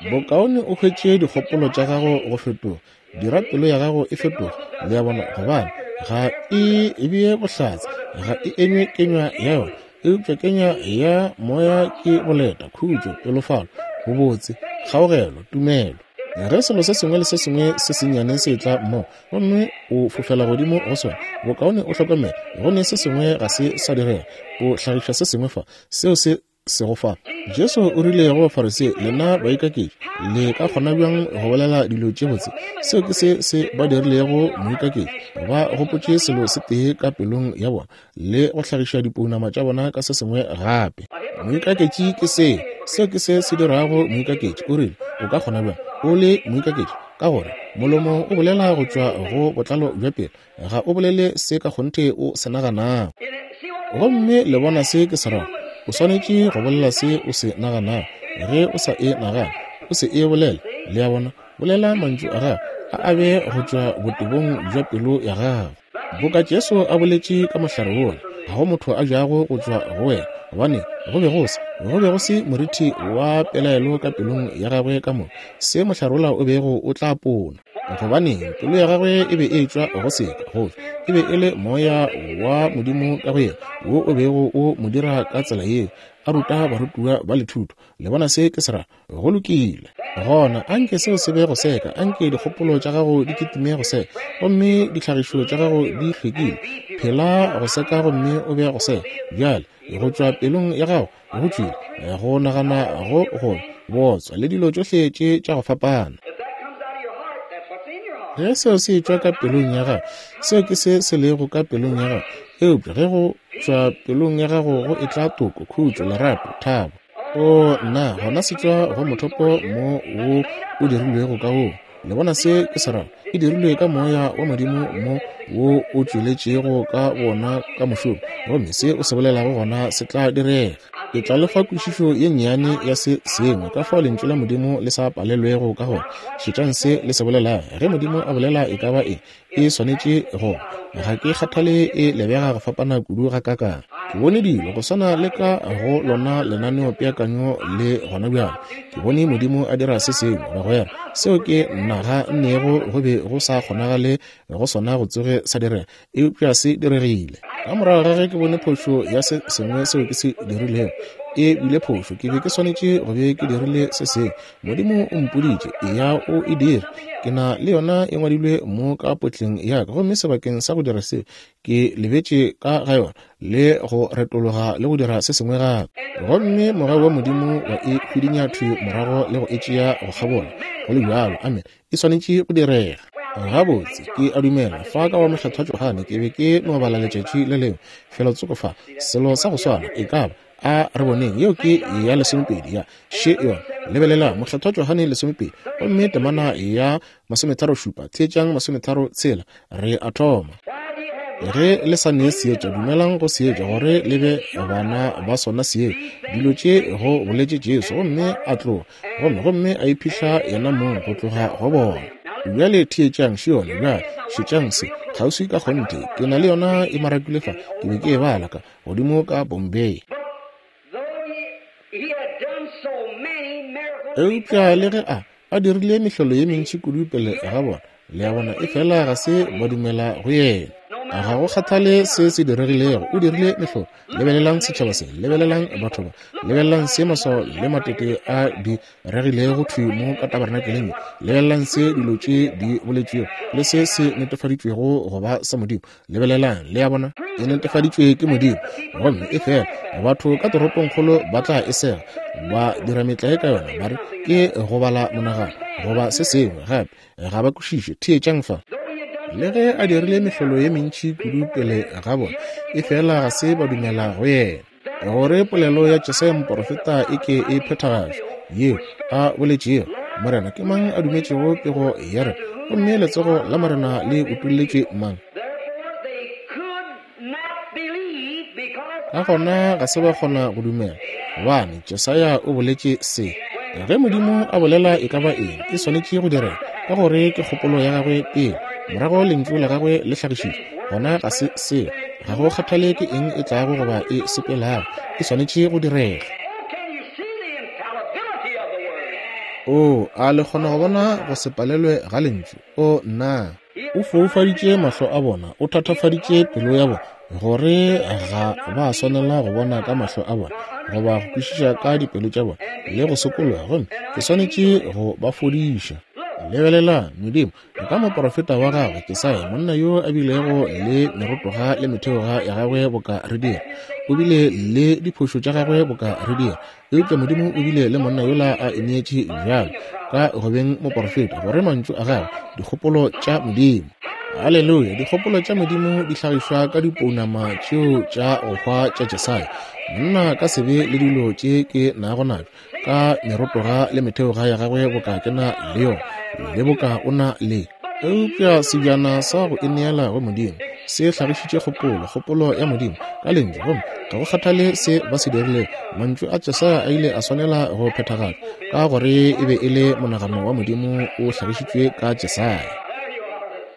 Bokaone o hwetše dikgopolo tša gago go fetoga, dira pelo ya gago e fetoge. Le a bona? Gobane ga e bee bohlatse, ga e enywe kenywa ya yona, eupša kenywa ya moya ke boleta, khutšo, pelofalo, bobotse, kgaogelo, tumelo. Ge selo se sengwe le se sengwe se sennyane se tla mmogo gomme o fofela godimo go sona, bokaone o hlokomele go ne se sengwe ga se sa direga. O hlagiša se sengwe fa seo se sego fa. Jesu o rile go Bafarisei, lena baikaketši, le ka kgona bjang go bolela dilo tše botse? Seo ke se se ba dirilego moikaketši. Ba gopotše selo se tee ka pelong ya bona le go hlagiša dipounama tša bona ka se sengwe gape. Moikaketši ke se, seo ke se se dirago moikaketši. O rile, o ka kgona bjang o le moikaketši? Ka gore molomo o bolela go tšwa go botlalo bja pelo, ga o bolele se ka kgonthe o se naganago. Gomme le bona se ke se rago? O swanetše go bolela se o se naganago. Ge o sa e nagane, o se e bolele. Le a bona? Bolela mantšu a gago a a be go tšwa botebong bja pelo ya gago. Boka Jesu a boletše ka mohlare wola, ga go motho a jago go tšwa go wena, gobane go be go se go be go se morithi wa pelaelo ka pelong ya gagwe ka moka, se mohlare wola o bego o tla pona. Gobaneng pelo ya gagwe e be e tšwa go seka, go e be e le moya wa Modimo ka go yena wo o bego o mo dira ka tsela yeo, a ruta barutiwa ba lethuto. Le bona se ke se ra? Go lokile. Gona anke seo se be go seka, anke dikgopolo tša gago di kitime go seka, gomme ditlhagišo tša gago di hlwekile. Phela go seka gomme o be go seka. Bjale go tšwa pelong ya gago go tšwile go nagana go go botswa le dilo tšohle tše tša go fapana. Ge seo se tšwa ka pelong ya gago, seo ke se se lego ka pelong ya gago. Eupša ge go tšwa pelong ya gago go etla toko, khutšo, lerato, thabo, o nna gona se tšwa go mothopo mo wo o dirilwego ka woo. Le bona se ke se rago? E dirilwe ka moya wa Modimo mo wo o tšweletšego ka bona ka mošomo, gomme se o se bolelago gona se tla direga. Ke tla le fa kwešišo ye nnyane ya se sengwe ka fao lentšu la Modimo le sa palelwego ka gona. Šetšang se le se bolelago. Ge Modimo a bolela e ka ba eng, e swanetše go. Ga ke kgathale e lebega go fapana kudu ga kakang. Ke bone dilo go swana le ka go lona lenaneopeakanyo le gona bjale. Ke bone Modimo a dira se sengwe, bagwera, seo ke naga nnego go be go sa kgonagale go sona go tsoge sa direga, eupša se diregile. Ka morago ga ge ke bone phošo ya se sengwe seo ke se dirilego, e bile phošo, ke be ke swanetše go be ke dirile se sengwe. Modimo o mpoditše, eya o e dire. Ke na le yona e ngwadilwe mo ka potleng ya ka, gomme sebakeng sa go dira seo ke lebetše ka ga yona le go retologa le go dira se sengwe gape. Gomme mogau wa Modimo wa e hwidinya thwi morago le go e tšea go kgabola. Go le bjalo, amen, e swanetše go direga. Gabotse, ke a dumela fa ka wa Mokgethwa Johane ke be ke no bala letšatši le lengwe felotsoko fa, selo sa go swana e ka ba. A re boneng, yeo ke ya lesomepedi ya še yona. Lebelela Mokgethwa Johane lesomepedi gomme temana ya masometharo šupa, theetšang masometharo tshela, re a thoma. Ge le sa nee seetša, dumelang go seetša gore le be bana ba sona seetša. Dilo tše go boletše Jesu, gomme a tloga, gomme gomme a iphihla yena mong go tloga go bona. Bjale theetšang še yona. Bjale šetšang se kgauswi ka kgonthe. Ke na le yona e marakilwe fa, ke be ke e bala ka godimo ka Bombay. Eupša le ge a a dirile mehlolo ye mentši kudu pele ga bona, le a bona, e fela ga se ba dumela go yena. Ga go kgathale se se diregilego, o dirile mehlolo. Lebelelang setšhaba se, lebelelang batho ba, lebelelang se maswao le matete a di regilego thwi mo ka tabernakeleng ye, lebelelang se dilo tše di boletšwego le se se netefaditšwego go ba sa Modimo. Lebelelang, le a bona, e netefaditšwe ke Modimo. Gomme e fela batho ka toropongkgolo ba tla e sega, ba dira metlae ka yona, ba re ke go bala monagano goba se sengwe gape, ga ba kwešiše. Theetšang fa. Le ge a dirile mehlolo ye mentši kudu pele ga bona, e fela ga se ba dumela go yena, gore polelo ya Jesaya moporofeta e ke e phethagatšwe, yeo a boletšego, Morena, ke mang a dumetšego pego ya rena? Gomme letsogo la Morena le utolletšwe mang? Ka gona ga se ba kgona go dumela, gobane Jesaya o boletše se. Ge Modimo a bolela e ka ba eng, e swanetše go direga, ka gore ke kgopolo ya gagwe pele, morago lentšu la gagwe le hlagišitšwe. Gona ga se seo, ga go kgathale ke eng e tlago goba e sepelago, e swanetše go direga. O, a le kgona go bona go se palelwe ga lentšu? O, nna. O foufaditše mahlo a bona, o thatafaditše pelo ya bona, gore ga ba swanela go bona ka mahlo a bona, goba go kwešiša ka dipelo tša bona, le go sokologa, gomme ke swanetše go ba fodiša. Lebelelang, Modimo ka moporofeta wa gagwe Jesaya, monna yo a bilego le merotoga le metheoga ya gagwe boka re dira, o bile le diphošo tša gagwe boka re dira, eupša Modimo o bile le monna yola a ineetše bjalo ka go beng moporofeta, gore mantšu a gagwe, dikgopolo tša Modimo. Haleluya! Dikgopolo tša Modimo di hlagišwa ka dipounama tšeo tša go hwa tša Jesaya. Monna ka sebe le dilo tše ke nago nabjo, ka merotoga le metheoga ya gagwe boka ke na le yona, le boka o na le. Eupša sebjana sa go ineela go Modimo se hlagišitše kgopolo, kgopolo ya Modimo ka lentšu, gomme ga go kgathale se ba se dirilego, mantšu a Jesaya a ile a swanela go phethagatšwa, ka gore e be e le monagano wa Modimo o hlagišitšwe ka Jesaya.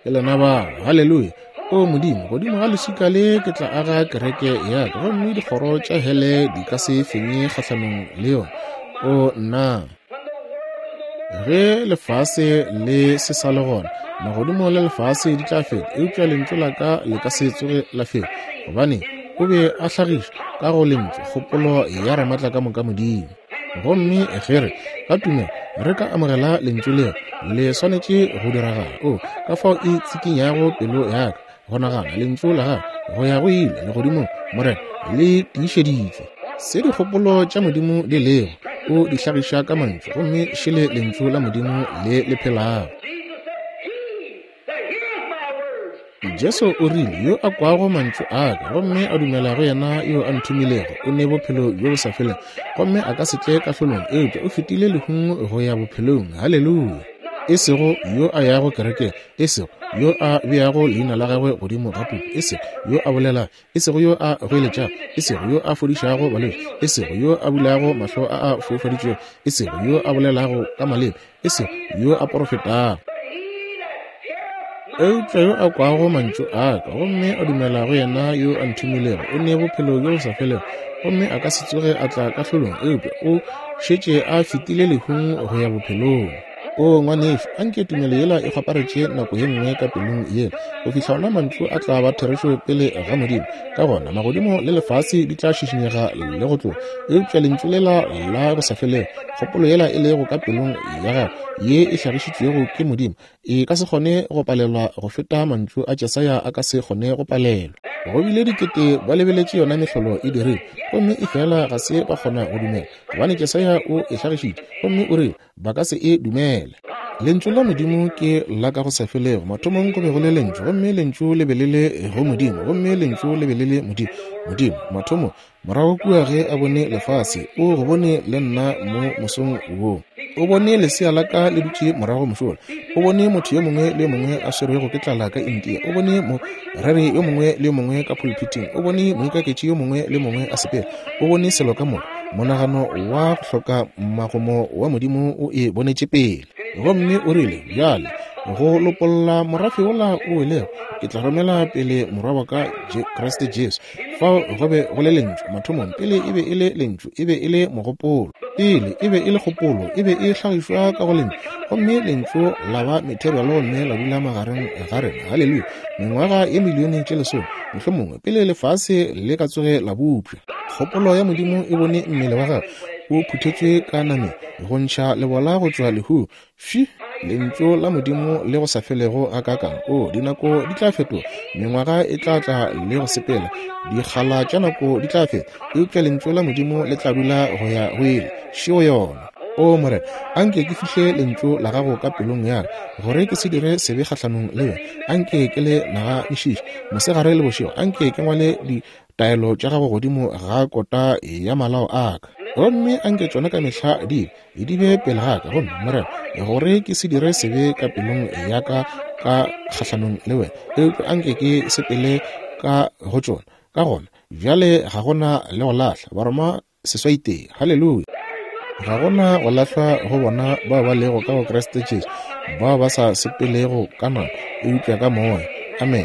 Ke lena bao. Haleluya! O Modimo, godimo ga leswika le ke tla aga kereke ya ka, gomme dikgoro tša hele di ka se fenye kgahlanong le yona. O nna. Ge lefase le se sa le gona, magodimo le lefase di tla feta, eupša lentšu la ka le ka se tsoge la feta, gobane o be a hlagiša ka go lentšu kgopolo ya Ramatla ka moka Modimo. Gomme ge re ka tumelo re ka amogela lentšu leo, le swanetše go diragala. O, ka fao e tsikinyago pelo ya ka go nagana lentšu la gago go ya go ile legodimong, Morena, le tiišeditšwe. Se dikgopolo tša Modimo di lego, o di hlagiša ka mantšu, gomme šele lentšu la Modimo le le phelago. Jesu o rile, yo a kwago mantšu a ka gomme a dumela go yena yo a nthomilego, o ne bophelo bjo bo sa felego, gomme a ka se tle kahlolong, eupša o fetile lehung go ya bophelong. Haleluya! E sego yo a yago kerekeng, e sego yo a beago leina la gagwe godimo ga puku, e sego yo a bolelago, e sego yo a goeletšago, e sego yo a fodišago balwetši, e sego yo a bulago mahlo a a foufaditšwego, e sego yo a bolelago ka maleme, e sego yo a porofetago. Eupša yo a kwago mantšu a ka gomme a dumela go yena yo a nthomilego, o ne bophelo bjo bo sa felego, gomme a ka se tsoge a tla kahlolong, eupša o šetše a fetile lehung go ya bophelong. O ngwanešu, anke tumelo yela e kgwaparetše nako ye nngwe ka pelong yela, go fihla ona mantšu a tla ba therešo pele ga Modimo. Ka gona magodimo le lefase di tla šišinyega le go tloga, eupša lentšu lela la go sa felego, kgopolo yela e lego ka pelong ya gago ye e hlagišitšwego ke Modimo, e ka se kgone go palelwa go feta mantšu a Jesaya a ka se kgone go palelwa. Go bile dikete ba lebeletše yona mehlolo e dirile, gomme e fela ga se ba kgona go dumela, gobane Jesaya o e hlagišitše, gomme o rile ba ka se e dumele. Lentšu la Modimo ke la ka go sa felego. Mathomong go be go le lentšu, gomme lentšu le be le le go Modimo, gomme lentšu le be le le Modimo. Modimo mathomong, morago kua ge a bone lefase, o go bone le nna mo mosong wo. O bone lesea la ka le dutše morago mošola. O bone motho yo mongwe le yo mongwe a swerwego ke tlala ka India. O bone moreri yo mongwe le yo mongwe ka pulpiting. O bone moikaketši yo mongwe le yo mongwe a sepela. O bone selo ka moka. Monagano wa go hloka magomo wa Modimo o e bonetše pele. Gomme o rile, bjale Go lopolla morafe wola o welego, ke tla romela pele morwa wa ka Kriste Jesu. Fao go be go le lentšu mathomong, pele e be e le lentšu, e be e le mogopolo. Pele e be e le kgopolo, e be e hlagišwa ka go lentšu, gomme lentšu la ba material gomme la dula magareng ga rena. Haleluya! Mengwaga ye milione tše lesome, mohlomongwe, pele lefase le ka tsoge la bopša. Kgopolo ya Modimo e bone mmele wa gagwe o phuthetšwe ka nameng, go ntšha lebola go tšwa lehung. Fi, lentšu la Modimo le go sa felego gakaakang. O, dinako di tla fetoga, mengwaga e tla tla le go sepela, dikgala tša nako di tla feta, eupša lentšu la Modimo le tla dula go ya go ile. Šeo yona. O Morena, anke ke fihle lentšu la gago ka pelong ya ka, gore ke se dire sebe kgahlanong le wena. Anke ke le naganišiše mosegare le bošego, anke ke ngwale ditaelo tša gago godimo ga kota ya malao a ka, gomme anke tšona ka mehla di di be pele ga ka, gomme Morena, gore ke se dire sebe ka pelong ya ka ka kgahlanong le wena, eupša anke ke sepele ka go tšona. Ka gona bjale ga gona le go lahla. Baroma seswai tee. Haleluya! Ga gona go lahlwa go bona bao ba lego ka go Kriste Jesu, bao ba sa sepelego ka nama, eupša ka moya. Amen.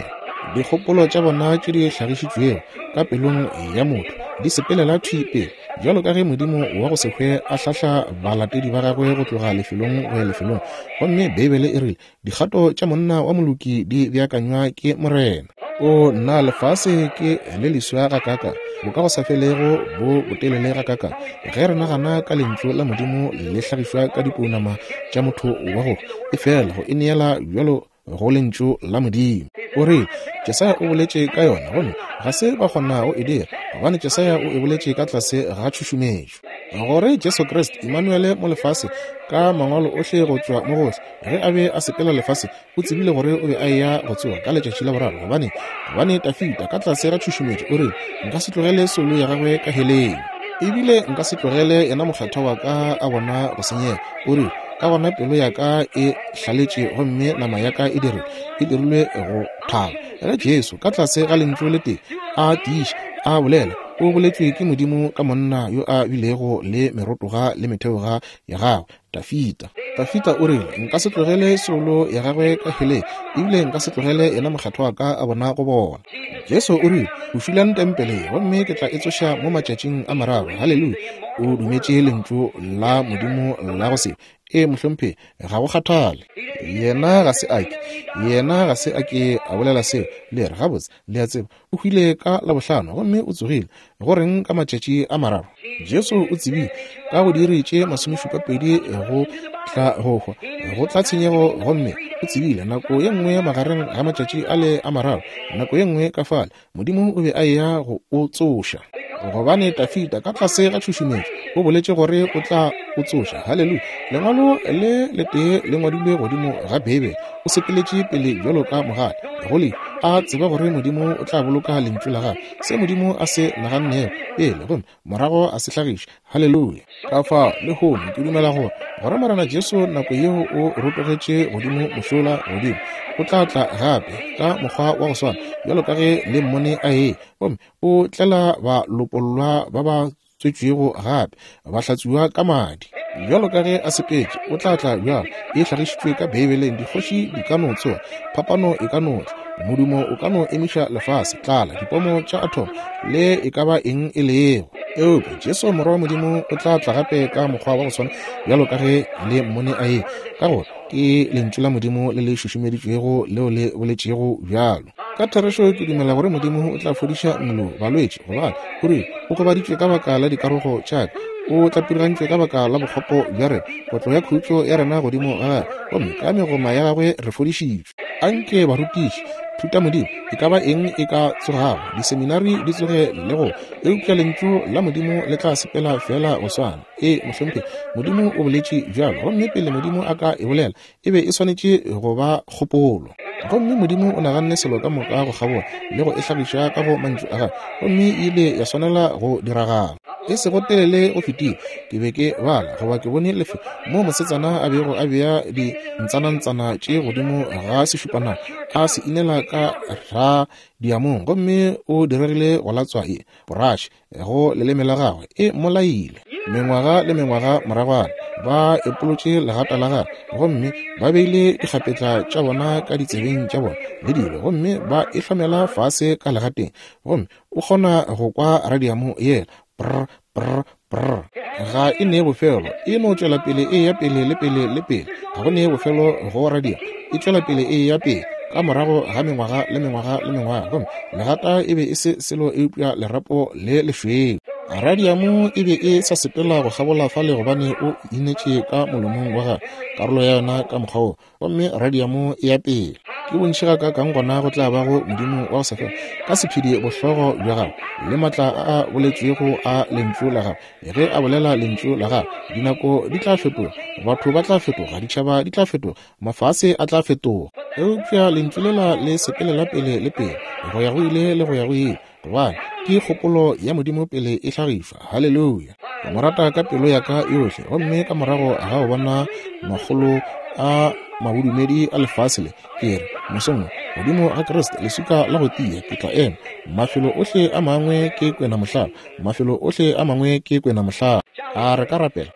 Dikgopolo tša bona tše di hlagišitšwego ka pelong ya motho di sepelela thwi pele, bjalo ka ge Modimo wa go se hwe a hlahla balatedi ba gagwe go tloga lefelong go ya lefelong. Gomme Beibele e rile, dikgato tša monna wa moloki di beakanywa ke Morena. O nna, lefase ke le leswa gakaakang, bo ka go sa felego bo botelele gakaakang, ge re nagana ka lentšu la Modimo le hlagišwa ka dipounama tša motho wa go e fela go e neela bjalo go lentšu la Modimo. O re Jesaya o boletše ka yona, gomme ga se ba kgona go e dira, gobane Jesaya o e boletše ka tlase ga tšhušumetšo. Gore Jesu Kriste, Emmanuele mo lefase, ka mangwalo ohle go tšwa mo gohle, ge a be a sepela lefase, o tsebile gore o be a eya go tsoga ka letšatši la boraro, gobane gobane Dafida ka tlase ga tšhušumetšo o rile, nka se tlogele soulo ya gagwe ka heleng, ebile nka se tlogele yena mokgethwa wa ka a bona go senyega. O rile, ka gona pelo ya ka e hlaletše gomme nama ya ka e dirile e dirilwe go thaba. Ge Jesu ka tlase ga lentšu le tee a tiiša a bolela, o boletšwe ke Modimo ka monna yo a bilego le merotoga le metheoga ya gagwe, Dafida. Dafida o rile, nka se tlogele soulo ya gagwe ka heleng, ebile nka se tlogele yena mokgethwa wa ka a bona go bona. Jesu o rile, bošulang tempele, gomme ke tla e tsoša mo matšatšing a mararo. Haleluya! O dumetše lentšu la Modimo la go se e mohlomphegi, ga go kgathale. Yena ga se ake, yena ga se ake a bolela seo. Le re, gabotse, le a tseba, o hwile ka Labohlano gomme o tsogile. Go reng ka matšatši a mararo? Jesu o tsebile ka go diiri tše masomešupapedi go tla go hwa, go tla tshenyego, gomme o tsebile nako ye nngwe magareng ga matšatši a le a mararo, nako ye nngwe ka fale, Modimo o be a eya go o tsoša. Gobane Dafida ka tlase ga tšhušumetšo o boletše gore o tla o tsoša. Haleluya! Lengwalo le letee le ngwadilwe godimo ga Beibele. O sepeletše pele bjalo ka mogale, go le a tseba gore Modimo o tla boloka lentšu la gagwe, se Modimo a se nagannego pele, gomme morago a se hlagiša. Haleluya! Ka fao lehono ke dumela gore gore Morena Jesu nako yeo o rotogetše godimo mošola godimo, o tla tla gape ka mokgwa wa go swana bjalo ka ge le mmone a e, gomme o tlela balopollwa ba ba tswetšwego gape, ba hlatsuwa ka madi. Bjalo ka ge a sepetše, o tla tla bjalo. E hlagišitšwe ka Beibeleng. Dikgoši di ka no tsoga, phapano e ka no tla, modumo o ka no emiša lefase, tlala, dipomo tša atom, le e ka ba eng e lego. Eupša Jesu morwa wa Modimo o tla tla gape ka mokgwa wa go swana bjalo ka ge le mmone a e, ka gore ke lentšu la Modimo le le šušumeditšwego leo le boletšego bjalo. Ka therešo ke dumela gore Modimo o tla fodiša mmele balwetši, gobane o rile o gobaditšwe ka baka la dikarogo tša ka, o tlapirigantšwe ka baka la bokgopo bja rena, kotlo ya khutšo ya rena godimo ga gagwe, gomme ka megoma ya gagwe re fodišitšwe. Anke barutiši, thutamodimo, e ka ba eng e ka tsogago, diseminari di tsoge le go, eupša lentšu la Modimo le tla sepela fela go swana. E mohlomphegi, Modimo o boletše bjalo, gomme pele Modimo a ka e bolela, e be e swanetše go ba kgopolo. Gomme Modimo o naganne selo ka moka go kgabola le go e hlagiša ka go mantšu a gagwe, gomme e ile ya swanela go diragala. E sego telele go fetile, ke be ke bala goba ke bone lefelo mo mosetsana a bego a bea dintsanantsana tše godimo ga sešupanana, a se inela ka radiamong, gomme o diregile go latswa e poraše go leleme la gagwe, e mmolaile. Mengwaga le mengwaga moragwana ba epolotše legata la gagwe, gomme ba beile dikgapetla tša bona ka ditsebeng tša bona le dilo, gomme ba e hlomela fase ka legateng, gomme o kgona go kwa radiamo yela prr prr prr. Ga e ne bofelo, e no tšwela pele e ya pele le pele le pele. Ga go ne bofelo go radio, e tšwela pele e ya pele ka morago ga mengwaga le mengwaga le mengwaga, gomme legata e be e se selo eupša lerapo le lešweu. Radiamo e be e sa sepela go kgabola fale gobane o inetše ka molomong wa gagwe karolo ya yona ka mokgwa wo, gomme radiamo e ya pele. Ke bontši ga ka kang gona go tla ba go Modimo wa go sa fele ka sephedi bohlogo bja gagwe le maatla a a boletšwego a lentšu la gagwe. Ge a bolela lentšu la gagwe, dinako di tla fetoga, batho ba tla fetoga, ditšhaba di tla fetoga, mafase a tla fetoga, eupša lentšu lela le sepelela pele le pele go ya go ile le go ya go ile, gobane ke kgopolo ya Modimo pele e hlagišwa. Haleluya! Ke mo rata ka pelo ya ka yohle, gomme ka morago ga go bona makgolo a mabodumedi a lefase le, ke re mosong godimo ga Kriste leswika la go tia ke tla ema. Mafelo ohle a mangwe ke kwena mohlala, mafelo ohle a mangwe ke kwena mohlala. A re ka rapela?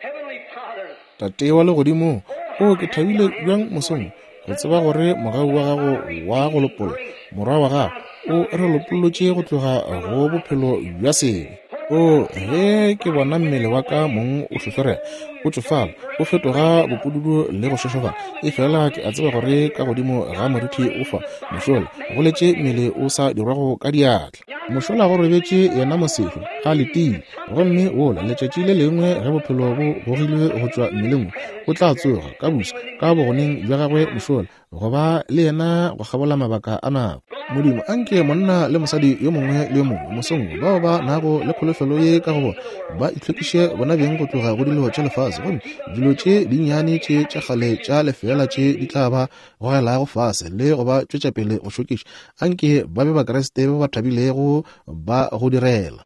Tate wa legodimo, o ke thabile bjang mosong go tseba gore mogau wa gago wa go lopolla morwa wa gago o re lopollotše go tloga go bophelo bja sebe. O ge ke bona mmele wa ka mong o hlohlorega, o tšofala, o fetoga bopududu le go šošofala, efela ke a tseba gore ka godimo ga moriti o fa mošola go letše mmele o sa dirwago ka diatla. Mošola go robetše yena mosehlo a letile, gomme wola letšatši le lengwe ge bophelo bo gogilwe go tšwa mmeleng o tla tsoga ka buša ka bogoneng bja gagwe mošola go ba le yena go kgabola mabaka a nako. Modimo, anke monna le mosadi yo mongwe le yo mongwe mosong bao ba nago le kholofelo ye ka go bona ba itlhwekiše bona beng go tloga go dilo tša lefase, gomme dilo tše dinnyane tše tša kgale tša lefeela tše di tla ba gogelago fase le go ba tšwetša pele go šokiša. Anke ba be Bakriste ba ba thabilego ba go direla.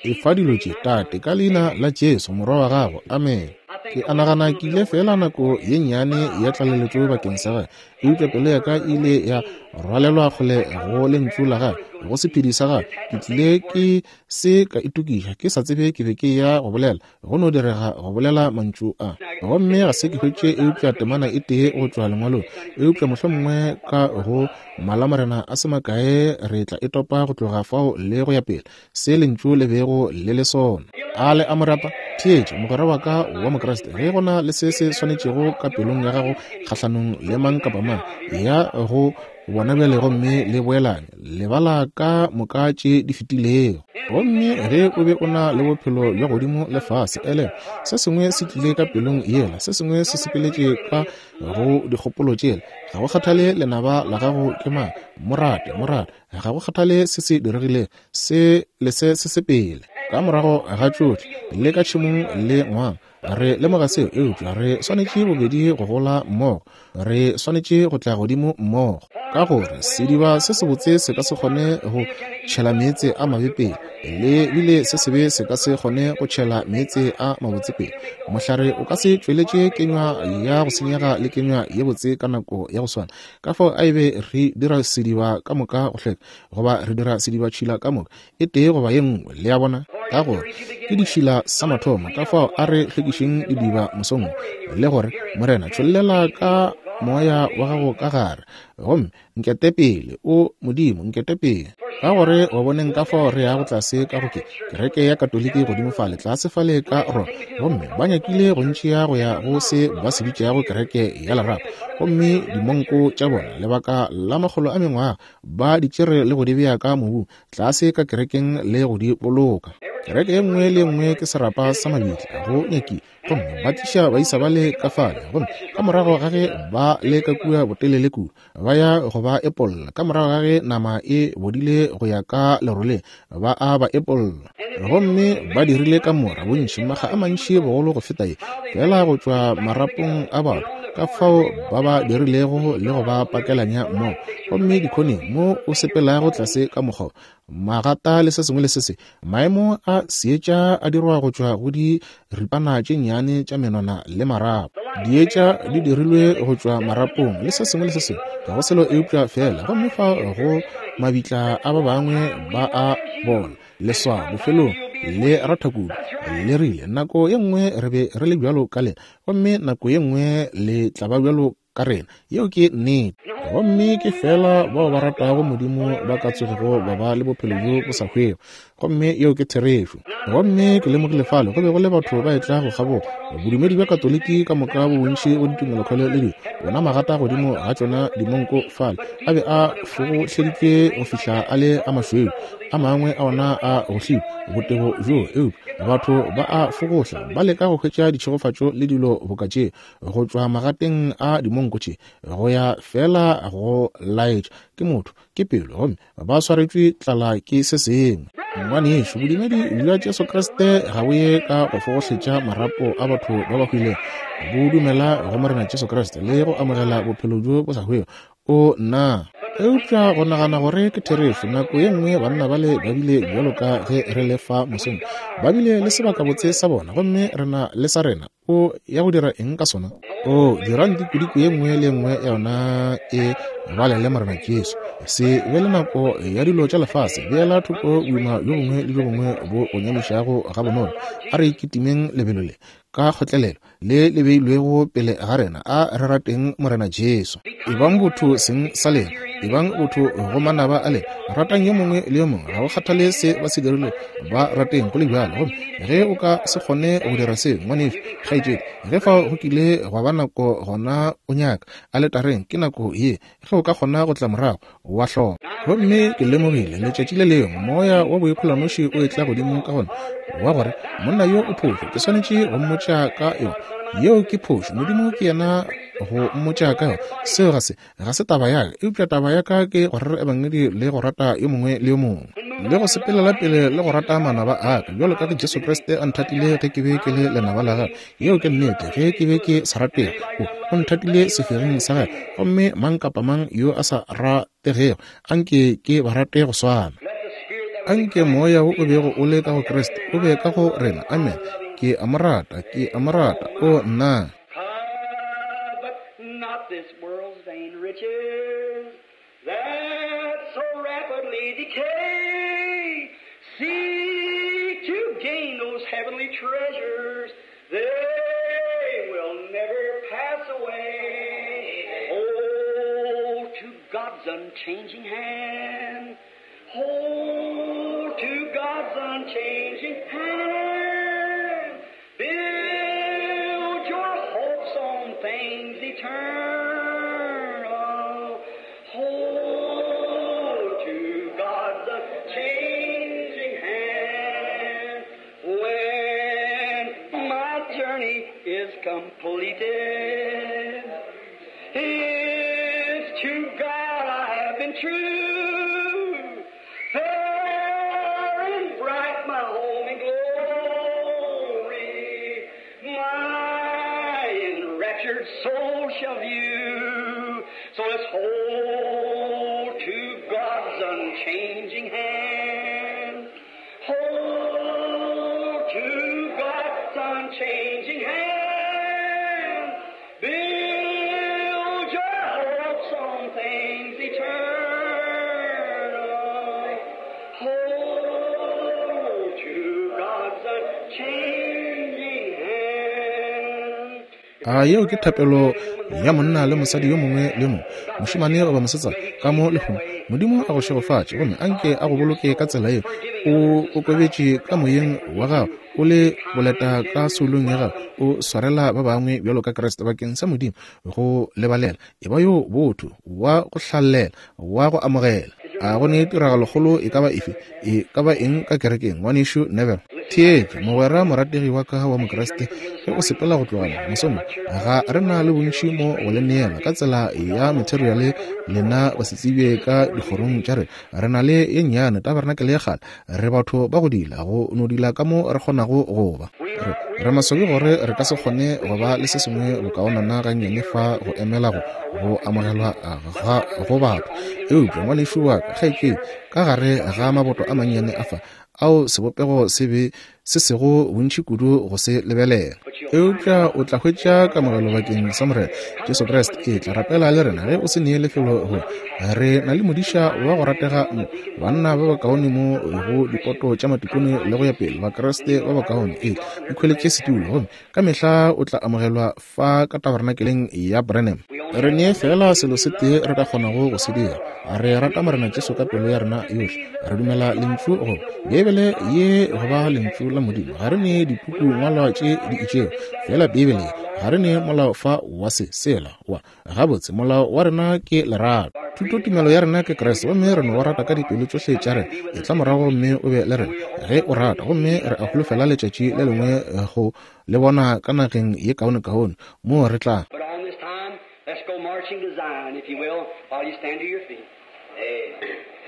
Efa dilo tše, Tate, ka leina la Jesu morwa wa gago. Amen. Ke a nagana ke ile fela nako ye nnyane ya tlaleletšo bakeng sa gagwe, eupša pelo ya ka ile ya rwalelwa kgole go lentšu la gagwe, go sephedi sa gagwe. Ke tlile ke se ka itokiša, ke sa tsebe ke be ke ya go bolela, go no direga go bolela mantšu a, gomme ga se ke hwetše eupša temana e tee go tšwa lengwalong, eupša mohlomongwe ka go malamorena a se makae re tla e topa go tloga fao le go ya pele, se lentšu le bego le le sona. A le a mo rata? Theetša, mogwera wa ka wa Mokriste, ge go na le se se swanetšego ka pelong ya gago kgahlanong le mang kapa mang, ya go bona bjale gomme le boelane, lebala ka moka tše di fetilego. Gomme ge o be o na le bophelo bja godimo le fase, ele se sengwe se tlile ka pelong yela, se sengwe se sepeletše ka go dikgopolo tšela. Ga go kgathale lenaba la gago ke mang, morate, morate, ga go kgathale se se diregilego, se le se se sepele. Ka morago ga tšohle le ka tšhemong le ngwang, re lemoga seo, eupša re swanetše bobedi go gola mmogo, re swanetše go tla godimo mmogo, ka gore sediba se sebotse se ka se kgone go tšhela meetse a mabe pele, le bile se sebe se ka se kgone go tšhela meetse a mabotse pele. Mohlare o ka se tšweletše kenywa ya go senyega le kenywa ye botse ka nako ya go swana. Ka fao a ebe re dira sediba ka moka go hlweka, goba re dira sediba tšhila ka moka, e tee goba ye nngwe, le a bona, ka gore ke ditšhila sa mathomo. Ka fao a re hlwekišeng didiba mosong, le gore Morena tšhollela ka moya wa gago ka gare, gomme nkete pele, o Modimo, nkete pele. Ka gore wa boneng ka fao re yago tlase ka go ke kereke ya Katoliki godimo fale, tlase fale ka Roma, gomme ba nyakile go ntšea go ya go se ba se bitšago kereke ya lerato, gomme dimonko tša bona lebaka la makgolo a mengwaga ba di tšere le go di bea ka mobung tlase ka kerekeng le go di boloka. Kereke ye nngwe le ye nngwe ke serapa sa mabitla go nyakile, gomme ba tliša baisa ba le ka fale, gomme ka morago ga ge ba le ka kua botelele kudu, ba ya go ba epolla. Ka morago ga ge nama e bodile go ya ka leroleng, ba a ba epolla, gomme ba dirile ka mora bontši makga a mantši bogolo go feta ye, fela go tšwa marapong a batho, ka fao ba ba dirilego le go ba pakelanya mmogo. Gomme dikhoneng mo o sepelago tlase ka mokgwa, magata le se sengwe le se se, maemo a seetša a dirwa go tšwa go diripana tše nnyane tša menwana le marapo. Dietša di dirilwe go tšwa marapong le se sengwe le se sengwe, ga go selo eupša fela. Gomme fa go mabitla a ba bangwe ba a bona Leswao bofelong le ratha kudu. Le rile nako ye nngwe re be re le bjalo ka lena, gomme nako ye nngwe le tla ba bjalo ka rena. Yeo ke nnete. Gomme ke fela bao ba ratago Modimo ba ka tsogego ba ba le bophelo bjo bo sa hwego. Gomme yeo ke therešo. Gomme ke lemogile fale go be go le batho ba etla go kgabola bodumedi bja Katoliki ka moka bo bontši go ditumelokhwele le dilo. Bona magata godimo ga tšona dimonko fale a be a fogohleditšwe go fihla a le a mašweu, a mangwe a ona a gohlilwe botebo bjo, eupša batho ba a fogohla ba leka go hwetša ditšhegofatšo le dilo boka tše go tšwa magateng a dimonko tše, go ya fela go laetša ke motho ke pelo, gomme ba swaretšwe tlala ke se sengwe. Ngwanešu, bodumedi bja Jesu Kriste ga bo ye ka go fogohletša marapo a batho ba ba hwilego. Bo dumela go Morena Jesu Kriste le go amogela bophelo bjo bo sa hwego. O nna. Eupša go nagana gore ke therešo, nako ye nngwe banna bale ba bile bjalo ka ge re le fa mosong, ba bile le sebakabotse sa bona, gomme re na le sa rena. O ya go dira eng ka sona? O dirang dikudiko ye nngwe le nngwe ya yona e balele Morena Jesu. Se be le nako ya dilo tša lefase, beela thoko boima bjo bongwe le bjo bongwe bo o nyamišago gabonolo. A re kitimeng lebelo le ka kgotlelelo le le beilwego pele ga rena. A re rateng Morena Jesu. Ebang botho seng sa lena, ebang botho go manaba a lena. Ratang yo mongwe le yo mongwe, ga go kgathale se ba se dirile, ba rateng go le bjalo. Gomme ge o ka se kgone go dira seo, ngwanešu, kgaetšedi, ge fao go kile gwa ba nako gona o nyaka aletareng, ke nako ye ge o ka kgona go tla morago wa hloka. Gomme ke lemogile letšatši le lengwe moya wa boikgolanoši o etla godimo ka gona wa gore monna yo o phošo, ke swanetše go mmotša ka yona. Yeo ke phošo. Modimo ke yena go mmotša ka yona. Seo ga se ga se taba ya ka, eupša taba ya ka ke go rera ebangedi le go rata yo mongwe le yo mongwe, le go sepelela pele le go rata manaba a ka, bjalo ka ge Jesu Kriste a nthatile ge ke be ke le lenaba la gagwe. Yeo ke nnete. Ge ke be ke sa ratege, o o nthatile sefegeng sa gagwe. Gomme mang kapa mang yo a sa rategego, anke ke ba rate go swana. Anke moya wo o bego o le ka go Kriste o be ka go rena. Amen. Ke a mo rata, ke a mo rata. O nna. Covet not this world's vain riches that so rapidly decay. Seek to gain those heavenly treasures, they will never pass away. Hold to God's unchanging hand. Hold to God's unchanging hand. Build your hopes on things eternal. Hold to God's unchanging hand. When my journey is completed, if to God I have been true, fair and bright my home in glory, my enraptured soul shall view. So let's hold to God's unchanging hand. Hold to God's unchanging hand. Build your hopes on things eternal. Hold to God's unchanging hand. A yeo ke thapelo ya monna le mosadi yo mongwe le mongwe, mošemane goba mosetsana ka mo lehono. Modimo a go šegofatše, gomme anke a go boloke ka tsela yeo. O kokobetše ka moyeng wa gago, o le boleta ka soulong ya gago, o swarela ba bangwe bjalo ka Kriste bakeng sa Modimo go lebalela. E ba yo botho, wa go hlalela, wa go amogela. A go ne tiragalokgolo e ka ba efe, e ka ba eng ka kerekeng, ngwanešu Neville? Theetša, mogwera morategi wa ka wa Mokriste, ge o sepela go tloga mo mosong, ga re na le bontši mo go le neela ka tsela ya materiale lena ba se tsebje ka dikgorong tša rena. Re na le ye nnyane tabernakel ya kgale. Re batho ba go dila, go no dila ka mo re kgonago go ba. Re, re maswabi gore re ka se kgone go ba le se sengwe bokaonana gannyane fa go emela go go amogelwa ga go batho. Eupša ngwanešu wa ka, kgaetšedi, ka gare ga maboto a mannyane a fa ao sebopego se be se sego bontši kudu go se lebelela. Eupša o tla hwetša kamogelo bakeng sa Morena Jesu Kriste. E tla rapela le rena ge o se nee lefelo go. Re na le modiša wa go ratega mo, banna ba bakaone mo go dipoto tša matikone le go ya pele, Bakriste ba bakaone. E ikhweletše setulo gomme ka mehla o tla amogelwa fa ka tabernakeleng ya Branham. Re nee fela selo se tee re ka kgonago go se dira. Re rata Morena Jesu ka pelo ya rena yohle. Re dumela lentšu go Beibele ye go ba lentšu la Modimo. Ga re ne dipuku ngwalwa tše di itšego, fela Beibele ga re ne molao fa wa se sela wa gabotse. Molao wa rena ke lerato. Thuto tumelo ya rena ke Kriste, gomme re no go rata ka dipelo tšohle tša rena. E tla morago gomme o be le rena ge o rata, gomme re a holofela letšatši le lengwe go le bona ka nageng ye kaonekaone moo re tla. But on this time, let's go marching to Zion, if you will, while you stand to your feet.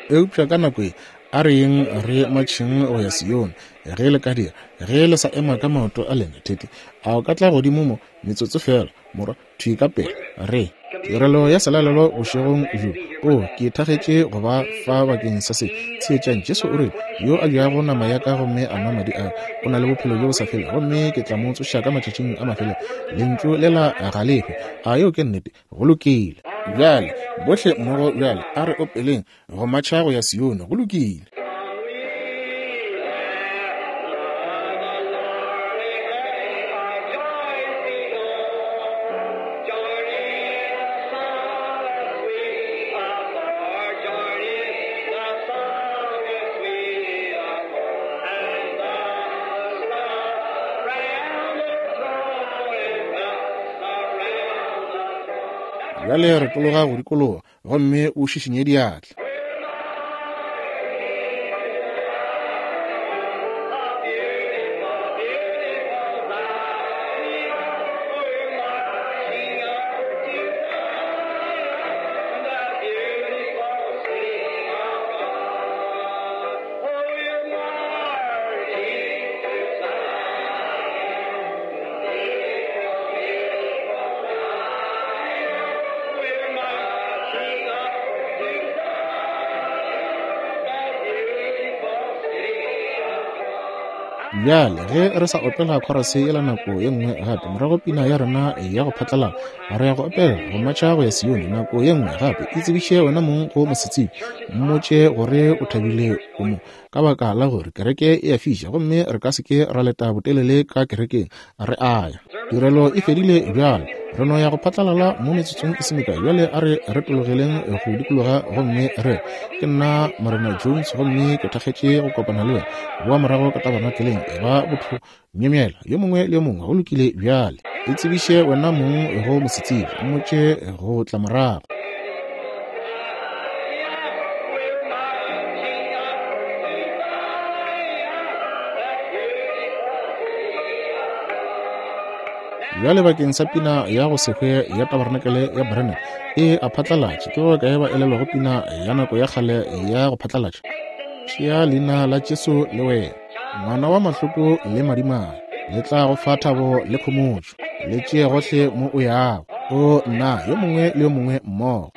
Eupša ka nako e a re yeng re matšheng go ya Sione, ge le ka dira, ge le sa ema ka maoto a lena thete, a o ka tla godimo mo metsotso fela, morwa, thwi ka pele. Re tirelo ya selalelo bošegong bjo. O, ke thagetše go ba fa bakeng sa se. Theetšang, Jesu o rile, yo a jago nama ya ka gomme a nwa madi a ka, o na le bophelo bjo bo sa felego, gomme ke tla mo tsoša ka matšatšing a mafelelo. Lentšu lela ga le hwe. A yeo ke nnete? Go lokile. Bjale, bohle mmogo bjale, a re opeleng go matšha go ya Sione. Go lokile. Bjale re tologa go dikologa gomme o šišinye diatla. Bjale ge re sa opela khorase yela nako ye nngwe gape, morago pina ya rena ya go phatlalala, re ya go opela go matšha go ya Sione nako ye nngwe gape. E tsebiše wena mong go mosetsebje, mmotše gore o thabile o mo, ka baka la gore kereke e a fiša gomme re ka se ke ra leta botelele ka kerekeng. Re a ya. Tirelo e fedile bjale, re no ya go phatlalala mo metsotsong e se mekae. Bjale a re retologeleng go dikologa gomme re, ke nna Morena Jones gomme ke thakgetše go kopana le wena. Boa morago ka tabernakeleng, e ba botho myemyela yo mongwe le yo mongwe. Go lokile bjale, e tsebiše wena mong go mosetsebje, mmotše go tla morago. Bjale bakeng sa pina ya go se hwe ya tabernakeleng ya Branham e a phatlalatša, ke ba kae ba elelwago pina ya nako ya kgale ya go phatlalatša? Tšea leina la Jesu le wena, ngwana wa mahloko le madimabe, le tla go fa thabo le khomotšo, le tšee gohle mo o yago. O nna, yo mongwe le yo mongwe mmogo.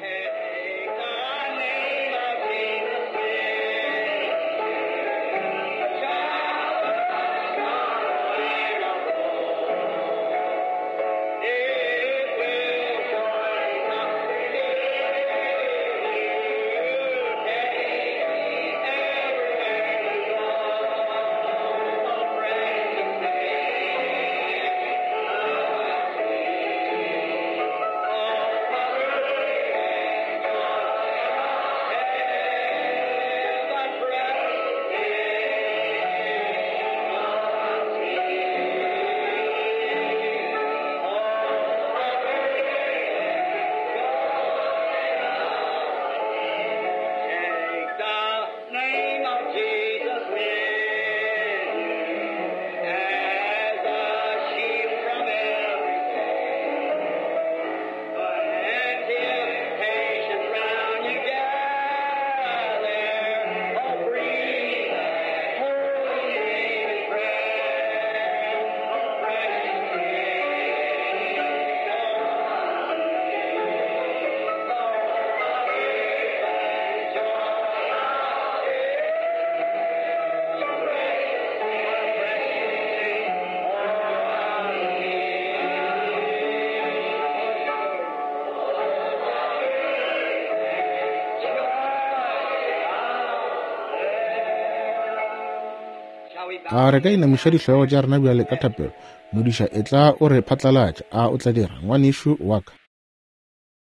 A re ka inamiša dihlogo tša rena bjale ka thapelo? Modiša, etla o re phatlalatša, a o tla dira, ngwanešu wa ka?